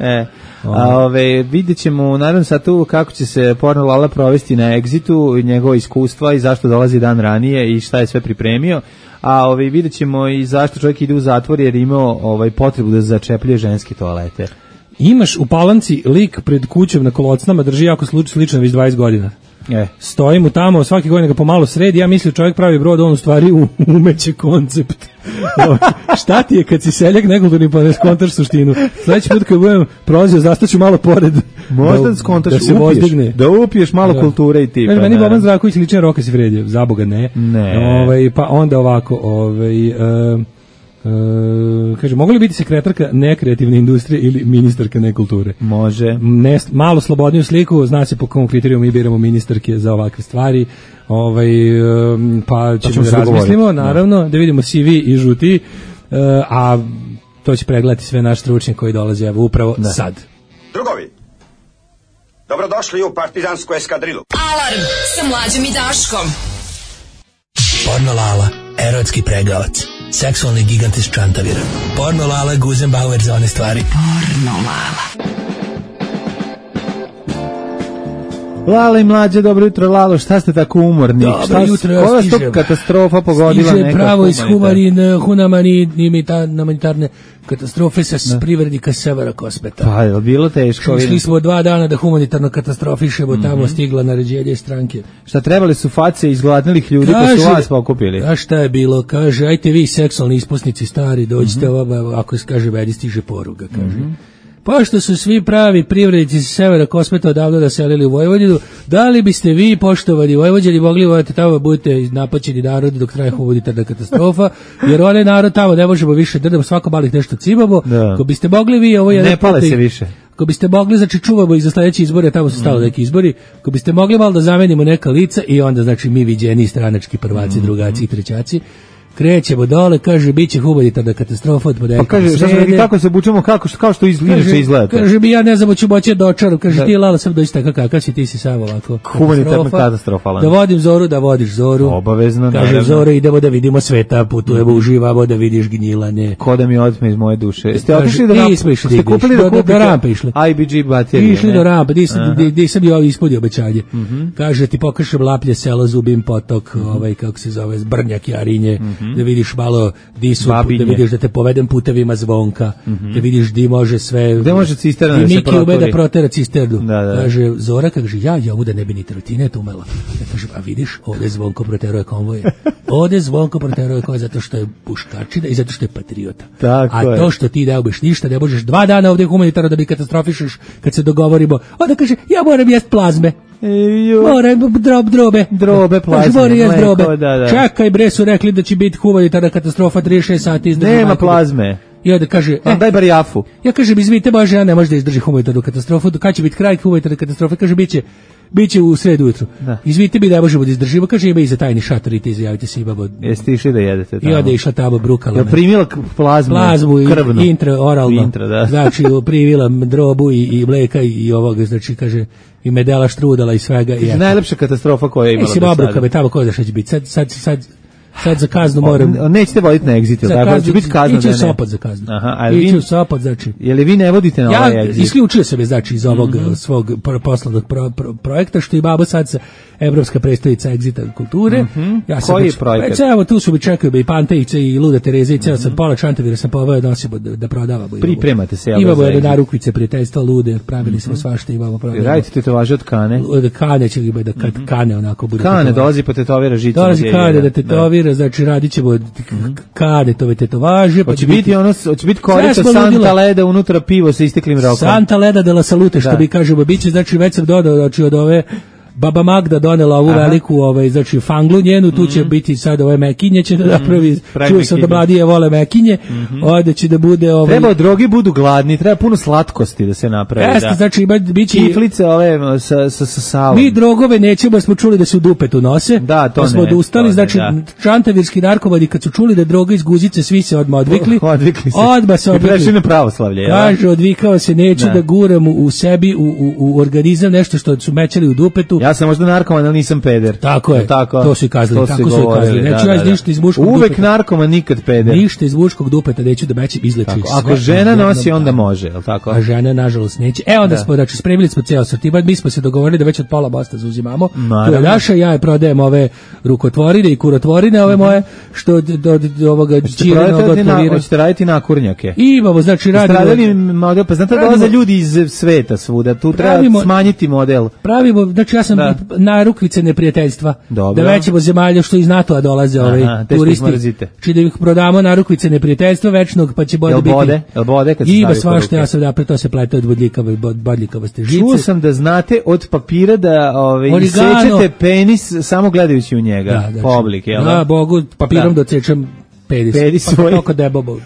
Vidjet ćemo naravno sad tu kako će se Porno Lala provesti na Exitu, njegova iskustva i zašto dolazi dan ranije i šta je sve pripremio. A vidjet ćemo i zašto čovjek ide u zatvor jer imao potrebu da začepljuje ženske toalete. Imaš u Palanci lik pred kućom na kolocnama, drži jako slično već 20 godina. Stoji mu tamo, svake godine ga pomalo sredi, ja mislim čovjek pravi brod, on u stvari umeće koncept. Šta ti je kad si seljak nekulturni pa ne skontaš suštinu? Sljedeći put kad budem prolazio, zastaću malo pored. Možda skontaš, da upiješ malo kulture i ti. Meni Boban Zdravković ličan Roka Sifredije, za Boga ne. Pa onda ovako, kaže, mogu li biti sekretarka nekreativne industrije ili ministarka nekulture? Može. Malo slobodniju sliku, zna se po kom kriteriju mi biramo ministarke za ovakve stvari. Pa ćemo da razmislimo, naravno, da vidimo CV i žuti, a to će pregledati sve naš stručnjak koji dolaze upravo sad. Drugovi, Dobrodošli u partizansku eskadrilu. Alarm sa Mlađom i Daškom. Porno Lala, erotski pregavac, seksualni gigant iz Čantavira. Porno Lala, Guzenbauer za one stvari. Porno Lala. Lala i Mlađe, dobro jutro, Lalo, šta ste tako umorni? Dobro jutro, ja stižem. stižem. Katastrofa pogodila stiže neka pravo iz humanitarne katastrofe sa privrednika Severa Kosmeta. Pa, je bilo teško? Šli smo 2 dana da humanitarno katastrofišemo, tamo stigla naređenje stranke. Šta trebali su face izgladnilih ljudi pa su vas pokupili? A šta je bilo? Kaže, ajte vi seksualni ispusnici stari, dođite ako kaže, meni stiže poruga, kaže. Pošto su svi pravi privrednici sa Severa Kosmeta odavno naselili u Vojvodinu, da li biste vi, poštovani Vojvođani, mogli voditi tamo, budete napaćeni narodi dok traje humanitarna katastrofa, jer onaj narod tamo ne možemo više da svako malih nešto cimamo. Ako biste mogli vi, ovo je ne pale se više. Ako biste mogli, znači čuvamo i za sledeće izbore, tamo su stalo neki izbori, ako biste mogli malo da zamenimo neka lica i onda, znači, mi viđeni stranački prvaci, drugaci i trećaci, krećemo dole, kaže, bit će humanitarna katastrofa od ponedeljka. Pa kaže, kako se obučemo, kao što inače izgledate. Kaže mi, ja ne znam, ću moći dočarom. Kaže, ti Lala, sam doći tako kakav si, ti si sam ovako. Humanitarna katastrofa. Da vodim Zoru, da vodiš Zoru. Obavezno. Kaže, Zoro, idemo da vidimo sveta, putujemo, uživamo, da vidiš gnjilane. Ko da mi otme iz moje duše. Ste otišli ste kupili da kupite? Do rampe išli. IBG baterije. Išli do rampe, nisam ja ispunio obećanje. Kaže, ti pokažem Laplje selo, Zubin potok, kako se zove, Brnjak, Jarinje, da vidiš malo di su, da vidiš da te povedem putevima Zvonka, da vidiš di može sve. Gde može cisterna da se proturi. Miki ume da protera cisternu. Da. Kaže, Zora, kaže, ja ovu da ne bi ni trotinet umela. Ja kažem, a vidiš, ovde Zvonko proteruje konvoje. Ovde Zvonko proteruje konvoje zato što je puškačina i zato što je patriota. Tako a to što ti ne ubeš ništa, ne možeš 2 dana ovde humanitarno da bi katastrofišeš kad se dogovorimo. Onda kaže, ja moram jest plazme. Moram drobe plazme. Da. Čekaj bre, su rekli da će biti humanitarna katastrofa 36 sati izdrži. Nema plazme. I onda kaže, daj bar jafu. Ja kažem, izvite Bože, ja ne može da izdrži humanitarnu katastrofu. Kad će biti kraj humanitarne katastrofe? Kaže, biće u sredu ujutru. Izvite mi, ne možemo da izdržimo. Kaže, ima i za tajni šator i te izjavite se, imamo. Jeste išli da jedete tamo? I onda je išla tamo brukala. Je primila plazmu krvnu? Intraoralno. Znači, primila drobu i mleka i ovoga, znači, kaže, i medela štrudala i svega. Najlepša katastrofa koja je imala do sada. Mislim, obrukave tamo, ko zna šta će biti. Sad za kaznu moram. Nećete voditi na Exit, tako će biti kazna. Ići u Sopot za kaznu. Ići u Sopot, znači. Je li vi ne vodite na ovaj Exit? Ja isključio sam je, znači, iz ovog svog poslovnog projekta, što i babo sad sa Evropska predstavnica Exita kulture. Koji je projekat? Evo, tu su mi čekaju i Pantejice i Luda Tereza i ceo sam pola Čantavira sam poveo nosimo da prodavamo. Pripremate se. Imamo jedne narukvice, prijateljstva, Lude, pravili smo svašta, imamo prodavamo. Radite tetovaže od Kane? Od Kane će da Kane onako bude. Kane dolazi po tetovira žicu. Dolazi Kane da tetovira, znači radit ćemo Kanetove tetovaže. Hoće biti korica Santa Leda, unutra pivo sa isteklim rokom. Santa Leda de la Salute, što bi kažemo, biće, znači već sam dodao, znači od ove Baba Magda donela ovu veliku, znači fanglu njenu, tu će biti sad ove mekinje, će da napravi, čuo sam da mladije vole mekinje, ovdje će da bude... Treba drogi budu gladni, treba puno slatkosti da se napravi. Jeste, znači biće... Kiflice ove sa salom. Mi drogove nećemo, jer smo čuli da se u dupetu nose, da, to pa smo odustali, znači čantavirski narkomani kad su čuli da je droga iz guzice, svi se odmah odvikli. Odmah se odvikli. I prešli na pravoslavlje. Kaže, odvikao se, neću da guram u sebi, u organizam nešto što su mećali u dupetu. Ja sam možda narkoman, ali nisam peder. Tako je, to su i kazali, tako su i kazali. Neću ja ništa iz muškog dupeta. Uvek narkoman, nikad peder. Ništa iz muškog dupeta, neću da mećem, izleči sve. Ako žena nosi, onda može, je li tako? A žena, nažalost, neće. Onda smo, znači, spremili smo ceo sortiman, mi smo se dogovorili da već od pola Basta zauzimamo. To je naša, ja je prodajem ove rukotvorine i kurotvorine, ove moje, što od ovoga čirenog otvorira. Hoćete raditi nakurnjake? Imamo, znači, radimo. Pa znate da dolaze ljudi iz sveta svuda, tu treba smanjiti model. Pravimo, znači ja sam narukvice neprijateljstva. Dobro. Da većemo zemalja što iz NATO-a dolaze turisti. Či da ih prodamo narukvice neprijateljstva večnog, pa će bolje biti. Jel bode kad se ima svašta, ja sam napred, to se plete od bodljikavosti žice. Čuo sam da znate od papira da isečete penis samo gledajući u njega. Po obliku, jel da? Da, Bogu, papirom docečem penis. Penis svoj. Toliko debobo.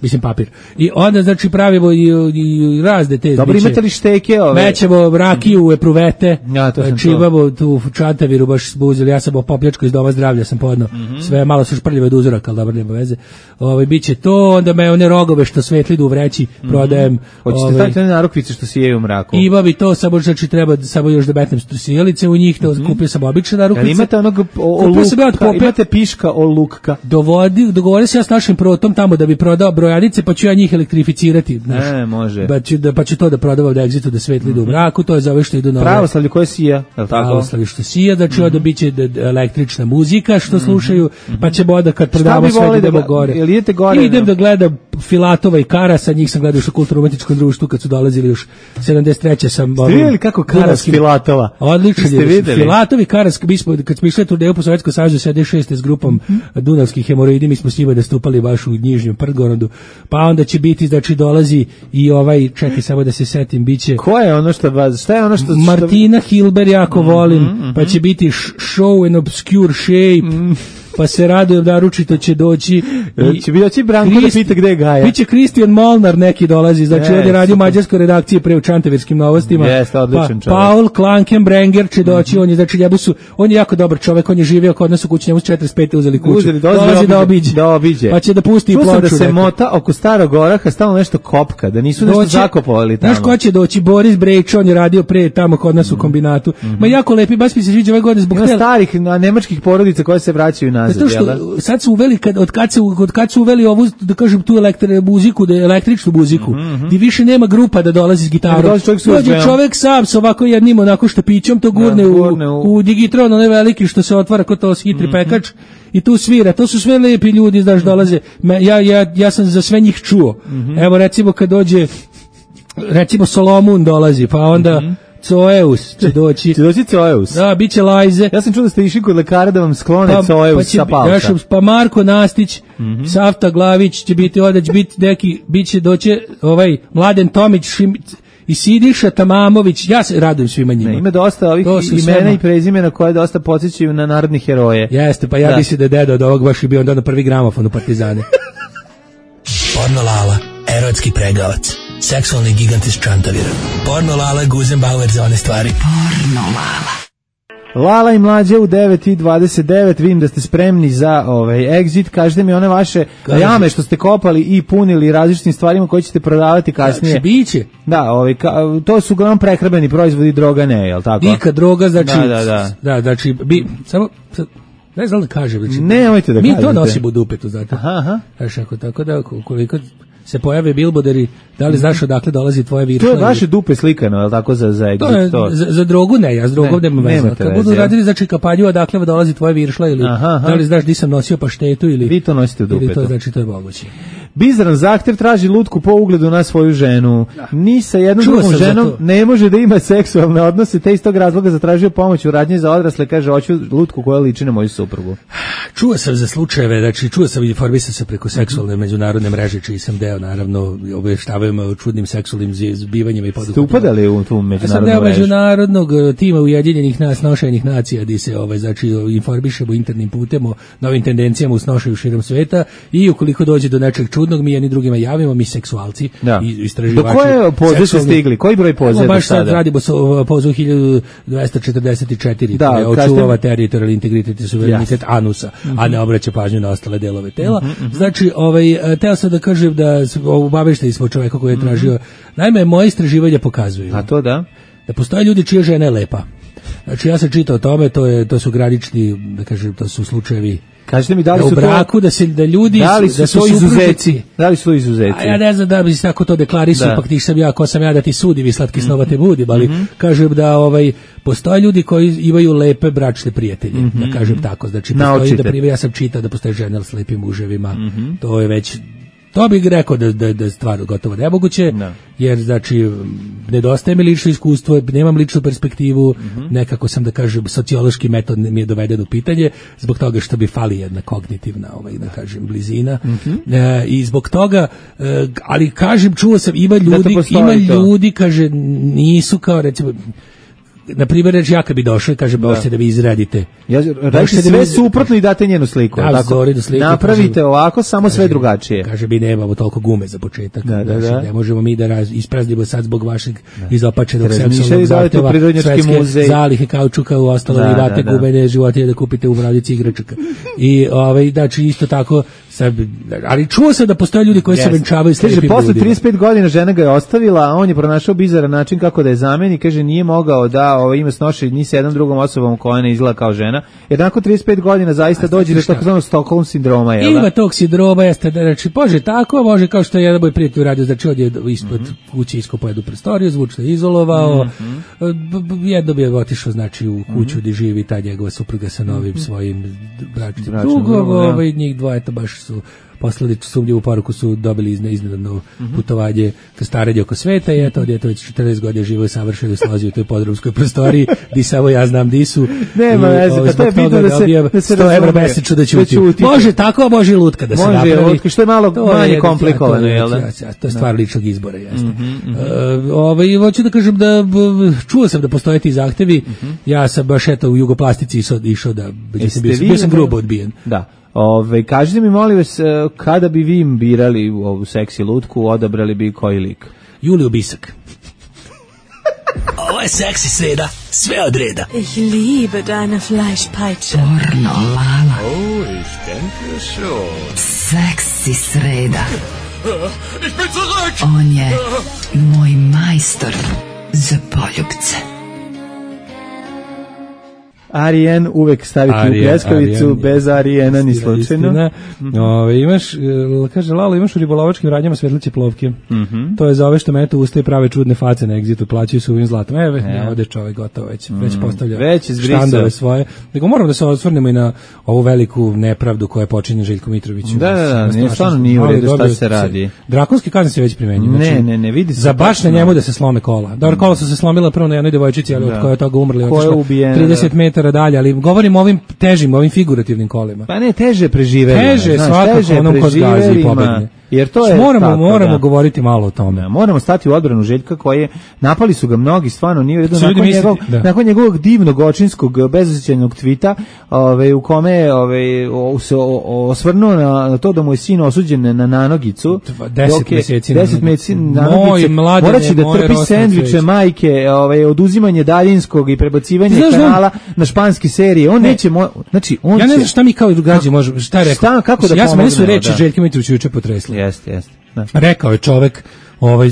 mislim papir. I onda znači pravimo i razne te. Dobro, imate li šteke ove? Mećemo rakiju, epruvete. Ja, to sam čivamo tu Čantaviru baš zbuzili. Ja sam popljačko iz doma zdravlja sam podno. Sve malo su šprljive od uzoraka, al dobro, nema veze. Biće to, onda me one rogove što svetli idu u vreći prodajem. Hoćete staviti one narukvice što sijeju u mraku? Ima bi to, samo znači treba samo još da metnem sijalice u njih, to kupio sam obične narukvice. Imate onog imate piška olukka. Dogovorio se ja s našim protom tamo da bi prodao brojanice, pa ću ja njih elektrificirati. Može. Pa ću to da prodavam da egzitu, da svetli idu u mraku, to je za ove što idu na pravoslavlje koje sija, je li tako? Pravoslavlje što sija, znači onda biće električna muzika što slušaju, pa ćemo onda kad prodamo sve idemo gore. Jel idete gore? Idem da gledam Filatova i Karasa, njih sam gledao još u kulturno-umetničkom društvu kad su dolazili još 73. sam... Ste vidjeli kako Karas Filatova? Odlično je. Filatov i Karas, kad smo išli turneju po Sovjetskom savezu 76. s grupom Dunavskih hemoroidi, mi smo s njima nastupali baš u Njižnjem Prgorodu, pa onda će biti, znači dolazi i čekaj samo da se setim, biće... Ko je ono šta je ono što... Martina Hilber jako volim, pa će biti Show an Obscure Shape, pa se radujem, naručito će doći. Će bi doći Branko da pita gde je Gaja. Biće Kristijan Molnar neki dolazi, znači on je radio u mađarskoj redakciji pre u Čantavirskim novostima. Jeste, odličan čovjek. Paul Klankenbrenger će doći, on je jako dobar čovjek, on je živio kod nas u kući, njemu su 45. uzeli kuću. Dolazi da obiđe. Pa će da pusti i ploču. Čuo sam da se mota oko Starog Oraha, stalno nešto kopka, da nisu nešto zakopovali tamo. Znaš ko će doći? Boris Brejč, on je radio pre tamo kod nas u kombinatu. Ma jako lepi, baš mi se sviđa ove godine zbog starih nemačkih porodica koje se vraćaju nazad. Zato što sad su uveli, od kad su uveli ovu, da kažem, tu električnu muziku, gdje više nema grupa da dolazi s gitarom. Dođe čovjek sam sa ovako jednim onako štapićom, to gurne u digitron, onaj veliki što se otvara kod to hitri pekač, i tu svira. To su sve lepi ljudi, znaš, dolaze. Ja sam za sve njih čuo. Evo, recimo, kad dođe, recimo, Solomon dolazi, pa onda... Coeus će doći. Će doći Coeus? Da, bit će Lajze. Ja sam čuo da ste išli kod lekara da vam sklone Coeus sa palca. Pa Marko Nastić, Safta Glavić će biti ovdje, će biti neki, bit će doći Mladen Tomić, i Sidiša Tamamović, ja se radujem svima njima. Ima dosta ovih imena i prezimena koje dosta podsjećaju na narodne heroje. Jeste, pa ja mislim da je deda od ovog baš i bio onda na prvi gramofon u Partizane. Porno Lala, erotski pregavac. Seksualni gigant iz Čantavira. Porno Lala, Guzenbauer za one stvari. Porno Lala. Lala i Mlađe u 9:29, vidim da ste spremni za exit. Kažete mi one vaše jame što ste kopali i punili različitim stvarima koje ćete prodavati kasnije. Znači, biće. Da, to su uglavnom prehrambeni proizvodi, droga ne, je li tako? Dika droga, znači... Da, znači, samo... Ne znam da kažem. Znači, nemojte da kažete. Mi to nosimo u dupetu, znate. Aha. Znači, tako da, koliko se pojave bilboderi, da li znaš odakle dolazi tvoje viršle? To je vaše dupe slikano, je li tako, za exit? To je, za drogu ne, ja s drogom nemam veze. Kad budu radili, znači, kampanju odakle dolazi tvoje viršle, ili da li znaš di sam nosio paštetu, ili... Vi to nosite u dupetu. Ili to, znači, to je moguće. Bizaran zahtev traži lutku po ugledu na svoju ženu. Ni sa jednom drugom ženom ne može da ima seksualne odnose, te iz tog razloga zatražio pomoć u radnji za odrasle, kaže, hoću lutku koja liči na moju suprugu. Čuo sam za slučajeve, znači čuo sam i informisao se preko seksualne međunarodne mreže, čiji sam deo, naravno, obavještavaju o čudnim seksualnim zbivanjima i poduhvatima. Ste upadali u tu međunarodnu mrežu? Sam deo međunarodnog tima Ujedinjenih nošenih nacija, gdje se znači, informišemo internim putem o novim tendencijama u snošaju širom sveta, i ukoliko dođe do nečeg čudnog, mi jedni drugima javimo, mi seksualci i istraživači. Do koje pozive ste stigli? Koji broj poziva? Baš sad radimo pozivu 1244, da, je očuvava teritorijalni integritet i suverenitet anusa, a ne obraća pažnju na ostale delove tela. Znači, teo sam da kažem da obavešteni smo čoveka koji je tražio. Naime, moje istraživanja pokazuju. A to da postoje ljudi čija žena je lepa. Znači, ja sam čitao o tome, to su granični, da kažem, to su slučajevi. Kažete mi da li su u braku, da ljudi da su izuzeci. Da li su izuzeci? A ja ne znam da bi se tako to deklarisu, pa ko sam ja da ti sudi, vi slatki snova te budi, ali kažem da postoje ljudi koji imaju lepe bračne prijatelje, da kažem tako. Znači, postoji, ja sam čitao da postoje žene s lepim muževima, to je već... To bih rekao da je stvar gotovo nemoguće, jer znači nedostaje mi lično iskustvo, nemam ličnu perspektivu, nekako sam da kažem sociološki metod mi je doveden u pitanje, zbog toga što bi fali jedna kognitivna, da kažem, blizina, i zbog toga, ali kažem, čuo sam, ima ljudi, kaže, nisu kao recimo, na primjer, reći ja kad bi došao i kaže, možete da vi izradite. Radite sve suprotno i date njenu sliku. Da, tako, napravite kaže, ovako, samo sve drugačije. Kaže, mi nemamo toliko gume za početak. Ne možemo mi da ispraznimo sad zbog vašeg izopačenog seksualnog zahteva svetske zalihe kaučuka u ostalo i date gumene životinje da kupite u brodici igračaka. I znači isto tako, ali čuo sam da postoje ljudi koji se venčavaju s lepim ljudima. Posle 35 godina žena ga je ostavila, a on je pronašao bizaran način kako da je zameni, kaže nije mogao da ima snoši ni sa jednom drugom osobom koja ne izgleda kao žena, jer nakon 35 godina zaista dođe do takozvanog Stockholm sindroma. Ima tog sindroma, jeste da reći, može tako, može kao što je jedan moj prijatelj uradio, znači on je ispod kuće iskopao jednu prostoriju, zvučno izolovao, jedno bi je otišao znači u kuću gdje živi ta njegova supruga sa novim svojim bračnim drugom, njih dvoje to baš su poslali sumnjivu poruku, su dobili iznenadno putovanje ka starenju oko sveta i eto, djeto već 40 godina živo i savršeno slazi u toj podrumskoj prostoriji, di samo ja znam di su. Nema veze, pa to je bitno da se 100 evra mesečno da ćuti. Može tako, a može i lutka da se napravi. Može lutka, što je malo manje komplikovano, jel da? To je stvar ličnog izbora, jasno. Hoću da kažem da čuo sam da postoje ti zahtevi, ja sam baš eto u Jugoplastici išao da, bio sam grubo odbijen. Da. Kažite mi, molim vas, kada bi vi im birali ovu seksi lutku, odabrali bi koji lik? Juliju Bisak. Ovo je seksi sreda, sve od reda. Ich liebe deine Fleischpeitsche. Pornolala. Oh, ich denke schon. Seksi sreda. Ich bin zurück! On je moj majstor za poljubce. Arijen uvek staviti u pljeskavicu, bez Arijena ni slučajno. Imaš, kaže Lalo, imaš u ribolovačkim radnjama svetliće plovke. To je za ove što metu ustaje prave čudne face na egzitu, plaćaju se ovim zlatom. Ovdje čovjek gotovo već postavlja štandove svoje. Nego moramo da se osvrnemo i na ovu veliku nepravdu koja je počinjena Željko Mitroviću. Da, stvarno nije u redu šta se radi. Drakonski kazne se već primenjuju. Ne, vidi se. Za baš na njemu da se slome kola. Dobro, kola su se slomila prvo na jednoj devojčici, ali od koje je toga umrli. 30 metara dalje, ali govorim o ovim težim, ovim figurativnim kolima. Pa ne, teže preživeli. Teže svakako onom kod gazi i pobedne. Jer to je moramo govoriti malo o tome. Moramo stati u odbranu Željka koji napali su ga mnogi, stvarno nije redu nakon njegovog divnog očinskog bezosjećajnog tvita, u kome se osvrnuo na to da mu je sin osuđen na nanogicu. 10 meseci nanogice. Moraće da trpi sendviče majke, oduzimanje daljinskog i prebacivanje kanala na španske serije. On neće, znači on ja ne znam šta mi kao građani možemo, šta je rekao? Ja sam, meni su reči Željka Mitrovića juče potresli. Jeste. Rekao je čovek,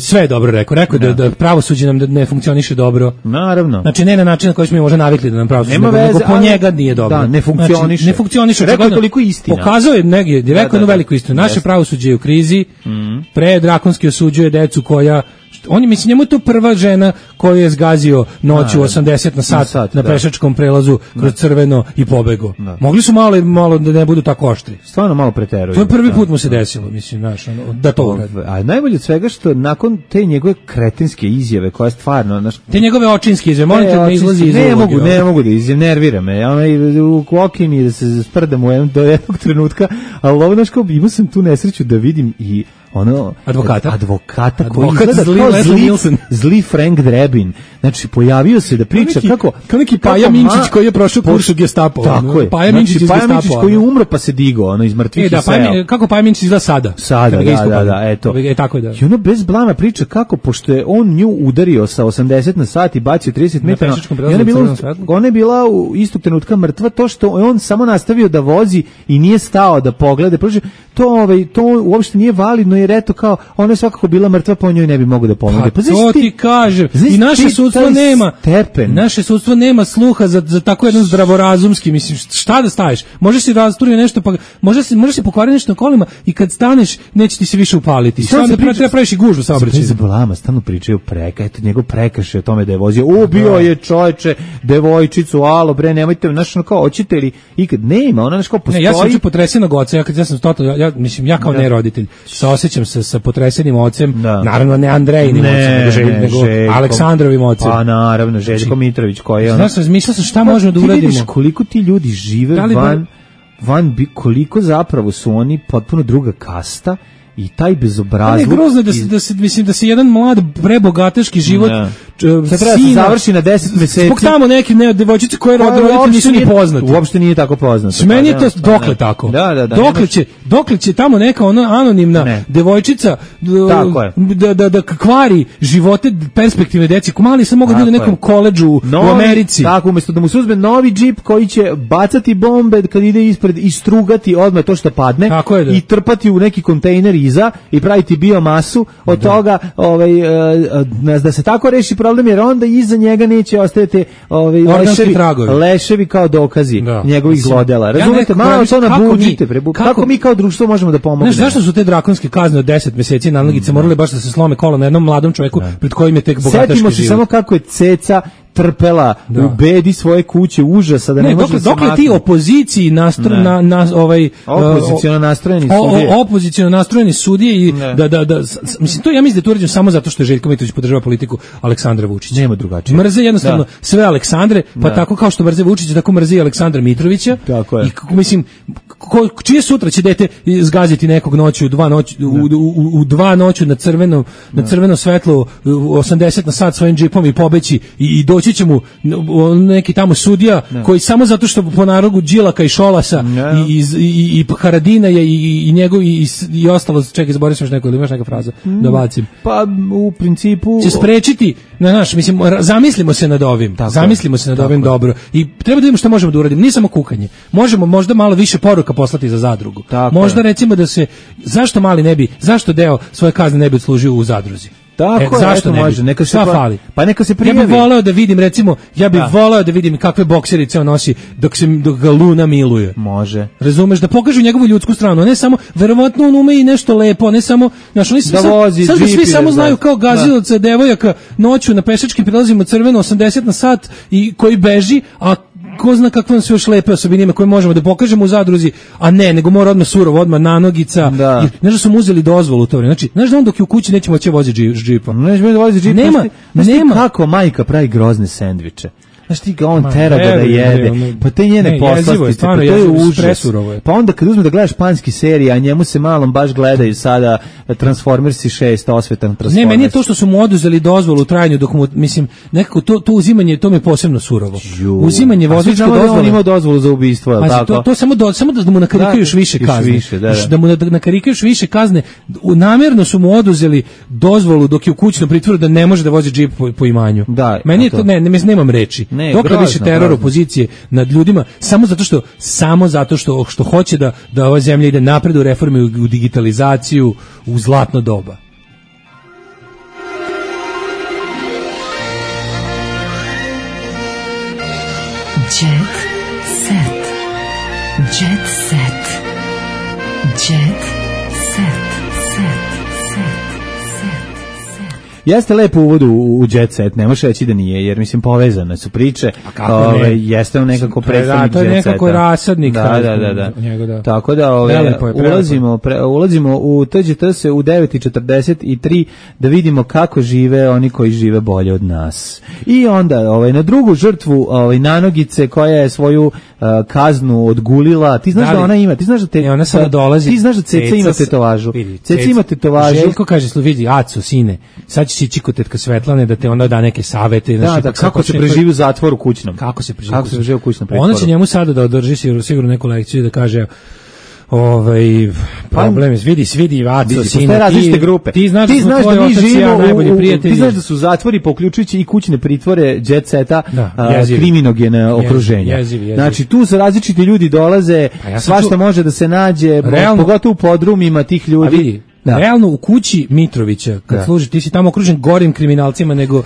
sve je dobro rekao da pravosuđe nam ne funkcioniše dobro. Naravno. Znači ne na način na koji smo mi možda navikli da nam pravosuđe, nego po njega nije dobro. Da, ne funkcioniše. Ne funkcioniše. Rekao je toliko istina. Pokazao je negdje, rekao jednu veliku istinu. Naše pravosuđe je u krizi, drakonski osuđuje decu koja njemu je to prva žena koju je zgazio noću 80 na sat na pešačkom prelazu kroz crveno i pobego. Mogli su malo da ne budu tako oštri. Stvarno malo preteruju. To je prvi put mu se desilo, mislim, da to uradi. A najbolje od svega što nakon te njegove kretenske izjave, koja je stvarno... Te njegove očinske izjave, molite da ne izlazi iz ulogi. Ne mogu da nervira me. U okini da se sprdam do jednog trenutka, ali ovo, imao sam tu nesreću da vidim i advokata koji izgleda kao zli Frank Drebin. Znači, pojavio se da priča kao neki Paja Minčić koji je prošao kurs u Gestapo. Tako je. Paja Minčić koji je umro pa se digao, iz mrtvih i seo. Kako Paja Minčić izgleda sada? Da, eto. Tako je da. I ono bez blama priča kako, pošto je on nju udario sa 80 na sat i bacio 30 metara, ona je bila u istog trenutka mrtva, to što on samo nastavio da vozi i nije stao da pogleda. To uopšte nije validno, jer eto kao, ona je svakako bila mrtva, po njoj ne bi mogu da pomogne. Pa to ti kažem. I naše sudstvo nema sluha za tako jedan zdravorazumski, mislim, šta da staviš? Može se rasturio nešto, pa može se pokvariti nešto na kolima i kad staneš neće ti se više upaliti. Šta da treba praviš i gužvu saobraćajnu. Bez blama, stalno pričaju eto njegov prekršaj o tome da je vozio. Ubio je čoveče devojčicu, alo bre, nemojte, znaš, kao hoćete li ikad nema, ona nešto postoji. Ja sam juče potresenog oca, ja sam totalno, mislim, ja kao ne roditelj, saosećam se sa potresenim ocem, naravno ne Andrejinim ocem, nego Aleksandrovim ocem. Pa naravno, Željko Mitrović koji je znaš, razmišljao sam šta možemo da uradimo. Ti vidiš koliko ti ljudi žive koliko zapravo su oni potpuno druga kasta i taj bezobrazluk. Ne, grozno da se mislim da se jedan mlad prebogataški život Sad treba se završi na 10 meseci. Zbog tamo neke devojčice koje roditelji nisu ni poznati. Uopšte nije tako poznato. Meni je to dokle tako. Dokle će tamo neka ona anonimna devojčica da kvari živote perspektivne deci. Mali sam mogu biti u nekom koledžu u Americi. Tako, umjesto da mu se uzme novi džip koji će bacati bombe kad ide ispred i strugati odmah to što padne i trpati u neki kontejner iza i praviti biomasu od toga da se tako reši problem, jer onda iza njega neće ostajati leševi kao dokazi njegovih zlodela. Razumete, malo to nabuđite. Kako mi kao društvo možemo da pomognemo? Znaš, zašto su te drakonske kazne od 10 meseci na nanogice morali baš da se slome kola na jednom mladom čovjeku pred kojim je tek bogataški život? Setimo se samo kako je Ceca trpela u bedi svoje kuće, užasa da ne može se dokle ti opoziciji opoziciono nastrojeni sudije i mislim, to ja mislim da je to urađeno samo zato što je Željko Mitrović podržava politiku Aleksandra Vučića. Nema drugačije. Mrze jednostavno sve Aleksandre, pa tako kao što mrze Vučića, tako mrze i Aleksandra Mitrovića. Tako je. I mislim, čije sutra će dete zgaziti nekog noću, u 2 noću na crveno svetlo 80 na sat svojim džipom i pobeći i doći će mu neki tamo sudija koji samo zato što po narogu Đilaka i Šolasa i Haradina i njegov i ostalo, čekaj, zaboravio sam još neko, ili imaš neka fraza da bacim. Pa u principu će sprečiti, mislim, zamislimo se nad ovim, dobro i treba da vidimo šta možemo da uradimo, nije samo kukanje, možemo možda malo više poruka poslati za zadrugu, možda recimo da se, zašto deo svoje kazne ne bi odslužio u zadruzi? Tako, zašto ne može, neka se fali. Pa neka se prijavi. Ja bih voleo da vidim, recimo, voleo da vidim kakve bokserice on nosi dok ga Luna miluje. Može. Razumeš, da pokažu njegovu ljudsku stranu, ne samo, verovatno on ume i nešto lepo, ne samo, oni svi samo znaju kao gazilaca devojaka noću na pešačkim prilazima crveno 80 na sat i koji beži, a ko zna kakve su još lepe osobine ima koje možemo da pokažemo u zadruzi, a nego mora odmah surovo, odmah nanogica. Znaš da su mu uzeli dozvolu u to vrijeme. Znači, znaš da on dok je u kući neće moći voziti džipa. Neće moći džipa. Nema. Kako majka pravi grozne sendviče. Znaš ti ga on tera ga da jede, pa te njene poslastice, pa to je užas. Pa onda kad uzme da gledaš španski serije, a njemu se malom baš gledaju sada Transformersi 6, osvetan Transformers. Ne, meni je to što su mu oduzeli dozvolu u trajanju, dok mu, mislim, nekako to uzimanje, to mi je posebno surovo. Uzimanje vozačke dozvole. On ima dozvolu za ubistvo, je tako? To samo da mu nakarikaju još više kazne. Da mu nakarikaju još više kazne. Namjerno su mu oduzeli dozvolu dok je u kućnom pritvoru da ne može da vozi džip po imanju. Meni je to, nemam reči. Dokle više teror opozicije nad ljudima samo zato što hoće da ova zemlja ide napred u reforme, u digitalizaciju, u zlatno doba. Jet set. Jet set. Jet set. Jeste lepo uvod u Jet Set, ne može reći da nije, jer mislim povezane su priče. Jeste on nekako predstavnik Jet Seta. To je nekako rasadnik. Da. Tako da ulazimo u TGT se u 9:43 da vidimo kako žive oni koji žive bolje od nas. I onda na drugu žrtvu nanogice koja je svoju kaznu odgulila. Ti znaš da ona ima, ti znaš da ona sada dolazi. Ti znaš da Ceca ima tetovažu. Ceca ima tetovažu. Željko kaže, vidi, Aco, sine, sad će ići kod tetka Svetlane da te onda da neke savete. Kako se preživi u zatvoru kućnom. Kako se preživi u kućnom pritvoru. Ona će njemu sada da održi sigurno neku lekciju i da kaže problem je, vidi Aco, sine, ti znaš da mi živimo najbolji prijatelji. Ti znaš da su zatvori, poključujući i kućne pritvore Jet Seta, kriminogene okruženja. Znači, tu su različiti ljudi dolaze, svašta može da se nađe, pogotovo u podrumima tih ljudi. Realno u kući Mitrovića, kad služi, ti si tamo okružen gorim kriminalcima nego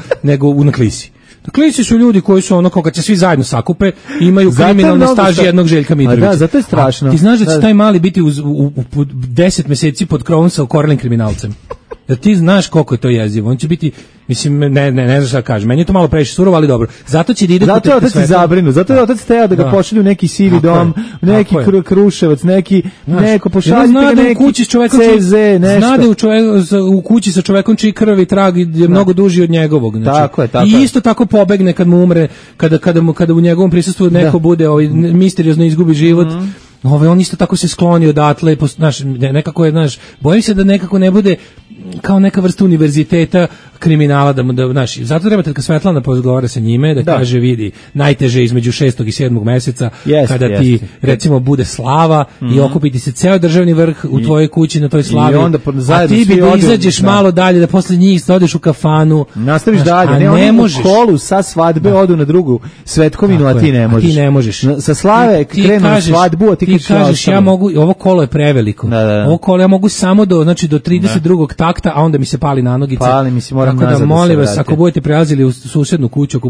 na Klisi. Na Klisi su ljudi koji su ono, kad se svi zajedno sakupe, imaju kriminalne staži jednog Željka Mitrovića. Da, zato je strašno. Ti znaš da će taj mali biti u 10 meseci pod krovom sa okorelim kriminalcem. Da ti znaš koliko je to jezivo. On će biti, mislim, ne znam šta kažem. Meni je to malo previše surovo, ali dobro. Zato će da ide kod tetka Svetlane. Zabrinu. Zato je otac teo da ga pošalju neki sivi dom, neki Kruševac, neko pošalju neki CZ, nešto. Zna da u kući sa čovekom čiji krvi trag je mnogo duži od njegovog. Tako je. I isto tako pobegne kad mu umre, kada u njegovom prisustvu neko bude misteriozno izgubi život. On isto tako se skloni odatle, nekako je, bojim se da nekako ne bude kao neka vrsta univerziteta kriminala, da znaš, zato treba kad Svetlana pozgovara sa njime, da kaže, vidi, najteže između 6. i 7. meseca, kada ti, recimo, bude slava i okupiti se ceo državni vrh u tvojoj kući na toj slavi, a ti bi da izađeš malo dalje, da posle njih odeš u kafanu, nastaviš dalje, a ne možeš. Kolu sa svadbe odu na drugu svetkovinu, a ti ne možeš. Ti ne možeš. Sa slave krenu na svadbu, a ti kažeš, ja mogu, ovo kolo je preveliko. Ovo kolo ja mogu samo do 32. takta, a onda mi se pali na nogice. Pali mi se, moram nazad. Tako da molim vas, ako budete prelazili u susednu kuću,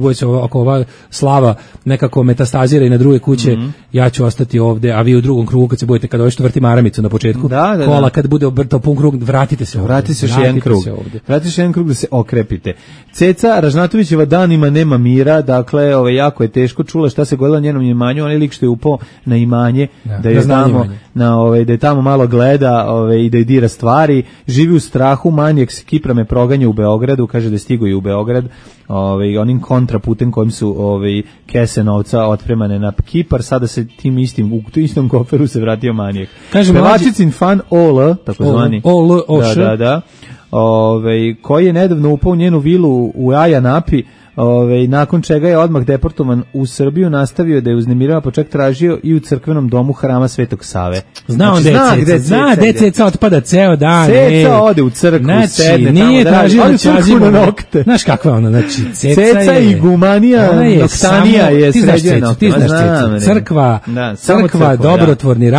ako ova slava nekako metastazira i na druge kuće, ja ću ostati ovde, a vi u drugom krugu kad se budete, kada još vrti maramicu na početku kola, kad bude obrtao pun krug, vratite se ovde. Vratite se još jedan krug. Vratite se jedan krug da se okrepite. Ceca Ražnatovićeva danima nema mira, dakle, jako je teško, čula šta se godilo na njenom imanju, on je lik što je upao na imanje, da je tamo da je tamo malo gleda i da je dira stvari, živi u strahu, manijak se Kiprame proganja u Beogradu, kaže da je stigo i u Beograd, onim kontraputem kojim su kese novca otpremane na Kipar, sada se tim istim, u istom koferu se vratio manijak. Pevačicin fan Ol, takozvani, koji je nedavno upao u njenu vilu u Ajanapi, nakon čega je odmah deportovan u Srbiju, nastavio da je uznemirava, pa čak tražio i u crkvenom domu Hrama Svetog Save. Zna gde Ceca otpada ceo dan. Ceca ode u crkvu, sedne tamo, nije tražio da crkvu na nokte. Znaš kakva ona, znači Ceca i gumanija, noktanija je sređena. Ti znaš Ceca, crkva, dobrotvorni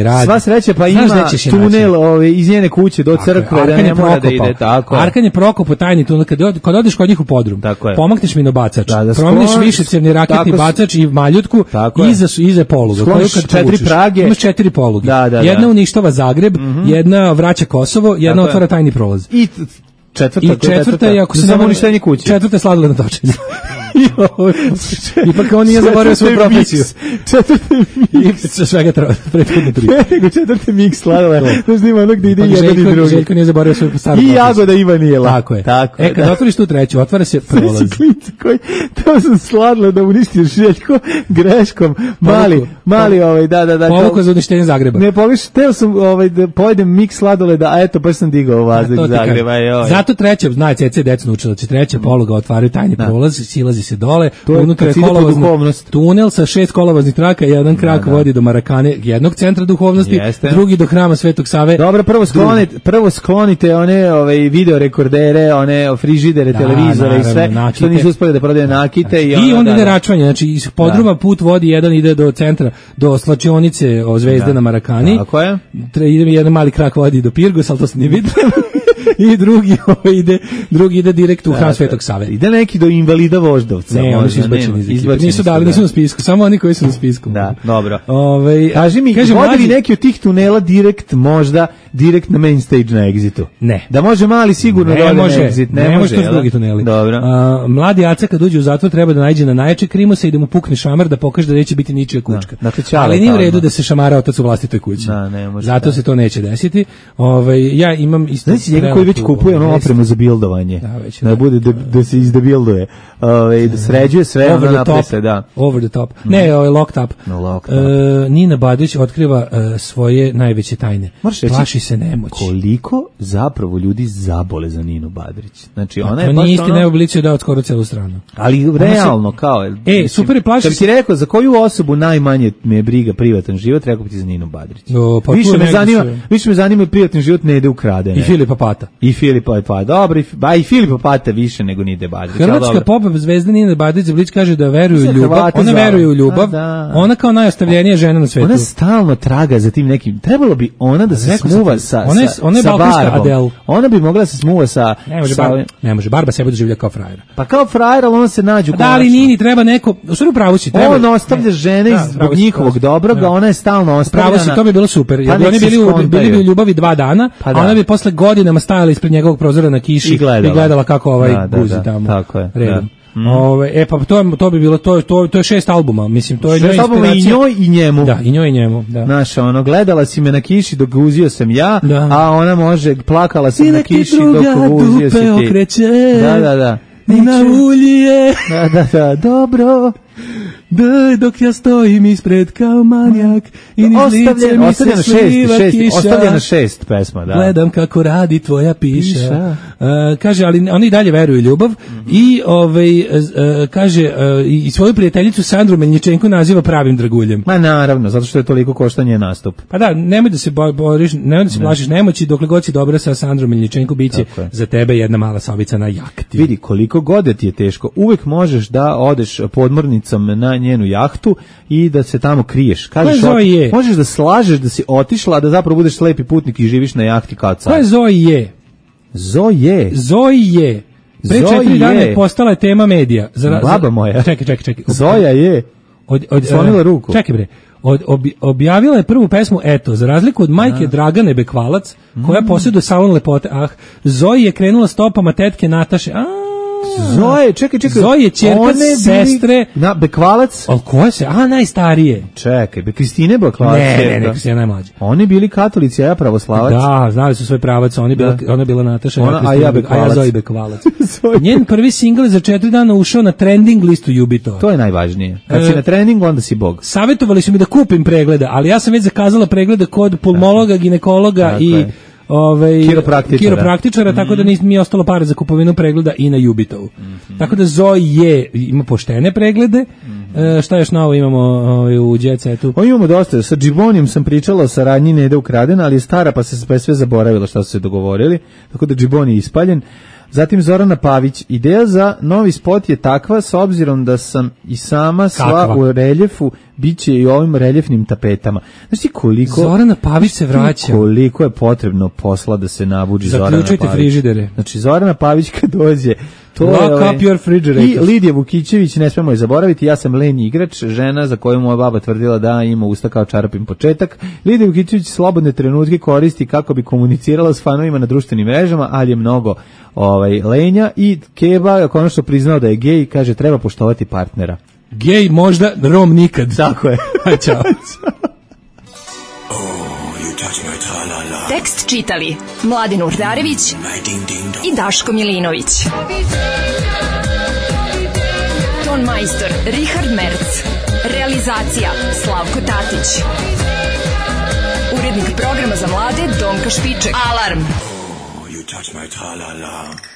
rad. Sva sreća, pa ima tunel iz njene kuće do crkve, da ne mora da ide tako. Arkan je Prokop, tajni tunel, kad odeš kod njih u podrum, pomakneš minobacač, promeniš višecevni raketni bacač i maljutku, iza poluga. Skloniš 4 prage. Imaš 4 poluge. Jedna uništava Zagreb, jedna vraća Kosovo, jedna otvara tajni prolaz. I četvrta je, ako se samo uništenje kuće. Četvrta je sladoled na točenju. Ipak on nije zaboravio svoju profesiju. Četvrti miks. Svega prethodne 3. Nego četvrti miks sladoleda. Znaš da ima ono gde ide jedan i drugi. Željko nije zaboravio svoju staru profesiju. I jagoda Ivanijela. Tako je. Kad otvoriš tu treću, otvara se prolaz. To sam sladoleda uništio Željko greškom. Mali da. Povuko za uništenje Zagreba. Ne pogledaš, teo sam da pojedem miks sladoleda, a eto, baš sam digao vazduh Zagreba. Zato treća, zna Ceca deca naučila, će treća poluga otvaraju tajni prolaz, silazi se dole, unutra je tunel sa 6 kolovoznih traka, jedan krak vodi do Marakane, jednog centra duhovnosti, drugi do Hrama Svetog Save. Dobro, prvo sklonite one video rekordere, one frižidere, televizore i sve, što nisu uspeli da prodaju nakite. I onda ide račvanje, znači iz podruma put vodi, jedan ide do centra, do slačionice Zvezde na Marakani. Tako je. Jedan mali krak vodi do Pirgos, ali to se nije vidio. I drugi ide direkt u Hram Svetog Save. Ide neki do invalida Voždovca. Ne, oni su izbačeni iz ekipe. Nisu na spisku, samo oni koji su na spisku. Da, dobro. Kaži mi, vodi li neki od tih tunela direkt na main stage na Exitu? Ne. Da može mali sigurno da ode na Exit? Ne može, to su drugi tuneli. Dobro. Mladi Aca kad uđe u zatvor treba da nađe na najjače krimosa i da mu pukne šamar da pokaže da neće biti ničija kućka. Ali nije u redu da se šamara otac u vlastitoj kući. Zato se to neće desiti. Ja imam isto... Koji već kupuje opremu za bildovanje. Da bude da se izdebilduje. Da sređuje sve ono naprese, da. Over the top. Ne, locked up. Nina Badrić otkriva svoje najveće tajne. Plaši se nemoći. Koliko zapravo ljudi zabole za Ninu Badrić. Znači ona je baš ono... Nije isti neoblicio da skoro celu stranu. Ali realno kao... super je, plaši se. Kad ti rekao za koju osobu najmanje me briga privatan život, rekao bi ti za Ninu Badrić. Više me zanima privatni život ne ide ukraden. I Filipa Pata. I Filipa Pata. Dobro, i Filipa Pata više nego Nide Badrić. Hrvatska pop zvezda Nina Badrić Blić kaže da veruje u ljubav. Ona veruje u ljubav. Ona kao najostavljenija žena na svetu. Ona stalno traga za tim nekim. Trebalo bi ona da se smuva sa Barbom. Ona bi mogla da se smuva sa... Ne može, Barba sebe doživlja kao frajera. Pa kao frajer, ali ona se nađu konačno. Da li Nini treba neko... U stvari upravo si. On ostavlja žene zbog njihovog dobroga, ona je stalno ostavljena. Upravo si, to bi bilo super. Oni bili u ljubavi 2 dana, a ona bi posle godinama stajala ispred njegovog prozora na kiši i gledala kako guzi tamo. Tako je. Redom. Pa to bi bilo, to je 6 albuma, mislim, to je 6 albuma i njoj i njemu. Da, i njoj i njemu, da. Znaš, gledala si me na kiši dok guzio sam ja, a ona može, plakala sam na kiši dok guzio si ti. Okreće. Da. I na ulje. Da, dobro. Dok ja stojim ispred kao manjak i niz lice mi se sliva kiša. Ostavljena 6 pesma, da. Gledam kako radi tvoja piša. Kaže, ali oni dalje veruju ljubav i kaže i svoju prijateljicu Sandru Meljičenko naziva pravim draguljem. Ma naravno, zato što je toliko koštanje nastup. Pa da, nemoj da se boriš, nemoj da se plašiš nemoći, dokle god si dobra sa Sandrom Meljičenko, biće za tebe jedna mala sobica na jahti. Vidi, koliko god ti je teško, uvek možeš da odeš podmornicom na njenu jahtu i da se tamo kriješ. Kažeš, možeš da slažeš da si otišla, a da zapravo budeš slepi putnik i živiš na jahti kao car. Ko je Zoje? Zoje. Pre 4 dana je postala tema medija. Baba moja. Čekaj. Zoja je. Slonila ruku. Čekaj bre. Objavila je prvu pesmu, eto, za razliku od majke Dragane Bekvalac, koja posjeduje salon lepote, Zoji je krenula stopama tetke Nataše, Zoje, čekaj. Zoje, ćerka sestre. Na Bekvalac? Ali koje se? Najstarije. Čekaj, Kristine Bekvalac. Ne, Kristina najmlađa. Oni bili katolici, a ja pravoslavac. Da, znali su svoj pravac, ona je bila Nataša, a ja Zoji Bekvalac. Njen prvi singl je za 4 dana ušao na trending listu Jubito. To je najvažnije. Kad si na treningu, onda si bog. Savjetovali su mi da kupim pregleda, ali ja sam već zakazala preglede kod pulmologa, ginekologa i kiropraktičara, tako da mi je ostalo para za kupovinu pregleda i na Jubitovu. Tako da Zoe ima poštene preglede. Šta još novo imamo u Jet Setu? Imamo dosta. Sa Džibonijem sam pričala o saradnji Nede ukradena, ali je stara pa se sve zaboravila šta su se dogovorili, tako da Džiboni je ispaljen. Zatim Zorana Pavić, ideja za novi spot je takva, s obzirom da sam i sama sva u reljefu, bit će i ovim reljefnim tapetama. Znači koliko... Zorana Pavić se vraća. Koliko je potrebno posla da se nabuđi Zorana Pavić. Zaključujte frižidere. Znači Zorana Pavić kad dođe... Lock up your refrigerator. I Lidija Vukićević, ne smemo je zaboraviti, ja sam lenji igrač, žena za koju moja baba tvrdila da ima usta kao čarapin početak. Lidija Vukićević slobodne trenutke koristi kako bi komunicirala s fanovima na društvenim mrežama, ali je mnogo lenja i Keba, konačno priznao da je gej, kaže treba poštovati partnera. Gej možda, Rom nikad. Tako je. Ćao. Tekst čitali Mladin Urdarević i Daško Milinović. Ton majstor Richard Merc. Realizacija Slavko Tatić. Urednik programa za mlade Donka Špiček. Alarm! Oh, you touch my tra-la-la.